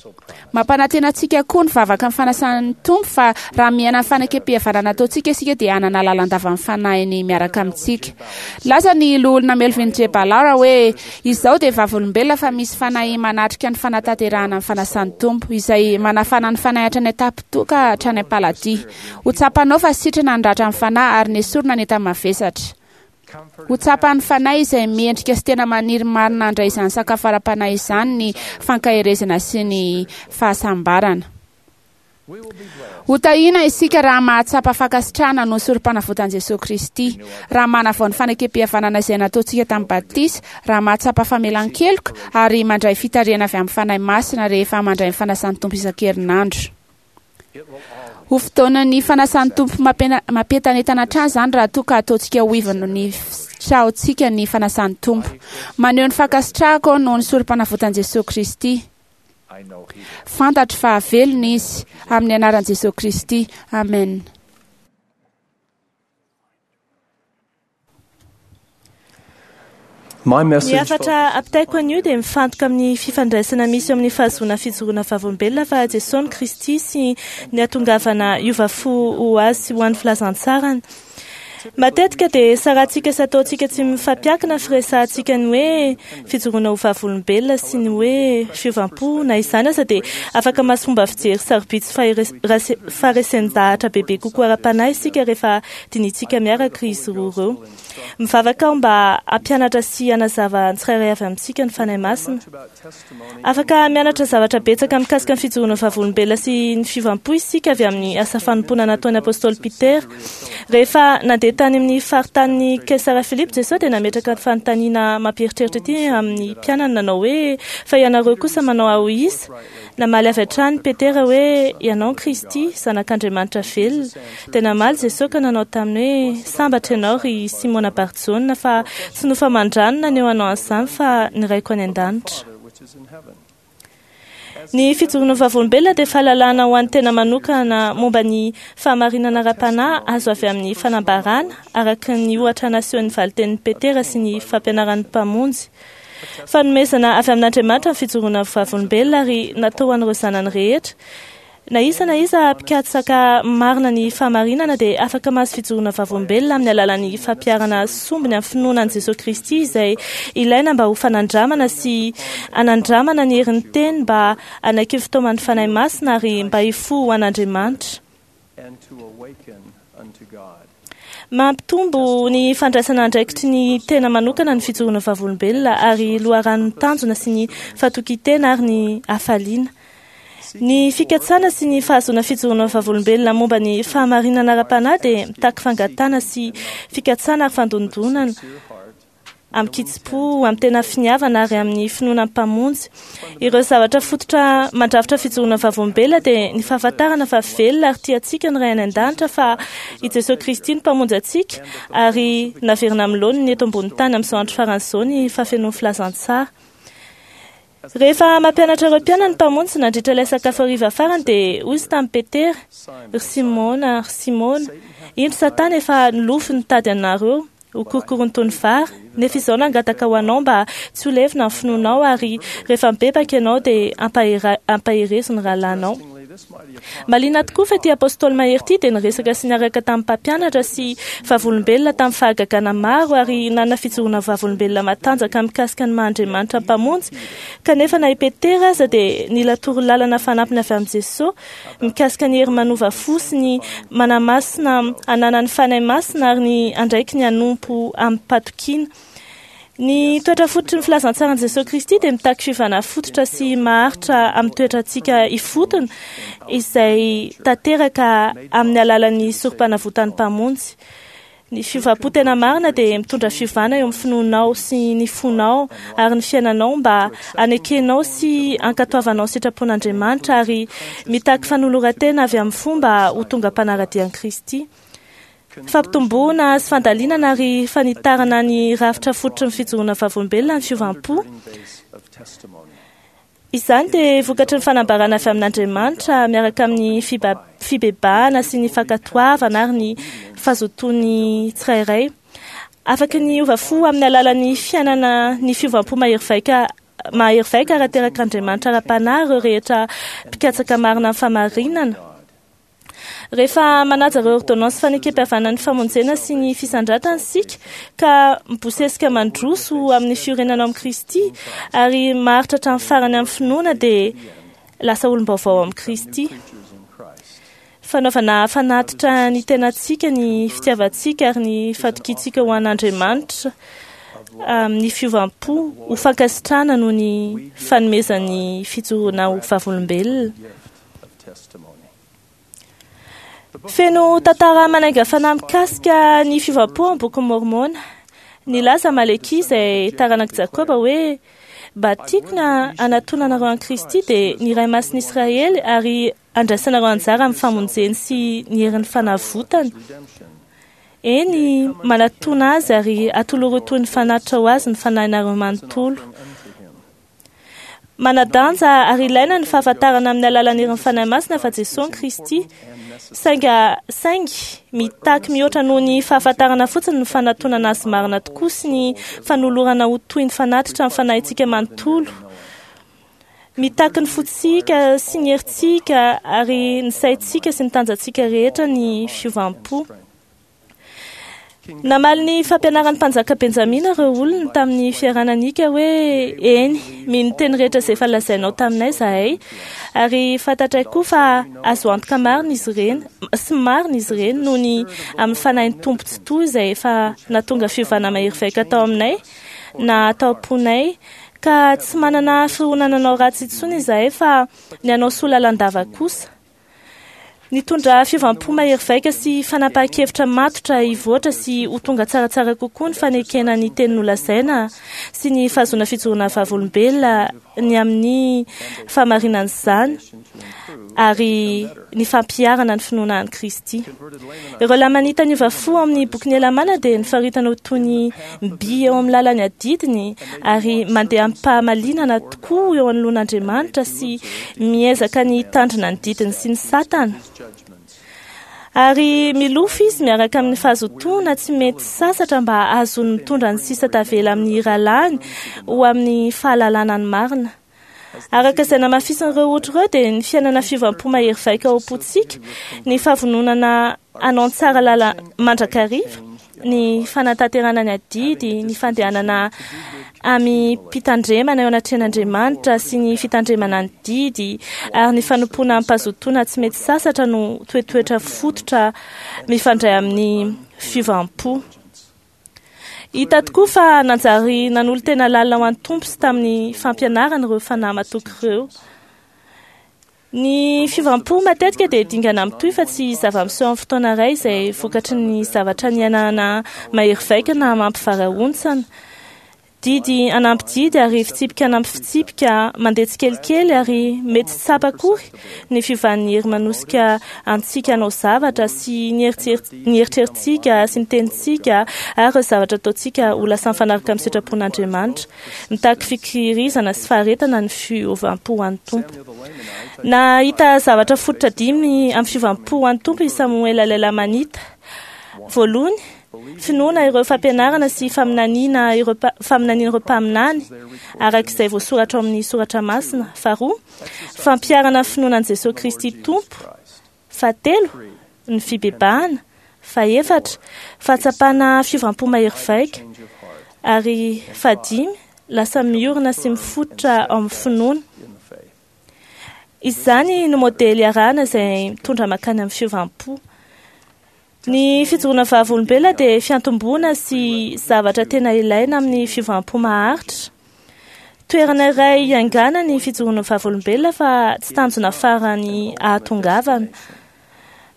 Mampanantena antsika koa ny vavaka ny fanasan'ny Tompo fa raha miaina ny fanekem-pihavanana ataontsika isika dia hanana lalandava ny fanahiny miaraka amintsika. Laza ny loholona Melvin J. Ballard hoe: "Izao dia vavolombelona fa misy fanahy manatrika ny fanatanterahana ny fanasan'ny Tompo, izay manafana ny fanahy hatrany an-tampon-doha ka hatrany am-paladia. Ho tsapanao fa sitrana ny ratran'ny fanahy ary nesorina ny enta-mavesatra. Ho tsapan'ny fanahy izay mendrika sy tena maniry marina handray izany sakafo ara-panahy izany ny fankaherezana sy ny fahasambarana. Ho tahiana isika raha mahatsapa fankasitrahana noho ny sorom-panavotan'i Jesoa Kristy, raha manavao ny fanekem-pihavanana izay nataontsika tamin'ny batisa, raha mahatsapa famelan-keloka ary mandray fitarihana avy amin'ny Fanahy Masina rehefa mandray ny fanasan'ny Tompo isan-kerinandro. Ho fotoanan'ny fanasan'ny Tompo mampientanentana hatrany izany raha toa ka ataontsika ho ivon'ny fitraontsika ny fanasan'ny Tompo. Maneho ny fankasitrahako aho noho ny sorom-panavotan'i Jesoa Kristy. Fantatro fa velona Izy, amin'ny anaran'i Jesoa Kristy. Amen. My Ny message hafatra ampitaiko anio dia mifantoka amin'ny fifandraisana misy eo amin'ny fahazoana fijoroana vavolombelona fa Jesoa ny Kristy sy ny hatongavana hiova fo ho azy sy ho an'ny filazantsarany. Matetika dia sarantsika sy ataontsika tsy mifampiankina ny firesahantsika ny hoe fijoroana ho vavolombelona sy ny hoe fiovam-po. Na izany aza dia afaka mahazo fomba fijery sarobidy sy fahere- faharesen-dahatra bebe kokoa ara-panahy isika rehefa dinihintsika miaraka izy roa ireo. Mivavaka aho mba hampianatra sy hanazava ny tsirairay avy amintsika ny Fanahy Masina. Afaka mianatra zavatra betsaka mikasika ny fijoroana vavolombelona sy ny fiovam-po isika avy amin'ny asa fanompoana nataon'ny Apôstôly Petera. Rehefa nandeha tany amin'ny faritanin'i Kaisara Filipo Jesoa dia nametraka ny fanontaniana mampieritreritra ity amin'ny mpianany nanao hoe: "Fa ianareo kosa manao ahy ho iza?" Namaly avy hatrany Petera hoe: "Ianao Kristy, Zanak'Andriamanitra velona." Dia namaly Jesoa ka nanao taminy hoe: "Sambatra ianao ry Simona Barjona, fa tsy nofo aman-drano naneho anao an'izany fa ny Raiko any an-danitra." Ny fijoroana vavolombelona dia fahalalana ho an'ny tena manokana momba ny fahamarinana ara-panahy azo avy amin'ny fanambarana, araka ny ohatra nasehon'ny valitenin'i Petera sy ny fampianaran'ny Mpamonjy. Fanomezana avy amin'Andriamanitra ny fijoroana vavolombelona ary natao ho an'ireo zanany rehetra. Na iza na iza mpikatsaka marina ny fahamarinana dia afaka mahazo fijoroana vavolombelona amin'ny alalan'ny fampiharana sombiny amin'ny finoana an'i Jesoa Kristy izay ilaina mba ho fanandramana sy hanandramana ny herin'ny teny mba hanaiky ny fitaoman'ny Fanahy Masina ary mba hifoha ho an'Andriamanitra. and to awaken unto God. Mampitombo ny fandraisana andraikitry ny tena manokana ny fijoroana vavolombelona ary loharanon'ny tanjona sy ny fatokian-tena ary ny hafaliana. Ny fikatsana sy ny fahazoana fijoroana vavolombelona momba ny fahamarinana ara-panahy dia mitaky fangatahana sy fikatsana ary fandondonana amin-kitsim-po, amin'ny tena finiavana ary amin'ny finoana ny Mpamonjy. Ireo zavatra fototra mandrafitra fijoroana vavolombelona dia ny fahafantarana fa velona ary tia antsika ny Ray any an-danitra, fa i Jesoa Kristy no Mpamonjy antsika ary naverina amin'ny laoniny eto ambony tany amin'izao andro farany izao ny fahafenoan'ny filazantsara. Rehefa mampianatra ireo mpianany ny Mpamonjy nandritra ilay sakafo hariva farany dia hoy izy tamin'i Petera: "Ry Simona, ry Simona, indro Satana efa nilofo nitady anareo ho korokoron'ny toy ny vary, nefa izao nangataka ho anao mba tsy ho levona ny finoanao, ary rehefa mibebaka ianao dia ampahera- ampaherezo ny rahalahinao." Mahaliana tokoa fa ity apôstôly mahery ity dia niresaka sy niaraka tamin'ny mpampianatra sy vavolombelona tamin'ny fahagagana maro ary nanana fijoroana vavolombelona matanjaka mikasika ny maha-Andriamanitra Mpamonjy. Kanefa na i Petera aza dia nila torolalana fanampiny avy amin'i Jesoa mikasika ny hery manova fo sy ny manamasina ananan'ny Fanahy Masina ary ny andraikiny hanompo amim-patokiana. Ny toetra fototry ny filazantsaran'i Jesoa Kristy dia mitaky fiovana fototra sy maharitra amin'ny toetrantsika ifotony izay tanteraka amin'ny alalan'ny sorom-panavotan'ny Mpamonjy. Ny fiovam-po tena marina dia mitondra fiovana eo amin'ny finoanao sy ny fonao ary ny fiainanao mba hanekenao sy hankatoavanao ny sitrapon'Andriamanitra ary mitaky fanoloran-tena avy amin'ny fo mba ho tonga mpanara-dia an'i Kristy. Fampitomboana sy fandalinana ary fanitarana ny rafitra fototry ny fijoroana vavolombelona ny fiovam-po. Izany dia vokatry ny fanambarana avy amin'Andriamanitra miaraka amin'ny fibebahana sy ny fankatoavana ary ny fahazotoan'ny tsirairay. Afaka ny hiova fo amin'ny alalan'ny fiainana ny fiovam-po mahery vaika mahery vaika ary aterak'Andriamanitra ara-panahy ireo rehetra mpikatsaka marina ny fahamarinana. Rehefa manaja ireo ordonnance fanekem-pihavanan'ny famonjena sy ny fisandratana isika ka mibosesika mandroso amin'ny fiorenana ao amin'i Kristy ary maharitra hatramin'ny farany amin'ny finoana dia lasa olom-baovao amin'i Kristy. Fanaovana fanatitra ny tenantsika, ny fitiavantsika ary ny fatokiantsika ho an'Andriamanitra amin'ny fiovam-po ho fankasitrahana noho ny fanomezan'ny fijoroana ho vavolombelona. Feno tantara manainga fanahy mikasika ny fiovam-po amin'ny bokin'i Môrmôna. Nilaza Malekia izay taranak'i Jakoba hoe mba tiako ny hanatonanareo an'i Kristy dia ny Ray Masin'i Israely ary handraisanareo anjara amin'ny famonjeny sy ny herin'ny fanavotany. Eny, manatona azy ary atoloro toy ny fanatitra ho azy ny fanahinareo manontolo. Manadanja ary ilaina ny fahafantarana amin'ny alalan'ny herin'ny Fanahy Masina fa Jesoa ny Kristy. Sainga, saingy mitaky mihoatra noho ny fahafantarana fotsiny ny fanatonana azy marina tokoa sy ny fanolorana ho toy ny fanatitra ny fanahintsika manontolo. Mitaky ny fontsika sy ny herintsika ary ny saintsika sy ny tanjantsika rehetra ny fiovam-po. Namaly ny fampianaran'ny mpanjaka Benjamina ireo olony tamin'ny fiarahana nika hoe eny, mino ny teny rehetra izay efa lazainao taminay izahay, ary fantatray koa fa azo antoka marina izy ireny, sy marina izy ireny noho ny amin'ny fanahin'ny Tompo Tsitoha izay efa nahatonga fiovana mahery vaika tao aminay na tao am-ponay, ka tsy manana fironana hanao ratsy intsony izahay fa ny hanao soa lalandava kosa. Nitondra fiovam-po mahery vaika sy fanapahan-kevitra matotra hivoatra sy ho tonga tsaratsara kokoa ny fanekena ny teny nolazaina sy ny fahazoana fijoroana vavolombelona ny amin'ny fahamarinan'izany ary ny fampiharana ny finoana an'i Kristy. Ireo Lamanita niova fo ao amin'ny bokin'i Helamàna dia nofaritana ho toy ny by eo amin'ny lalan'ny adidiny ary mandeha amim-pahamalinana tokoa eo anoloan'Andriamanitra sy miezaka ny hitandrina ny didiny sy ny satana. Ary milofo izy miaraka amin'ny fahazotoana tsy mety sasatra mba hahazoany mitondra ny sisa tavela amin'ny rahalahiny ho amin'ny fahalalana ny marina. Araka izay namafisin'ireo ohatra ireo dia ny fiainana fiovam-po mahery vaika ao am-pontsika, ny fahavononana hanao ny tsara lala mandrakariva, ny fanatanterahana ny adidy, ny fandehanana amim-pitandremana eo anatrehan'Andriamanitra sy ny fitandremana ny didy ary ny fanompoana amim-pahazotoana tsy mety sasatra no toetoetra fototra mifandray amin'ny fiovam-po. Hita tokoa fa nanjary nanolo-tena lalina ho an'ny Tompo sy tamin'ny fampianarany ireo fanahy matoky ireo. Ny fiovam-po matetika dia dingana mitohy fa tsy zava-miseho amin'ny fotoana iray izay vokatry ny zavatra niainana mahery vaika na mampivarahontsana. Didy hanampy didy ary fitsipika hanampy fitsipika, mandeha tsikelikely ary mety tsy tsapa akory ny fiovan'ny hery manosika antsika hanao zavatra sy ny eritreritsika sy ny tenintsika ary ireo zavatra ataontsika ho lasa mifanaraka amin'ny sitrapon'Andriamanitra. Mitaky fikirizana sy faharetana ny fiovam-po ho an'ny Tompo. Nahita zavatra fototra dimy amin'ny fiovam-po ho an'ny Tompo i Samoela ilay Lamanita. Voalohany, finoana ireo fampianarana sy faminaniana ireo faminanian'ireo mpaminany araka izay voasoratra ao amin'ny soratra masina. Faharoa, fampiharana ny finoana an'i Jesoa Kristy Tompo. Fahatelo, ny fibebahana. Fahefatra, fahatsapana fiovam-po mahery vaika. Ary fahadimy, lasa miorina sy mifototra ao amin'ny finoana. Izany no modely arahana izay mitondra mankany amin'ny fiovam-po. Ny fijoroana vavolombelona dia fiantomboana sy zavatra tena ilaina amin'ny fiovam-po maharitra. Toerana iray hiaingàna ny fijoroana vavolombelona fa tsy tanjona farany ahatongavana.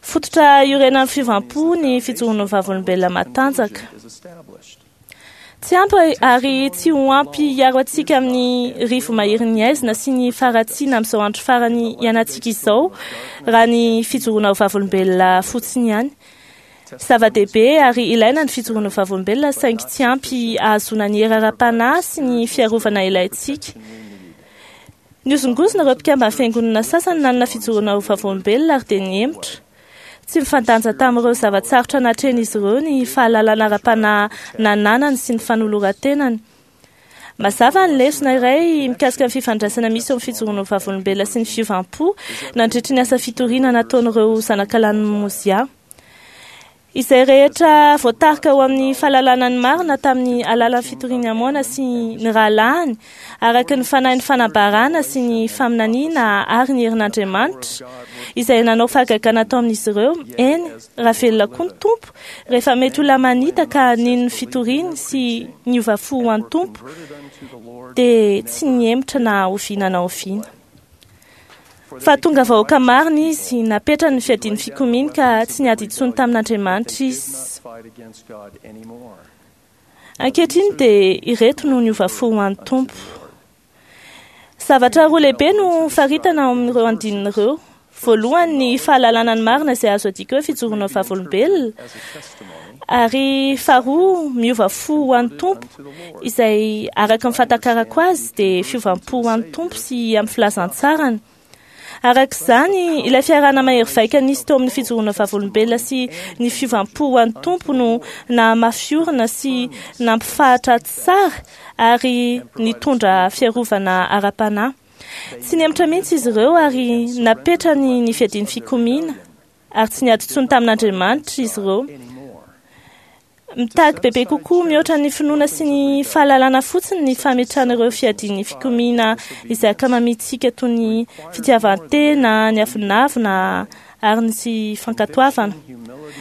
Fototra iorenan'ny fiovam-po ny fijoroana ho vavolombelona matanjaka. Tsy ampy ary tsy ho ampy hiaro antsika amin'ny rivo-maherin'ny haizina sy ny faharatsiana amin'izao andro farany iainantsika izao raha ny fijoroana ho vavolombelona fotsiny ihany. Zava-dehibe ary ilaina ny fijoroana ho vavolombelona, saingy tsy ampy ahazoana ny hery ara-panahy sy ny fiarovana ilaintsika. Nihozongozona ireo mpikamban'ny fiangonana sasany nanana fijoroana ho vavolombelona ary dia nihemotra. Tsy mifandanja tamin'ireo zava-tsarotra natrehin'izy ireo ny fahalalana ara-panahy nananany sy ny fanoloran-tenany. Mazava ny lesona iray mikasika ny fifandraisana misy eo amin'ny fijoroana ho vavolombelona sy ny fiovam-po nandritry ny asa fitoriana nataon'ireo zanakalahin'i Mozia. Izay rehetra voatarika ho amin'ny fahalalana ny marina tamin'ny alalan'ny fitorian'i Amona sy ny rahalahiny, araka ny fanahin'ny fanambarana sy ny faminaniana ary ny herin'Andriamanitra, izay nanao fahagagana tao amin'izy ireo, eny, raha velona koa ny Tompo, rehefa mety ho Lamanita ka nino ny fitoriany sy niova fo ho an'ny Tompo, dia tsy nihemotra na oviana na oviana. Fa tonga vahoaka marina izy, napetrany ny fiadian'ny fikomiany ka tsy niady intsony tamin'Andriamanitra izy. Ankehitriny dia ireto no niova fo ho an'ny Tompo. Zavatra roa lehibe no faritana ao amin'ireo andininy ireo. Voalohany, ny fahalalana ny marina izay azo adika hoe fijoroana ho vavolombelona, ary faharoa, miova fo ho an'ny Tompo, izay araka ny fahatakarako azy dia fiovam-po ho an'ny Tompo sy amin'ny filazantsarany. Araka izany, ilay fiarahana mahery vaika nisy teo amin'ny fijoroana vavolombelona sy ny fiovam-po ho an'ny Tompo no nahamafy orina sy nampifahatra tsara ary nitondra fiarovana ara-panahy. Tsy nihemotra mihitsy izy ireo ary napetrany ny fiadian'ny fikomiana ary tsy niady intsony tamin'Andriamanitra izy ireo. Mitaky bebe kokoa mihoatra ny finoana sy ny fahalalana fotsiny ny fametrahana ireo fiadian'ny fikomiana izay ankamamintsika toy ny fitiavan-tena, ny avonavona ary ny tsy fankatoavana.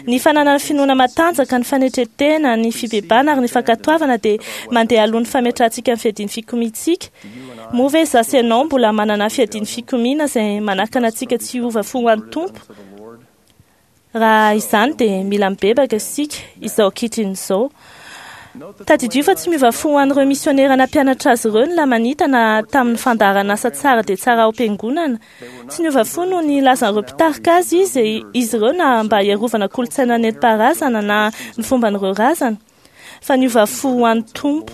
Ny fananana finoana matanjaka, ny fanetren-tena, ny fibebahana ary ny fankatoavana dia mandeha alohan'ny fametrahantsika ny fiadian'ny fikomiantsika. Moa ve izaho sy ianao mbola manana fiadian'ny fikomiana izay manakana antsika tsy hiova fo ho an'ny Tompo? Raha izany dia mila mibebaka isika izao ankehitriny izao. Tadidio fa tsy miova fo ho an'ireo misionera nampianatra azy ireo ny Lamanita na tamin'ny fandaharan'asa tsara dia tsara ao am-piangonana. Tsy niova fo noho ny lazan'ireo mpitarika azy izy izy ireo na mba hiarovana kolontsaina nentim-paharazana na ny fomban'ireo razana, fa niova fo ho an'ny Tompo,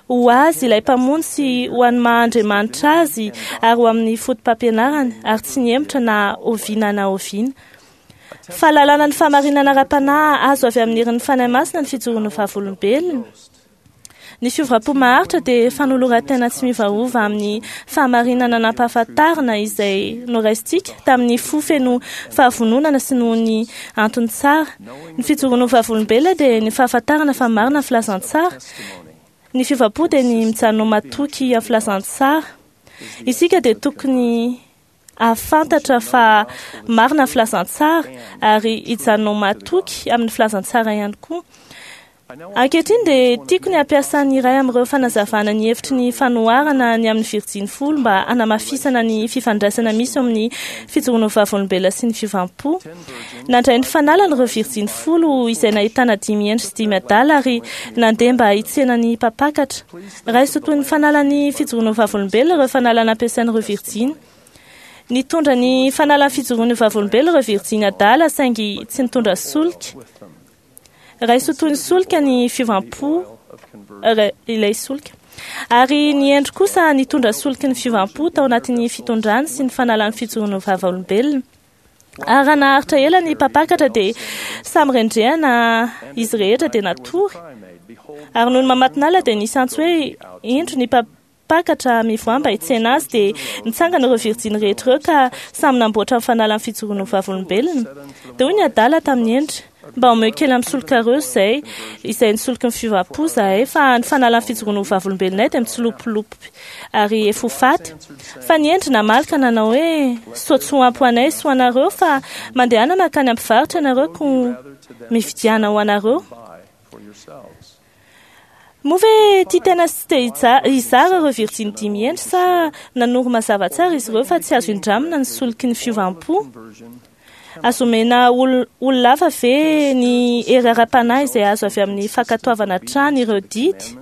ho azy ilay Mpamonjy sy ho an'ny maha Andriamanitra azy ary ho amin'ny foto-pampianarany, ary tsy nihemotra na oviana na oviana. Fahalalana ny fahamarinana ara-panahy azo avy amin'ny herin'ny Fanahy Masina ny fijoroan'ny vavolombelona. Ny fiovam-po maharitra dia fanoloran-tena tsy miovaova amin'ny fahamarinana nampahafantarina izay noraisintsika tamin'ny fo feno fahavononana sy noho ny antony tsara. Ny fijoroan'ny vavolombelona dia ny fahafantarana fa marina ny filazantsara. Ny fiovam-po dia ny mijanona ho matoky amin'ny filazantsara. Isika dia tokony hahafantatra fa marina ny filazantsara ary hijanona ho matoky amin'ny filazantsara ihany koa. Ankehitriny dia tiako ny hampiasa ny iray amin'ireo fanazavana ny hevitry ny fanoharana ny amin'ny virjiny folo mba hanamafisana ny fifandraisana misy eo amin'ny fijoroana ho vavolombelona sy ny fiovam-po. Nandray ny fanalany ireo virjiny folo izay nahitana dimy hendry sy dimy adala ary nandeha mba hitsena ny mpampakatra. Raiso toy ny fanalan'ny fijoroana ho vavolombelona ireo fanalana ampiasain'ireo virjiny. Nitondra ny fanalan'ny fijoroana ho vavolombelona ireo virjiny adala saingy tsy nitondra solika. Raiso toy ny solika ny fiovam-po, ilay solika. Ary ny hendry kosa nitondra soliky ny fiovam-po tao anatin'ny fitondrany sy ny fanalan'ny fijoroana ho vavolombelona. Ary raha naharitra ela ny mpampakatra dia samy rendrehana izy rehetra dia natory. Ary noho ny mamatinala dia nisy antso hoe indro ny mpampakatra mivoaha mba hitsena azy, dia nitsangana ireo virjiny rehetra ireo ka samy namboatra ny fanalan'ny fijoroana ho vavolombelona. Dia hoy ny adala tamin'ny hendry, mba omeo kely amin'ny solikareo izay izay nisoloky ny fiovam-po izahay, fa ny fanalan'ny fijoroana ho vavolombelonay dia mitsilopilopy ary efa ho faty. Fa ny hendry namaly ka nanao hoe, sao tsy ho ampy ho anay sy ho anareo, fa mandehana mankany amin'ny mpivarotra ianareo koa mividiana ho anareo. Moa ve tia tena sy te hizara ireo virjiny dimy hendry sa nanoro mazava tsara izy ireo fa tsy azo indramina ny soliky ny fiovam-po? Azo omena olona hafa ve ny hery ara-panahy izay azo avy amin'ny fankatoavana hatrany ireo didy?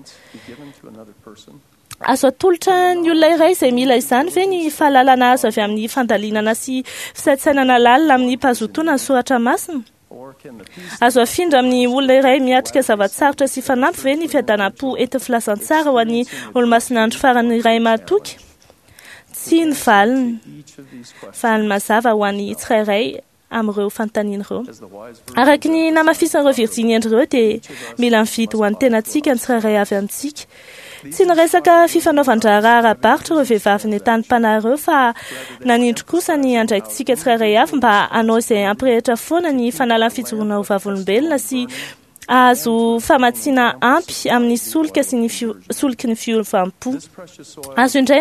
Azo atolotra ny olona iray izay mila izany ve ny fahalalana azo avy amin'ny fandalinana sy fisaintsainana lalina amin'ny mpahazotoana ny soratra masina? Azo afindra amin'ny olona iray miatrika zava-tsarotra sy fanampy ve ny fiadanam-po entin'ny filazantsara ho an'ny olomasin'andro farany iray mahatoky? Tsy ny valiny. Valiny mazava ho an'ny tsirairay amin'ireo fanontaniana ireo. Araka ny namafisan'ireo virjiny hendry ireo dia mila mividy ho an'ny tenantsika ny tsirairay avy amintsika. Tsy niresaka fifanaovan-draharaha ara-barotra ireo vehivavy nentanim-panahy ireo fa nanindry kosa ny andraikitsika tsirairay avy mba hanao izay hampirehitra foana ny fanalan'ny fijoroana ho vavolombelona sy ahazo famatsiana ampy amin'ny solika sy ny soliky ny fiovam-po. Azo indray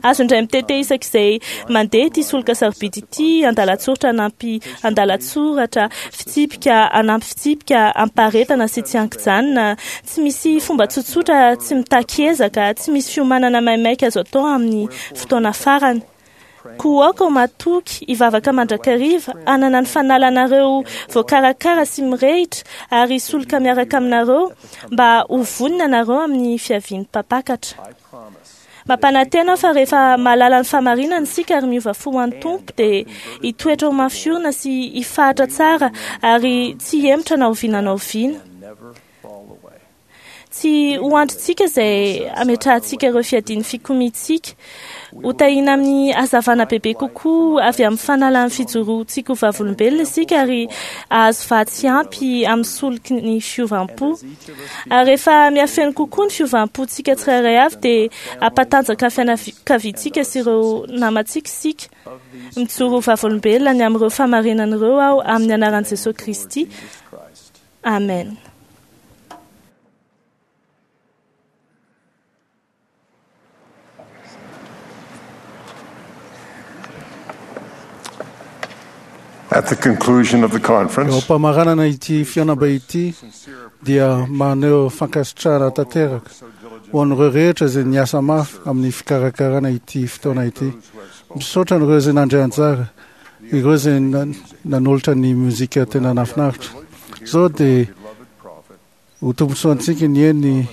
azo indray mitete isak'izay mandeha ity solika sarobidy ity andalan-tsoratra anampy andalan-tsoratra fitsipika anampy fitsipika ampaharetana sy tsy ankijanona. Tsy misy fomba tsotsotra, tsy mitaky ezaka, tsy misy fiomanana maimaika azo atao amin'ny fotoana farany. Koa aoka ho matoky, hivavaka mandrakariva, hanana ny fanalanareo voakarakara sy mirehitra ary hisoloka miaraka aminareo mba ho vonona ianareo amin'ny fiavian'ny mpampakatra. Mampanantena aho fa rehefa mahalala ny fahamarinana isika ary miova fo ho an'ny Tompo dia hitoetra ho mafy orina sy hifahatra tsara ary tsy hihemotra na oviana na oviana. Tsy ho andrintsika izay hametrahantsika ireo fiadian'ny fikomiantsika. Ho tahiana amin'ny hazavana bebe kokoa avy amin'ny fanalan'ny fijoroantsika ho vavolombelona isika ary hahazo vatsy ampy amin'ny soliky ny fiovam-po. Ary rehefa mihafeno kokoa ny fiovam-pontsika tsirairay avy dia hampatanjaka ny fianakaviantsika sy ireo namantsika isika. Mijoro ho vavolombelona ny amin'ireo fahamarinana ireo aho amin'ny anaran'i Jesosy Kristy. Amen. At the conclusion of the conference, Eo am-pamaranana ity fihaonambe ity dia maneho fankasitrahana tanteraka ho an'ireo rehetra izay niasa mafy amin'ny fikarakarana ity fotoana ity. Misaotra an'ireo izay nandray anjara, ireo izay nanolotra ny mozika tena nahafinaritra. Izao dia ho tombontsoantsika ny eny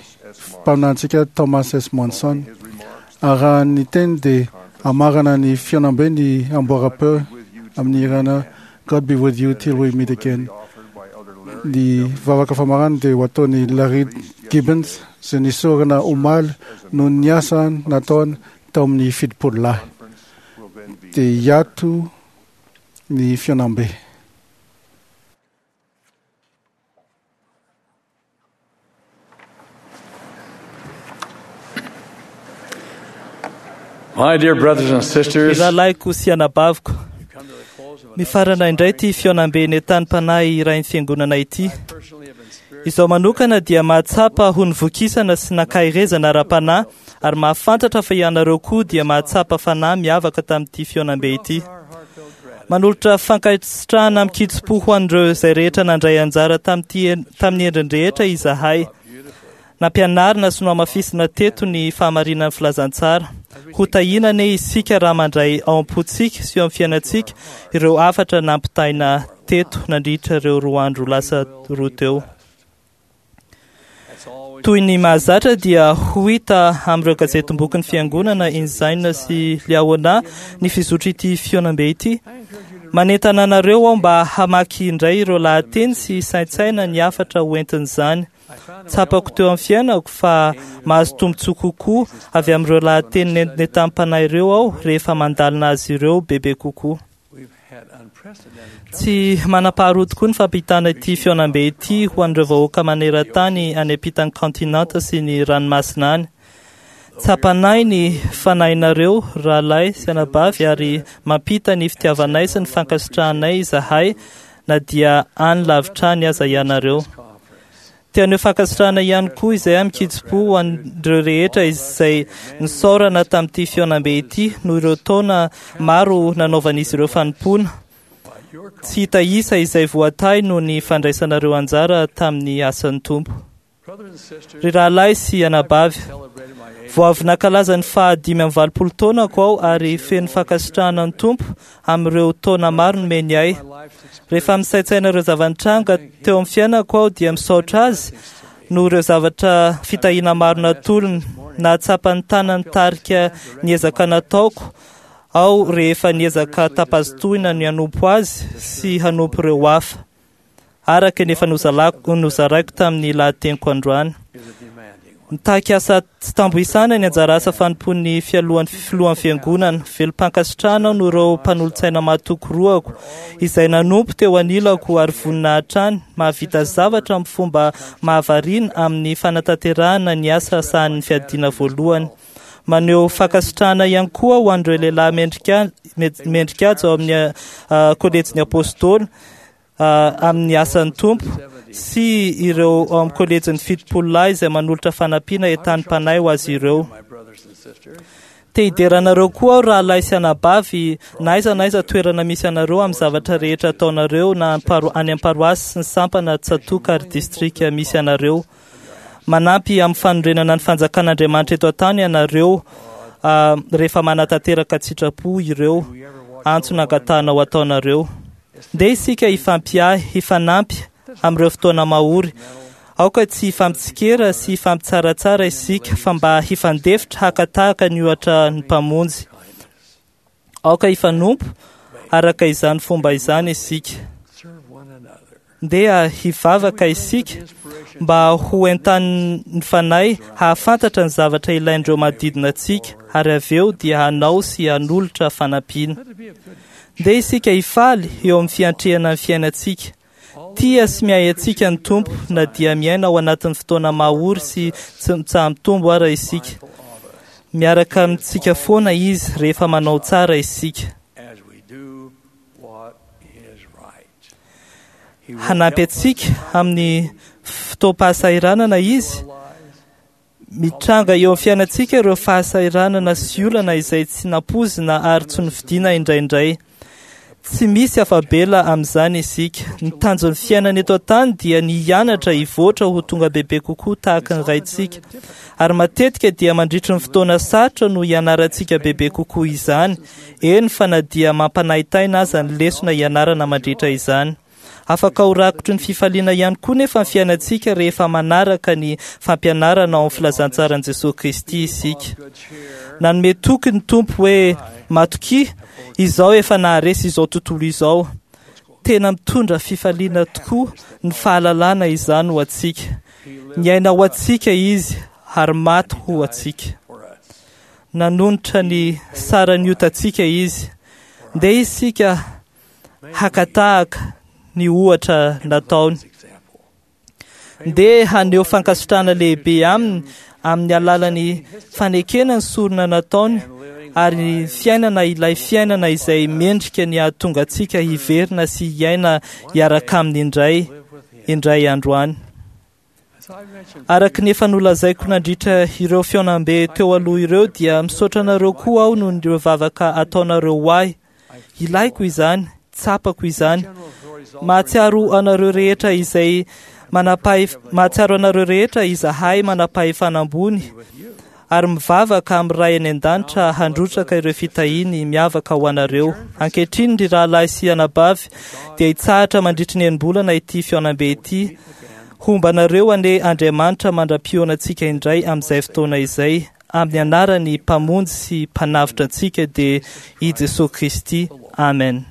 mpaminantsika Thomas S. Monson. Ary raha ny teny dia hamarana ny fihaonambe ny amboaram-peo amin'ny hirana God be with you till we meet again. Ny vavaka famarana dia ho ataon'i Larry Gibbons izay nisorona omaly noho ny asa nataony tao amin'ny fitopolo lahy. Dia hiato ny fihaonambe. My dear brothers and sisters, Ry rahalahiko sy anabaviko, mifarana indray ity fihaonambe nentanim-panahy irain'ny fiangonana ity. Izao manokana dia mahatsapa ho nivokisana sy nankaherezana ara-panahy ary mahafantatra fa ianareo koa dia mahatsapa fanahy miavaka tamin'ity fihaonambe ity. Manolotra fankasitrahana amin-kitsim-po ho an'ireo izay rehetra nandray anjara tamin'ity tamin'ny endriny rehetra izahay. Nampianarina sy nohamafisina teto ny fahamarinan'ny filazantsara. Ho tahiana anie isika raha mandray ao am-pontsika sy eo amin'ny fiainantsika ireo hafatra nampitaina teto nandritra ireo roa andro lasa roa teo. Toy ny mahazatra dia ho hita amin'ireo gazetim-bokin'ny fiangonana Ensign sy Liahona ny fizotr'ity fihaonambe ity. Manentana anareo aho mba hamaky indray ireo lahateny sy saintsaina ny hafatra hoentin'izany. Tsapako teo amin'ny fiainako fa mahazo tombontsoa kokoa avy amin'ireo lahateny nentam-panahy ireo aho rehefa mandalina azy ireo bebe kokoa. Tsy manam-paharoa tokoa ny fampitana ity fihaonambe ity ho an'ireo vahoaka maneran-tany any ampitan'ny kontinanta sy ny ranomasina any. Tsapanay ny fanahinareo rahalahy sy anabavy ary mampita ny fitiavanay sy ny fankasitrahanay izahay na dia any lavitra any aza ianareo. Te haneho fankasitrahana ihany koa izay amin-kitsim-po ho an'ireo rehetra izay nisaorana tamin'ity fihaonambe ity noho ireo taona maro nanaovan'izy ireo fanompoana. Tsy hita isa izay voatahy noho ny fandraisanareo anjara tamin'ny asan'ny Tompo. Ry rahalahy sy anabavy, Vao avy nankalaza ny fahadimy amby valopolo taonako aho ary feno fankasitrahana ny Tompo amin'ireo taona maro nomeny ahy. Rehefa misaintsaina ireo zava-nitranga teo amin'ny fiainako aho dia misaotra azy noho ireo zavatra fitahiana maro natolony. Nahatsapa ny tanany tarika ny ezaka nataoko aho rehefa niezaka tapazotohina ny hanompo azy sy hanompo ireo hafa, araka ny efa nozalako nozaraiko tamin'ny lahateniko androany. Mitaky asa tsy tambo isana ny anjara asa fanompoan'ny fialohan'ny filohan'ny fiangonana. Velom-pankasitrahana aho noho ireo mpanolotsaina mahatoky roako izay nanompo teo anilako ary vonona hatrany mahavita zavatra amin'ny fomba mahavariana amin'ny fanatanterahana ny asa sahanin'ny fiadiana voalohany. Maneho fankasitrahana ihany koa ho an'ireo lehilahy mendrika mendrika azy ao amin'ny kolejin'ny apôstôly amin'ny asan'ny Tompo sy ireo ao amin'ny kolejin'ny fitopolo lahy izay manolotra fanampiana entanim-panahy ho azy ireo. Te hidera anareo koa aho rahalahy sy anabavy na aiza na aiza toerana misy anareo amin'ny zavatra rehetra ataonareo na any am-paroasy sy ny sampana tsatòka ary distrika misy anareo. Manampy amin'ny fanorenana ny fanjakan'Andriamanitra eto an-tany ianareo rehefa manatanteraka an-tsitrapo ireo antso nangatahana ho ataonareo. Ndeha isika hifampiahy, hifanampy amin'ireo fotoana mahory. Aoka tsy hifampitsikera sy hifampitsaratsara isika fa mba hifandefitra haka tahaka ny ohatra ny Mpamonjy. Aoka hifanompo araka izany fomba izany isika. Ndeha hivavaka isika mba ho entanin'ny Fanahy hahafantatra ny zavatra ilain'ireo manodidina antsika ary avy eo dia hanao sy hanolotra fanampiana. Ndeha isika hifaly eo amin'ny fiantrehana ny fiainantsika. Tia sy miahy antsika ny Tompo na dia miaina ao anatin'ny fotoana mahory sy tsy mitsaha-mitombo ara isika. Miaraka amintsika foana Izy rehefa manao tsara isika. Hanampy antsika amin'ny fotoam-pahasahiranana Izy. Mitranga eo amin'ny fiainantsika ireo fahasahiranana sy olana izay tsy nampoizina ary tsy nofidiana indraindray. Tsy misy afa-bela amin'izany isika. Ny tanjon'ny fiainana eto an-tany dia ny hianatra hivoatra ho tonga bebe kokoa tahaka ny Raintsika. Ary matetika dia mandritry ny fotoana sarotra no hianarantsika bebe kokoa izany, eny fa na dia mampanahitaina aza ny lesona hianarana mandritra izany. Afaka ho rakotry ny fifaliana ihany koa nefa ny fiainantsika rehefa manaraka ny fampianarana ao amin'ny filazantsaran'i Jesoa Kristy isika. Nanome toky ny Tompo hoe, Matokia, izaho efa naharesy izao tontolo izao. Tena mitondra fifaliana tokoa ny fahalalana izany ho antsika. Niaina ho antsika Izy ary maty ho antsika. Nanonitra ny saran'ny otantsika Izy. Ndeha isika haka tahaka ny ohatra nataony. Ndeha haneho fankasitrahana lehibe aminy amin'ny alalan'ny fanekena ny sorona nataony ary ny fiainana ilay fiainana izay mendrika ny hahatonga antsika hiverina sy hiaina hiaraka aminy indray indray andro any. Araka ny efa nolazaiko nandritra ireo fihaonambe teo aloha ireo dia misaotra anareo koa aho noho ireo vavaka ataonareo ho ahy. Ilaiko izany, tsapako izany. Mahatsiaro anareo rehetra izay manam-pahef- mahatsiaro anareo rehetra izahay manam-pahefana ambony ary mivavaka amin'ny Ray any an-danitra handrotsaka ireo fitahiany miavaka ho anareo. Ankehitriny, ry rahalahy sy anabavy, dia hitsahatra mandritry ny enim-bolana ity fihaonambe ity. Homba anareo anie Andriamanitra mandra-pihaonantsika indray amin'izay fotoana izay, amin'ny anaran'ny Mpamonjy sy Mpanavotra antsika dia i Jesoa Kristy. Amen.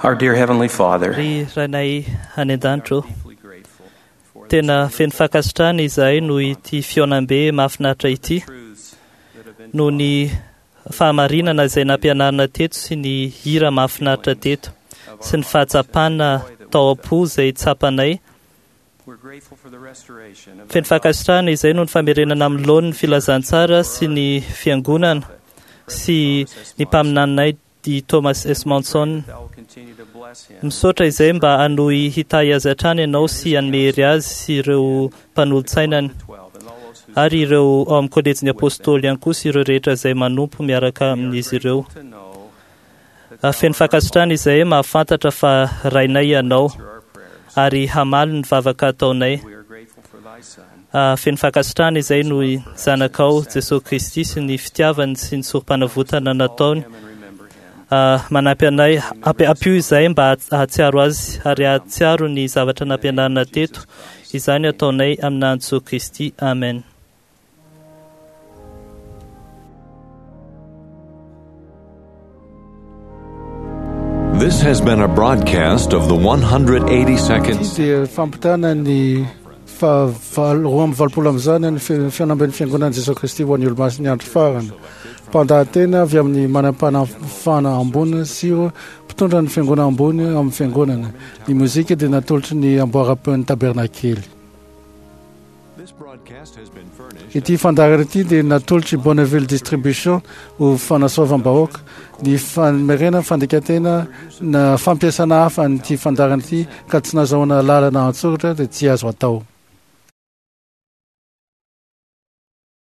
Our dear Heavenly Father, Ry Rainay any an-danitra ô, tena feno fankasitrahana izahay noho ity fihaonambe mahafinaritra ity, noho ny fahamarinana izay nampianarina teto sy ny hira mahafinaritra teto sy ny fahatsapana tao am-po izay tsapanay. Feno fankasitrahana izay noho ny famerenana amin'ny laoniny filazantsara sy ny fiangonana sy ny mpaminaninay i Thomas S. Monson. Misaotra izay mba hanohy hitahy azy hatrany ianao sy hanome hery azy sy ireo mpanolotsainany ary ireo ao amin'ny kolejin'ny apôstôly ihany koa sy ireo rehetra izay manompo miaraka amin'izy ireo. Feno fankasitrahana izay mahafantatra fa rainay ianao ary hamaly ny vavaka ataonay. Feno fankasitrahana izay noho ny zanakao Jesosy Kristy sy ny fitiavany sy ny sorom-panavotana nataony. Manampy anay, ampio izay mba hahatsiaro azy ary hahatsiaro ny zavatra nampianarina teto. Izany ataonay amin'ny Jesosy Kristy. Amen. This has been a broadcast of the one hundred eighty-second Ity dia fampitana ny fahavalo roa amby valopolo amin'izany ny fihaonamben'ny fiangonan'i Jesosy Kristy ho an'ny olomasin'ny andro farany. Mpandahatena avy amin'ny manam-panafana ambony sy ireo mpitondra ny fiangonana ambony amin'ny fiangonana. Ny mozika dia natolotry ny amboaram-peon'ny tabernakely. Ity fandaharana ity dia natolotry Bonneville Distribution ho fanasoavam-bahoaka. Ny famerena fandikantena na fampiasana hafa an'ity fandaharana ity ka tsy nazahoana lalana an-tsoratra dia tsy azo atao.